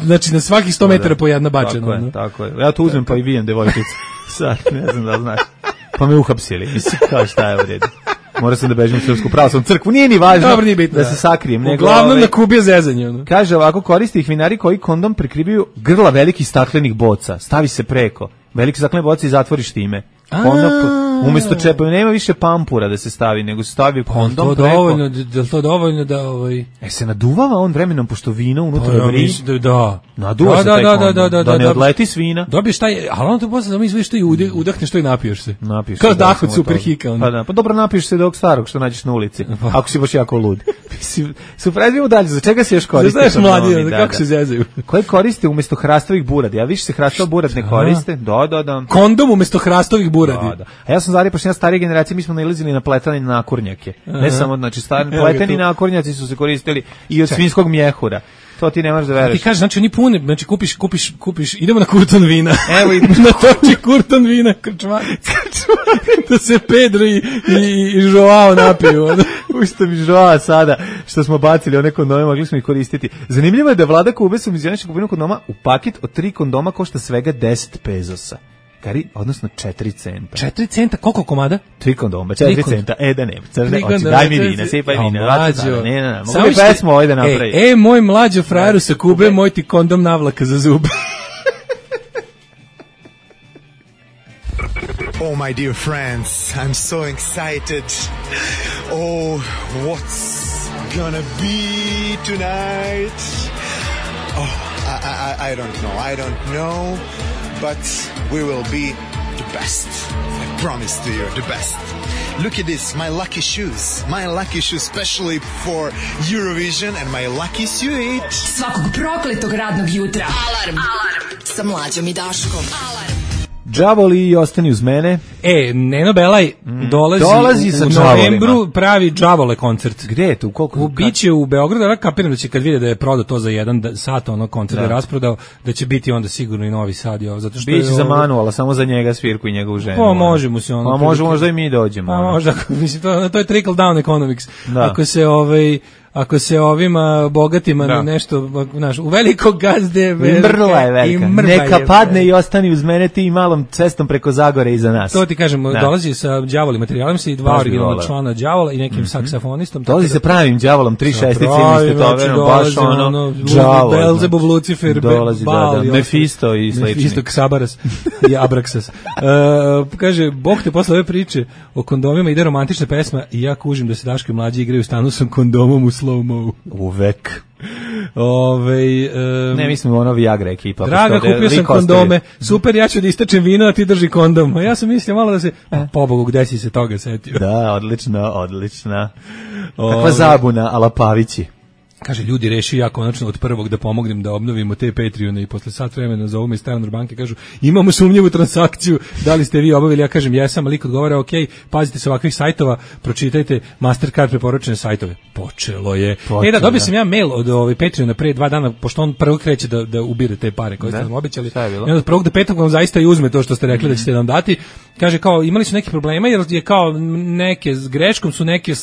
Znači na svakih 100 metara po jedna bačena. Tako je. Ja to uzmem pa i vijem devojčicu. Sad, ne znam da znaš. Pa me uhapsili. Mislim, kao šta je u redu. Mora sam da bežim u Srpsku pravoslavnu crkvu. Nije ni važno. Dobro, nije bitno, da se sakrijem. Uglavnom na Kubi je zezanje. Kaže ovako, koriste ih vinari koji kondom prikrivaju grla velikih staklenih boca. Stavi se preko. Velike staklene boce i zatvoriš time. Umjesto čepa, nema više pampura da se stavi, nego se stavi kondom preko. Je to dovoljno da... se naduvava on vremenom, pošto vino unutra vri? Da. Naduva se taj kondom, da ne odleti s vina. Dobiješ taj, ali ono to posle da mi izveš to i udahneš to i napiješ se. Kao dah od Superhika. Pa dobro, napiješ se dok starog što nađeš na ulici, ako si baš jako lud. Suprezimo dalje, za čega se još koriste? Znaš mladi, kako se zezaju. Koje koriste umjesto hrastovih buradi? Ja više se hrastov burad ne koriste. Da. Kondom umjesto hrastovih buradi. A ja sam zario, pošto ja starije generacije, mi smo nailazili na pletane nakurnjake. Ne samo, znači, pleteni nakornjaci su se koristili i od svinjskog mjehura. To ti ne možeš da veruješ. Ti kažeš, znači oni pune, znači kupiš, idemo na kurton vina. Evo na toči kurton vina, krčmari. Da se Pedro i Joao napiju. Ušto mi Joao sada, što smo bacili one kondome, mogli smo ih koristiti. Zanimljivo je da vlada Kube subvencioniše kupovinu kondoma u paket od 3 kondoma košta svega 10 pezosa. odnosno 4 centa. 4 centa, koliko komada? 3 kondoma, 4 centa. Da ne, crne, oči, daj mi vina, sipaj vina. Ne, mogu mi pesmu ovdje da napravi. Moj mlađo frajeru sa Kube, moj ti kondom navlaka za zube. Oh, my dear friends, I'm so excited. Oh, what's gonna be tonight? Oh, I don't know, but we will be the best. I promise to you, the best. Look at this, my lucky shoes, especially for Eurovision, and my lucky suit. Svakog prokletog radnog jutra. Alarm sa Mlađom i Daškom. Alarm. Đavoli i ostani uz mene. Neno Belaj dolazi u novembru, pravi Đavole koncert. Gde je tu? Biće u Beogradu, ja kapiram da će kad vide da je prodao to za 1 sat, ono koncert je rasprodao, da će biti onda sigurno i Novi Sad. Zato što biće za Manuela, samo za njega svirku i njegovu ženu. Pa može mu se ono. Pa može možda i mi dođemo. Pa možda, mislim, to je trickle down economics. Ako se ovima bogatima nešto, znaš, u velikog gazde mrla je velika. Neka padne i ostani uz mene ti malom cestom preko Zagore iza nas. To ti kažem, dolazi sa đavolim materijalom i 2 originalna člana đavola i nekim saksafonistom. Dolazi sa pravim đavolom, 3/6 istetoverom, baš ono đavol. Belzebub, Lucifer, Baal, Mefisto i slični. Mefisto, Ksabaras i Abraksas. Kaže, Bog te posle ove priče o kondomima ide romantična pesma i ja kužim da se Daško i Mlađi igraju u stanu sa kondomom u slow-mo. Uvek. Ne, mislim ono Viagra ekipa. Draga, kupio sam kondome. Super, ja ću da istačem vino, a ti drži kondom. A ja sam mislio malo da se... Pobogu, gde si se toga setio? Da, odlična. Kakva zabuna, ala Pavići. Kaže, ljudi, reši ja konačno od prvog da pomognem da obnovimo te Patreone i posle sat vremena zovu me iz Standard banke, kažu, imamo sumnjivu transakciju, da li ste vi obavili? Ja kažem, jesam, ali lik odgovara, ok, pazite se ovakvih sajtova, pročitajte Mastercard preporučene sajtove. Počelo je. Da, dobio sam ja mail od Patreona pre 2 dana, pošto on prvo kreće da ubire te pare koje ste nam obećali. I od 1. do 5. vam zaista i uzme to što ste rekli da ćete nam dati. Kaže, kao, imali su neki problema, jer je kao neke, s greškom su neke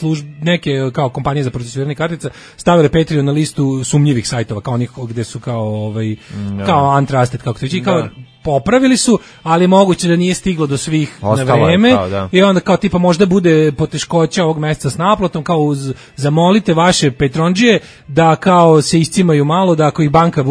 kao kompanije za procesuiranje kartica stavile Patreon na listu sumnjivih sajtova, kao onih gde su kao kao untrusted, kako to već, kao popravili su, ali moguće da nije stiglo do svih na vreme i onda kao tipa možda bude poteškoća ovog meseca s naplatom, kao zamolite vaše Petrondžije da kao se iscimaju malo, da ako im banka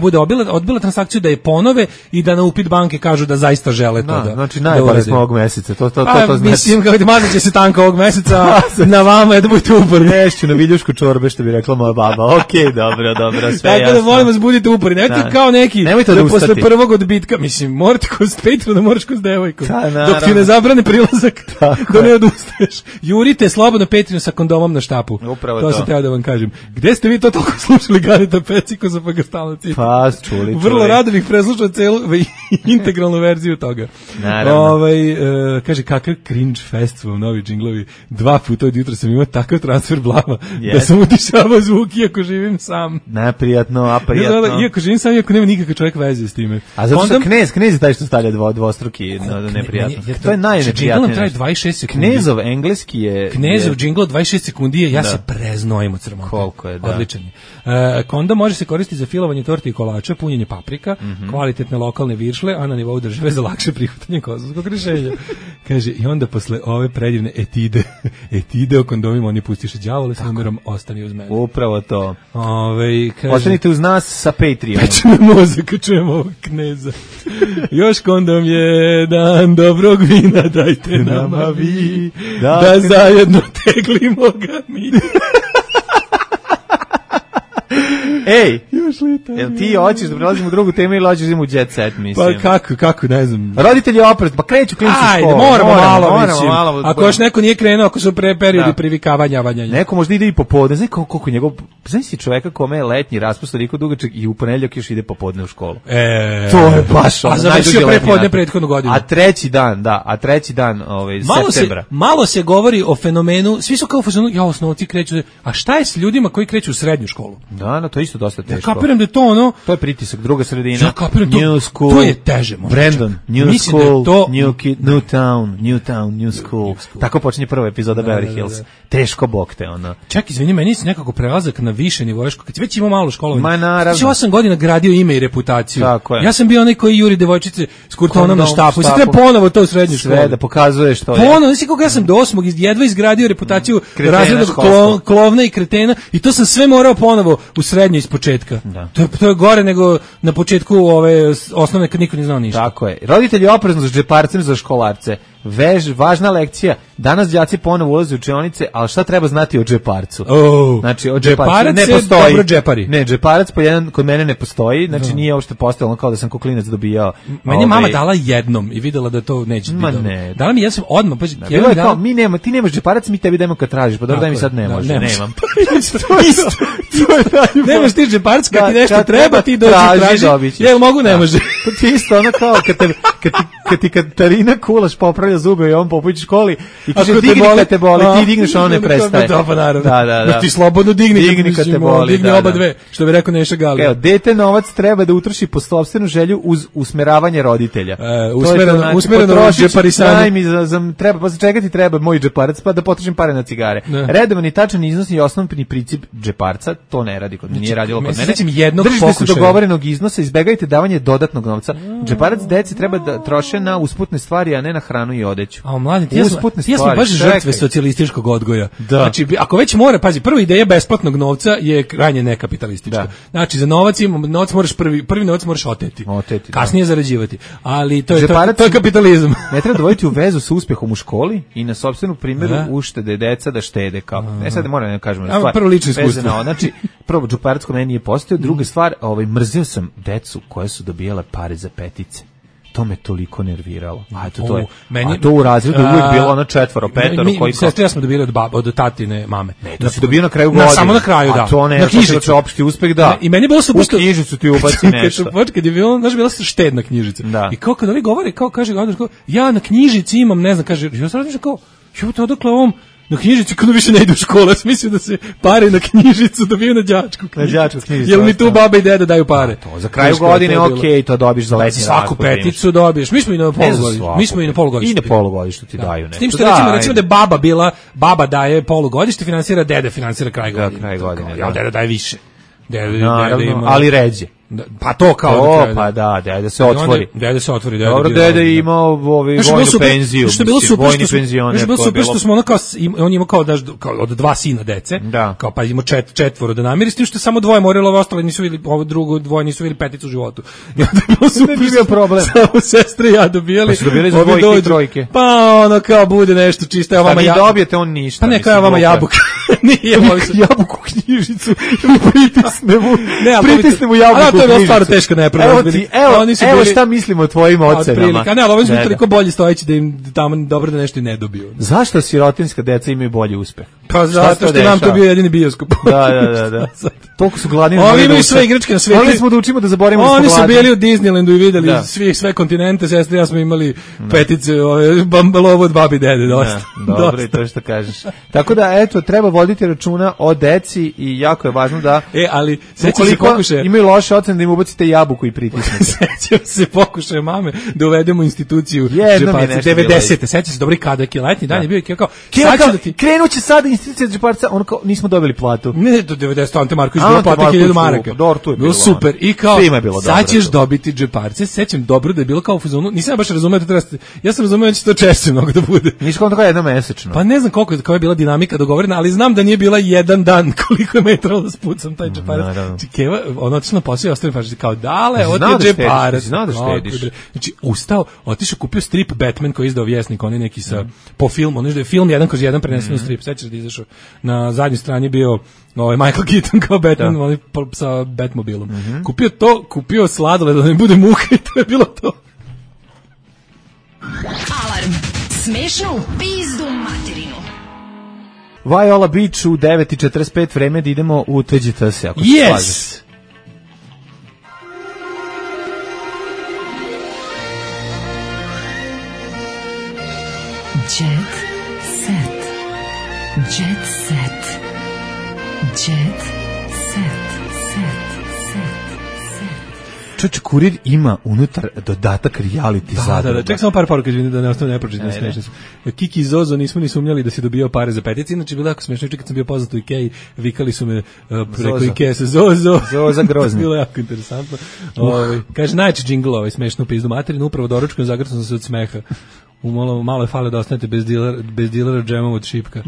bude odbila transakciju da je ponove i da na upit banke kažu da zaista žele to da. Znači najbolje smo ovog meseca, to znači. Mislim kako ti mazat će se tanka ovog meseca, na vama je da budete uporni. Nešću na viljušku čorbe, što bi rekla moja baba. Okej, dobro, sve jasno. Tako da molim vas, budite uporni, nemojte kao neki da posle prvog odbitka, mislim, morate kroz Patreon, da moraš kroz devojku. Dok ti ne zabrane prilazak, da ne odustaješ. Jurite slobodno Patreon sa kondomom na štapu. Upravo to sam teo da vam kažem. Gde ste vi to toliko slušali Gareta Pecikosa pa ga stalno citi? Pa, čuli. Vrlo rado bih preslušao celu integralnu verziju toga. Naravno. Kaže, kakav cringe fest su vam novi džinglovi. 2 puta od jutra sam imao takav transfer blama da sam utišavao zvuk iako živim sam. Neprijatno, a prijatno. Iako živim sam, iako nema nikakav čovjek veze s time. A zato što knez je taj što stavlja dvostruki neprijatno. To je najneprijatnije. Džingl traje 26 sekundi. Knezov engleski je... Knezov džingl 26 sekundi, ja se preznojim od srmota. Koliko je, da. Odličan je. Kondom može se koristiti za filovanje torti i kolača, punjenje paprika, kvalitetne lokalne viršle, a na nivou države za lakše prihvatanje kosovskog rješenja. Kaže, i onda posle ove predivne etide o kondomima, oni pustiše đavole s numerom ostani uz mene. Upravo to. Kaže, ostanite uz nas sa Patreonom. Peče me mozak, čujemo ovog kneza. Još kondom je dan dobrog vina, dajte nama vi, da zajedno teglimo ga mi. Ej, jel ti hoćeš da prelazimo u drugu temu ili hoćeš u jet set, mislim? Pa kako, ne znam. Roditelji opret, pa kreću klinci u školu. Ajde, moramo malo. Ako još neko nije krenuo, ako su periodi privikavanja. Neko možda ide i popodne, znaš koliko njegov, znaš si čoveka kome je letnji raspust toliko dugačak i u ponedeljak još ide popodne u školu. To je baš ono. A završio prepodne prethodnu godinu. A treći dan septembra. Malo se govori o fenomenu, svi su kao u fazonu, osnovci kreću, a šta je s ljudima koji kreću u srednju školu? Da, to isto isto dosta teško. Ja kapiram da je to ono... To je pritisak, druga sredina. Ja kapiram New school. To je teže. Brandon, New school, New town, New school. Tako počinje prva epizoda Beverly Hills. Teško bok te, ono. Čak, izvini, meni se nekako prelazak na više nivoje, kad si već imao malo školovanje. Ma naravno. Ti 8 godina gradio ime i reputaciju. Tako je. Ja sam bio onaj koji juri devojčice s kurtonom na štapu. I sad treba ponovo to u srednjoj školi. Sve da pokazuješ to. Ponovo, nisi koga ja sam do 8. jedva izgradio reputaciju razrednog klovna i kretena i to sam sve morao ponovo u srednjoj iz početka. Da. To je gore nego na početku ove osnovne kad niko ne znao ništa. Tako je. Roditelji oprezno s džeparcem za školarce. Važna lekcija. Danas đaci ponovo ulaze u učionice, ali šta treba znati o džeparcu? Znači, o džeparcu ne postoji. Dobro džepari. Ne, džeparac po jedan kod mene ne postoji, znači nije uopšte postojalo kao da sam koklinac dobijao. Meni je mama dala jednom i videla da to neće biti dobro. Dala mi, ja sam odmah, pa bilo je kao, ti nemaš džeparac, mi tebi dajemo kad tražiš, pa dobro daj mi sad ne može, nemam. Nemaš ti džeparac, kad ti nešto treba, ti dođi traži. Jel mogu, ne može. To ti isto ono kao kad ti Katarina Kulaš popravlja zube i on po školi i kaže digni kad te boli, ti digneš, ono ne prestaje. Da. Ti slobodno digni kad te boli. Digni oba dve, što bi rekao Neša Galija. Evo, dete novac treba da utroši po sopstvenu želju uz usmeravanje roditelja. Usmereno džeparisanje. Treba, pa čega ti treba moj džeparac, pa da potrošim pare na cigare. Redovan i tačan iznos i osnovni princip džeparca, to ne radi kod, nije radilo kod mene. Držite se dogovorenog iznosa, izbegajte davanje dodatnog novca. Džeparac deci treba da troše na usputne stvari, a ne na hranu i odeću. A mladi, ti smo baš žrtve socijalističkog odgoja. Znači, ako već mora, pazi, prva ideja besplatnog novca je krajnje nekapitalistička. Znači, za novac moraš prvi novac moraš oteti. Kasnije zarađivati. Ali to je kapitalizam. Ne treba dovoditi u vezu sa uspehom u školi i na sopstvenu primjeru uštede deca da štede kao. Ne sad moram da kažem stvar. Prvo lično iskustvo. Znači, prvo džeparac kod meni nije postojao, druga stvar, mrzio sam decu koje su dobijale pare za petice. To me toliko nerviralo. A to u razredu uvijek bilo ono 4, 5 koji sestri ja smo dobili od tatine mame. Ne, to si dobio na kraju godine. Samo na kraju, da. A to ne, na knjižicu. To je opšti uspeh, da. I meni je bilo super što u knjižicu ti ubaci nešto. Kad je bilo, znaš, bila štedna knjižica. I kao kad oni govore, kao kaže, ja na knjižici imam, ne znam, kaže, ja sam razmišljam kao, odakle ovom na knjižicu kada više ne ide u školu, mislim da se pare na knjižicu dobiju na đačku knjižicu. Jel mi tu baba i deda daju pare? Za kraju godine, to dobiš za letnji rad. Svaku peticu dobiješ. Mi smo i na polugodištu. I na polugodištu ti daju nešto. S tim što recimo da je baba daje polugodište, finansira, deda finansira kraj godine. Ja, deda daje više. Ali ređe. Pa to kao pa da, dede se otvori. Dobro, dede je imao vojnu penziju. Što je bilo super, što smo ono kao, on ima kao od 2 sina dece, kao pa ima 4 da namiri, s tim što samo 2 moralo, ove ostale nisu vidjeli, ovo drugo 2 nisu vidjeli peticu u životu. Ne bi bio problem. Samo sestre ja dobijali. Pa su dobijali za 2 i 3. Pa ono kao bude nešto čisto, evo vama jabuka. Pa vi dobijete, on ništa. Pa ne, kao vama jabuka. Nije, jabuku knjižicu. Pritisnemo jabuku. To je bilo stvarno teško nepravda. Evo šta mislimo o tvojim ocenama. Ne, ali ovo smo toliko bolji stojeći da im tamo dobro da nešto i ne dobiju. Zašto sirotinska deca imaju bolji uspeh? Pa zato što nam to bio jedini bioskop. Da. Toliko su gladni. Oni imaju sve igračke na svijetu. Morali smo da učimo da zaboravimo da smo gladni. Oni su bili u Disneylandu i videli sve kontinente, sestre ja smo imali petice, bambalovo od babi dede, dosta. Dobro, i to što kažeš. Tako da, eto, treba voditi računa o deci i jako je važno da... ali sećam se pokušaja... Imaju loše ocene da im ubacite jabuku i pritisnete. Sećam se pokušaja mame da uvedemo instituciju džeparca. 90. Sećam se dobri kada je letnji dan je bio i kao krenuće sad institucija džeparca, ono kao nismo dobili platu. Ne, do 90. Ante Marković bilo plata 1000 maraka. Bilo super. I kao, sad ćeš dobiti džeparce. Sećam dobro da je bilo kao u fazonu. Nisam baš razumeo da treba... Ja sam razumeo da će to češće mnogo da bude. Nisi kao jednomesečno. Pa ne znam koliko je bila dinamika dogovorena, ali znam da nije bila jedan dan koliko je me trebalo da spucam taj džeparac. Keva, ono otišao na posao i ostavim pažnje kao dale, od je džeparac. Znao da štediš. Znači, ustao, otišao, kupio strip Batman koji je izdao Vjesnik, on je neki po filmu, ono je film 1/1 prenesen u strip. Sećaš da je izašao na zadnjoj strani bio Michael Keaton kao Batman, oni sa Batmobilom. Kupio to, kupio sladoled da ne bude muka i to je bilo to. Alarm. Smešno u pizdu materinu. Viola Beach u 9:45 vreme da idemo u TGTS, ako se slažeš. Jet set. Jet set. Jet set. Set. čovječe, Kurir ima unutar dodatak reality zadruga. Da, ček samo par poruka da ne ostane nepročitano smešno. Kiki i Zozo nismo ni sumnjali da si dobijao pare za petici, inače bilo jako smešno, kad sam bio poznat u Ikeji, vikali su me preko Ikeje se Zoza grozni. Bilo jako interesantno. Kaže, najče džingl smešno pizdu materinu, upravo doručkom zagrcam sam se od smeha. Malo je fale da ostanete bez dilera džemom od šipka.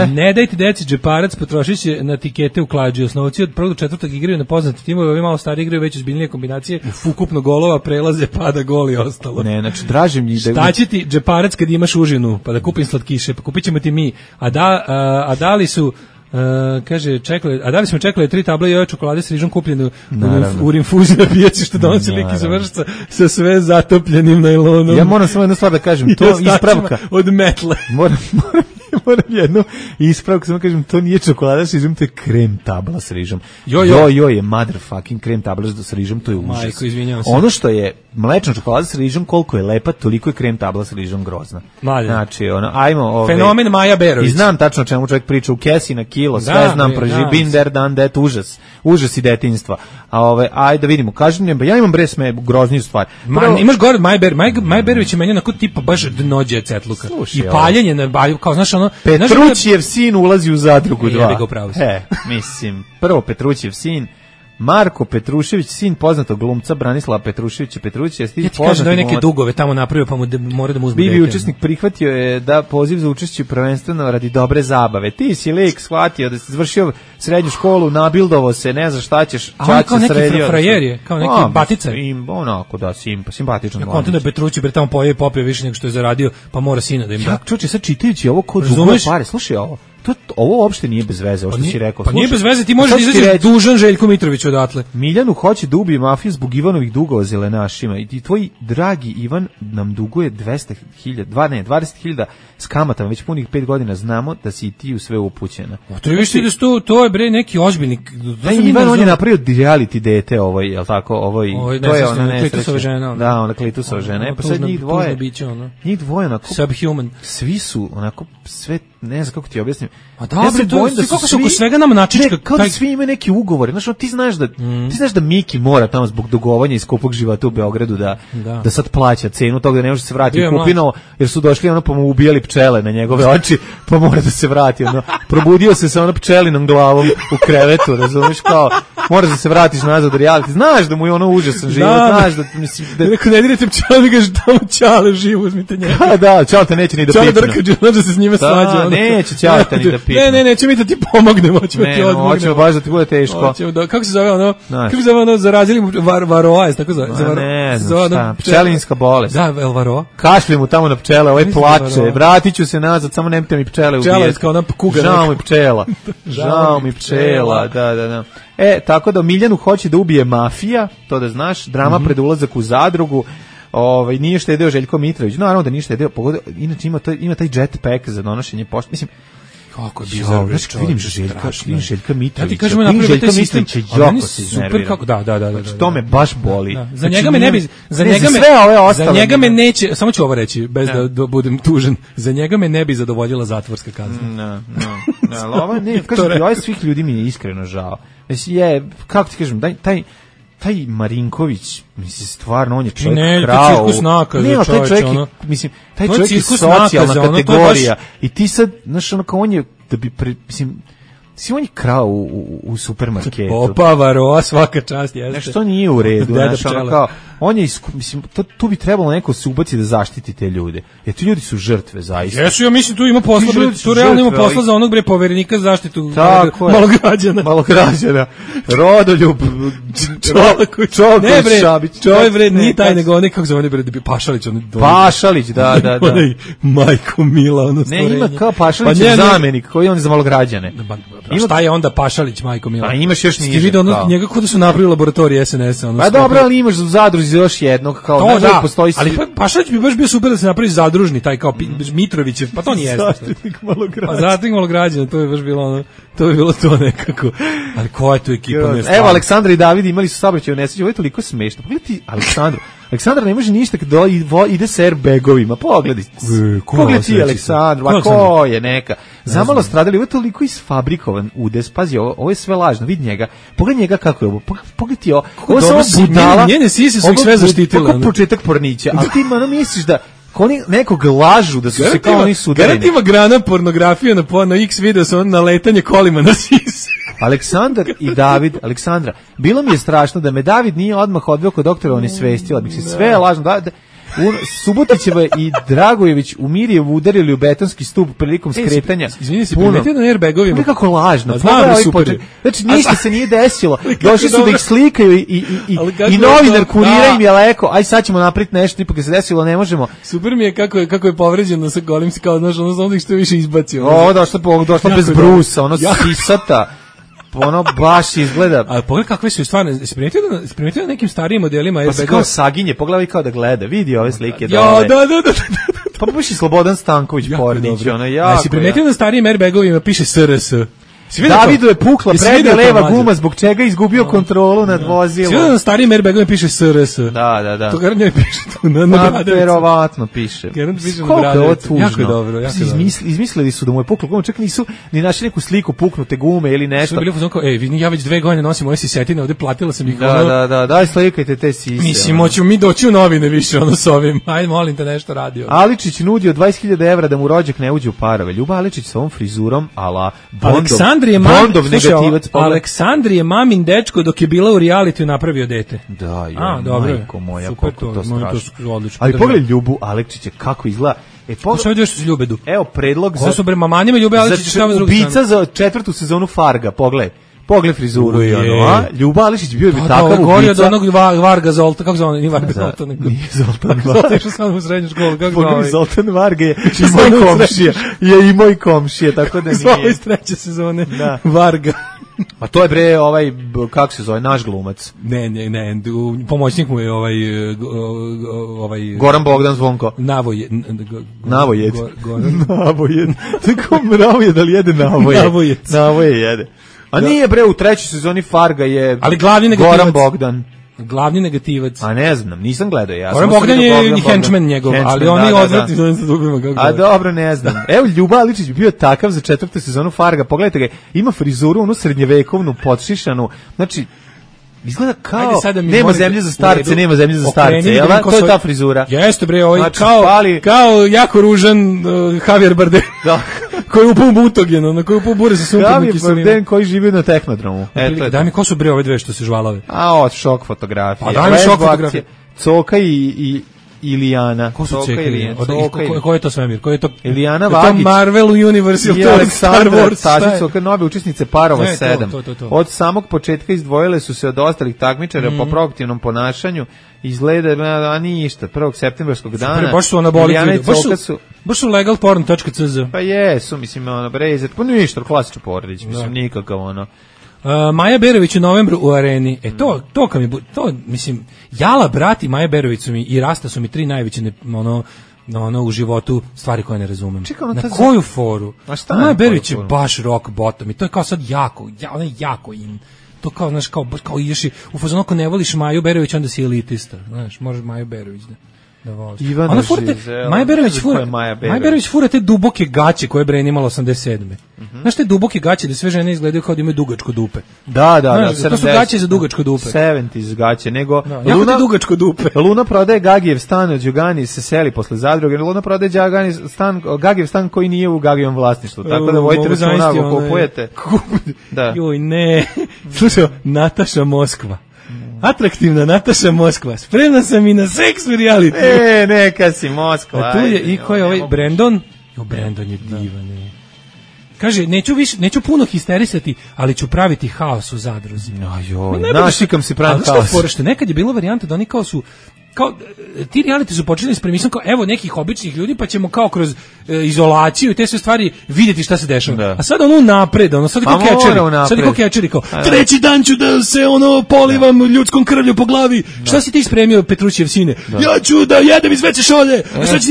Ne dajte deci džeparac, potrošit će na tikete u klađi. Osnovci od 1. do 4. igraju na poznati timove, ovi malo stari igraju već ozbiljnije kombinacije, ukupno golova, prelaze, pada gol i ostalo. Ne, znači dražim njih da... Šta će ti džeparac kad imaš užinu, pa da kupim slatkiše, pa kupit ćemo ti mi. A da li su... kaže, a da li smo čekali 3 table joja čokolade s rižom kupljene u rinfuzi na pijaci što donosi lik iz vršca sa sve zatopljenim najlonom. Ja moram samo jednu stvar da kažem, to ispravka od metle. Moram jednu ispravku, samo kažem, to nije čokolada s rižom, to je krem tabla s rižom. Jo je motherfucking krem tabla s rižom, to je užas. Majko, izvinjavam se. Ono što je mlečna čokolada s rižom, koliko je lepa, toliko je krem tabla s rižom grozna. Znači, ajmo... Fenomen Maja Berović. I znam tačno o čemu čovjek priča, u kesi na kilo, sve znam, been there, done that, užas i detinjstva. Ajde da vidimo, kažem mi, ja imam grozniju stvar. Imaš gore od Maja Berović je meni onako tipa baš dnođe cetluka. I paljenje na balju, kao znaš ono... Petrućijev sin ulazi u zadrugu 2. Mislim, prvo Petrućijev sin, Marko Petrušević, sin poznatog glumca Branislava Petruševića. Ja ti kažem da je neke dugove tamo napravio, pa mora da mu uzme. Bivi učesnik prihvatio je da poziv za učešće prvenstveno radi dobre zabave. Ti si lik shvatio da si završio srednju školu, nabildovo se, ne znaš šta ćeš, čače sredio. Kao neki batice. Onako da, simpatičan. Ja kontam da Petrući bre tamo popio više nego što je zaradio, pa mora sina da im da. Ja čuče sad čitajući ovo kod dugove pare, slušaj ovo. Ovo uopšte nije bez veze, ovo što si rekao. Pa nije bez veze, ti možeš izaći dužan Željko Mitrović odatle. Miljanu hoće da ubije mafiju zbog Ivanovih dugova zelenašima i tvoj dragi Ivan nam duguje 20.000 s kamatama, već punih 5 godina, znamo da si i ti u sve upućena. To je bre neki ozbiljnik. Ivan, on je napravio reality dete, jel tako, to je ona Klitusova žena. Da, ona Klitusova žena. Pa sad njih dvoje onako, subhuman. Svi su onako, sve, ne znam kako ti objasnim. A dobro, kako se oko svega nam načička. Kao da svi imaju neki ugovor. Znaš, ti znaš da Miki mora tamo zbog dugovanja iz skupog života u Beogradu da sad plaća cenu toga da ne može se vratiti u Kupinovo, jer su došli pa mu ubijali pčele na njegove oči, pa mora da se vrati. Probudio se sa pčelinom glavom u krevetu, razumiješ, kao moraš da se vratiš nazad u reality. Znaš da mu je užasan život, znaš da mislim da neko ne direte pčele, mi kaže tamo Ćale živo, uzmite njega. Da, Ćale te neće ni da pipne. Ćale drkađe, znaš da se s njime svađa. Neće Ćale te ni da pipne. Ne, neće mi da ti pomognemo, hoćemo ti odmognemo. Hoćemo baš da ti bude teško. Kako se zove ono, zarazili mu varoa, tako zove. Ne znam, pčelinska bolest. Da, el varoa. Kašlje mu tamo na pčele, ovaj plače, vratit ću se nazad, samo nemojte mi pčele ubijeti. Pčela je kao ona kuga. Žao mi pčela, da. Tako da Miljanu hoće da ubije mafija, to da znaš, drama pred ulazak u zadrugu. Nije štedeo Željko Mitrović, naravno da nije štedeo, inače ima taj jetpack za donošenje pošte, mislim, kako je bizarno. Znači, vidim Željka Mitrovića. Ja ti kažem, napravio taj sistem, a meni super kako, da. Znači, to me baš boli. Za njega me ne bi, za njega me neće, samo ću ovo reći, bez da budem tužan, za njega me ne bi zadovoljila zatvorska kazna. Ali ovo ne, kažem, ovaj svih ljudi mi je iskreno žao. Kako ti kažem, taj Marinković, mislim, stvarno, on je čovjek krao. Taj čovjek je socijalna kategorija. I ti sad, znaš, ono kao on je, da bi, mislim, on je krao u supermarketu. Opa, varoa, svaka čast, jeste. Znaš, to nije u redu, znaš, ono kao, on je, mislim, tu bi trebalo neko se ubaci da zaštiti te ljude. Jer ti ljudi su žrtve, zaista. Jesu, ja mislim, tu ima posla, tu realno ima posla za onog poverenika za zaštitu malograđana. Rodoljub, Čoković Šabić. Čovjek, bre, nije taj nego onaj, kako zove, bre, Pašalić. Pašalić, da. Majko Mila, ono stvorenje. Ne, ima kao Pašalić zamenik, koji on je za malograđane. Šta je onda Pašalić, majko Mila? A imaš još niže. Ti vidio njega kod da su napravili laboratorij SNS-a. Pa dobro, ali imaš u zadruzi još jednog, kao da postoji. Ali Pašalić bi baš bio super da se napravi zadružni, taj kao Mitrovićev, pa to nije. Zaštitnik malograđana. Pa zaštitnik malograđana, to je baš bilo ono, to bi bilo to nekako. Ali koja je tu ekipa? Evo, Aleksandra i David imali su saobraćajnu nesreću, ovo je toliko smešno. Pogledaj ti Aleksandru. Aleksandra ne može ništa kada ide sa airbagovima. Pogledaj. Pogledaj ti Aleksandra, ko je neka. Zamalo stradali, ovo je toliko isfabrikovan udes. Pazi, ovo je sve lažno, vidi njega. Pogledaj njega kako je ovo. Pogledaj ti ovo. Ovo je samo budala. Njene sise su ih sve zaštitile. Ovo početak pornića. A ti misliš da oni nekog lažu da su se kao oni sudareni. Garant ima grana pornografije na X video sa na letanje kolima na sise. Aleksandar i David, Aleksandra, bilo mi je strašno da me David nije odmah odveo kod doktora, on je svestila, bih se sve lažno, Subotićeva i Dragojević u Mirjevu udarili u betonski stup prilikom skretanja. Izvini se, primetio na airbagovima. Nekako lažno. Znači, ništa se nije desilo. Došli su da ih slikaju i novinar kurira im je leko, aj sad ćemo napraviti nešto, ipak je se desilo, ne možemo. Super mi je kako je povređeno sa golim, kao znaš, ono znam da ih što više izbacio. Došla bez brusa, ono sisata. Ono baš izgleda. A pogledaj kakve su stvarno. Primetio na nekim starijim modelima airbagova. Pa kao saginje, pogledaj kao da gleda. Vidi ove slike. Ja, da. Pa baš i Slobodan Stanković Pornić, ono jako. A si primetio na starijim airbagovima piše SRS. Davidu je pukla prednja leva guma, zbog čega je izgubio kontrolu nad vozilom. Svi na starijim airbagovima piše SRS. Da. To garant njoj piše tu na Bradovicu. Verovatno piše. Garant piše na Bradovicu. Jako je dobro. Izmislili su da mu je pukla guma, čak nisu ni našli neku sliku puknute gume ili nešto. Bili fuzon kao, ja već 2 godine nosim ove sisetine, ovde platila sam ih. Da, daj slikajte te sise. Mislim, hoćemo mi doći u novine više ono s ovim. Ajde, molim te nešto radio. Aličić nudio 20.000 evra da mu rođak ne uđe u parove. Ljuba Aličić sa ovom frizurom, ala Aleksandri je mamin dečko dok je bila u realitiju napravio dete. Da, majko moja, super, to strašno. Odlično. Ali pogledaj Ljubu Aleksića kako izgleda. Pogledaj što se ljubedu. Evo predlog za su manjima Ljube Aleksića šta s druge strane. Ubica za 4. sezonu Farga, pogledaj frizuru i ono, a? Ljuba Ališić bio bi takav ubica. Gorio od onog Varga Zolta, kako zove, nije Varga Zolta, nego... Nije Zoltan Varga. Zolta išao sam u srednju školu, kako zove? Zoltan Varga je i moj komšija, tako da nije. Zove iz 3. sezone, Varga. A to je kako se zove, naš glumac. Ne, pomoćnik mu je Goran Bogdan Zvonko. Navojed. Tako Navojed, ali jede Navojed. Navojed jede. A nije u 3. sezoni Farga je Goran Bogdan. Glavni negativac. A ne znam, nisam gledao ja. Goran Bogdan je i henchman njegov, ali oni odvratni da dugujemo. A dobro, ne znam. Evo, Ljuba Aličić bi bio takav za 4. sezonu Farga. Pogledajte ga, ima frizuru, onu srednjevekovnu, podšišanu. Znači, izgleda kao nema zemlje za starce, jel da? To je ta frizura. Jeste bre, kao jako ružan Javier Bardem. Da. Koji je upao butogen, na koji je upao bure sa sumpornim kiselinom. Bardem koji živi na Tehnodromu. Daj mi ko su bre ove dve što se žvalave? Šok fotografije. Daj mi šok fotografije. Coka i Ilijana. Ko su Cekili? Ko je to svemir? Ko je to? Ilijana Vagić. To Marvel Universe ili to Star Wars? Tažić, nove učesnice Parova 7. Od samog početka izdvojile su se od ostalih takmičara po proaktivnom ponašanju. Izgleda, ništa, 1. septembarskog dana. Baš su anaboliki. Baš su legalporn.cz. Pa jesu, mislim, Brezet. Pa ništa, klasično porodić, mislim, nikakav Maja Berović u novembru u Areni. Mislim, Jala, brat i Maja Berović su mi i Rasta su mi 3 najveće u životu stvari koje ne razumem. Na koju foru? Maja Berović je baš rock bottom i to je kao sad jako in. To kao, znaš, kao ideš u fazonu ako ne voliš Maju Berović, onda si elitista. Znaš, možeš Maju Berović da voliš. Maja Berović fura te duboke gaće koje je Bren imala 87. Znaš te duboke gaće da sve žene izgledaju kao da imaju dugačko dupe. Da. To su gaće za dugačko dupe. 70s gaće, nego... Jako ti dugačko dupe. Luna prodaje Gagijev stan od Đugani, se seli posle zadruge. Luna prodaje Gagijev stan koji nije u Gagijevom vlasništvu. Tako da vojite računa ako kupujete. Joj, ne. Slušaj, Nataša Moskva. Atraktivna Nataša Moskva. Spremna sam i na seks u reality. Neka si Moskva. A tu je i ko je ovaj Brandon? Brandon je divan. Kaže, neću puno histerisati, ali ću praviti haos u zadruzi. Našikam si pravim haos. Što nekad je bilo varijanta da oni kao su ti reality su počeli s premisom kao evo nekih običnih ljudi pa ćemo kao kroz izolaciju i te sve stvari vidjeti šta se dešava. A sad napred, sad kao catcheri kao treći dan ću da se polivam ljudskom krvlju po glavi. Šta si ti spremio Petrućev sine? Ja ću da jedem iz veće šolje.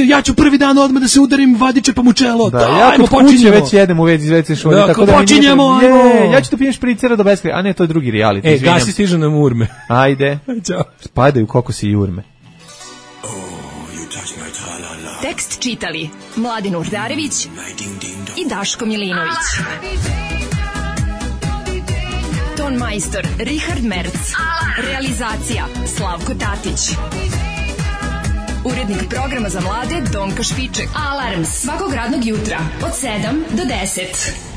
Ja ću prvi dan odmah da se udarim vadiče pa mu čelo. Ja kod kuće već jedem u vezi iz veće šolje. Tako da počinjemo. Ja ću da pijem špricera do beskraja. A ne, to je drugi reality. Gasi stižu nam urme. Ajde. Spadaju kokosi i urme. Tekst čitali Mladin Urdarević i Daško Milinović. Ton majstor Richard Merc. Realizacija Slavko Tatić. Urednik programa za mlade Donka Špiček. Alarms svakog radnog jutra od 7 do 10.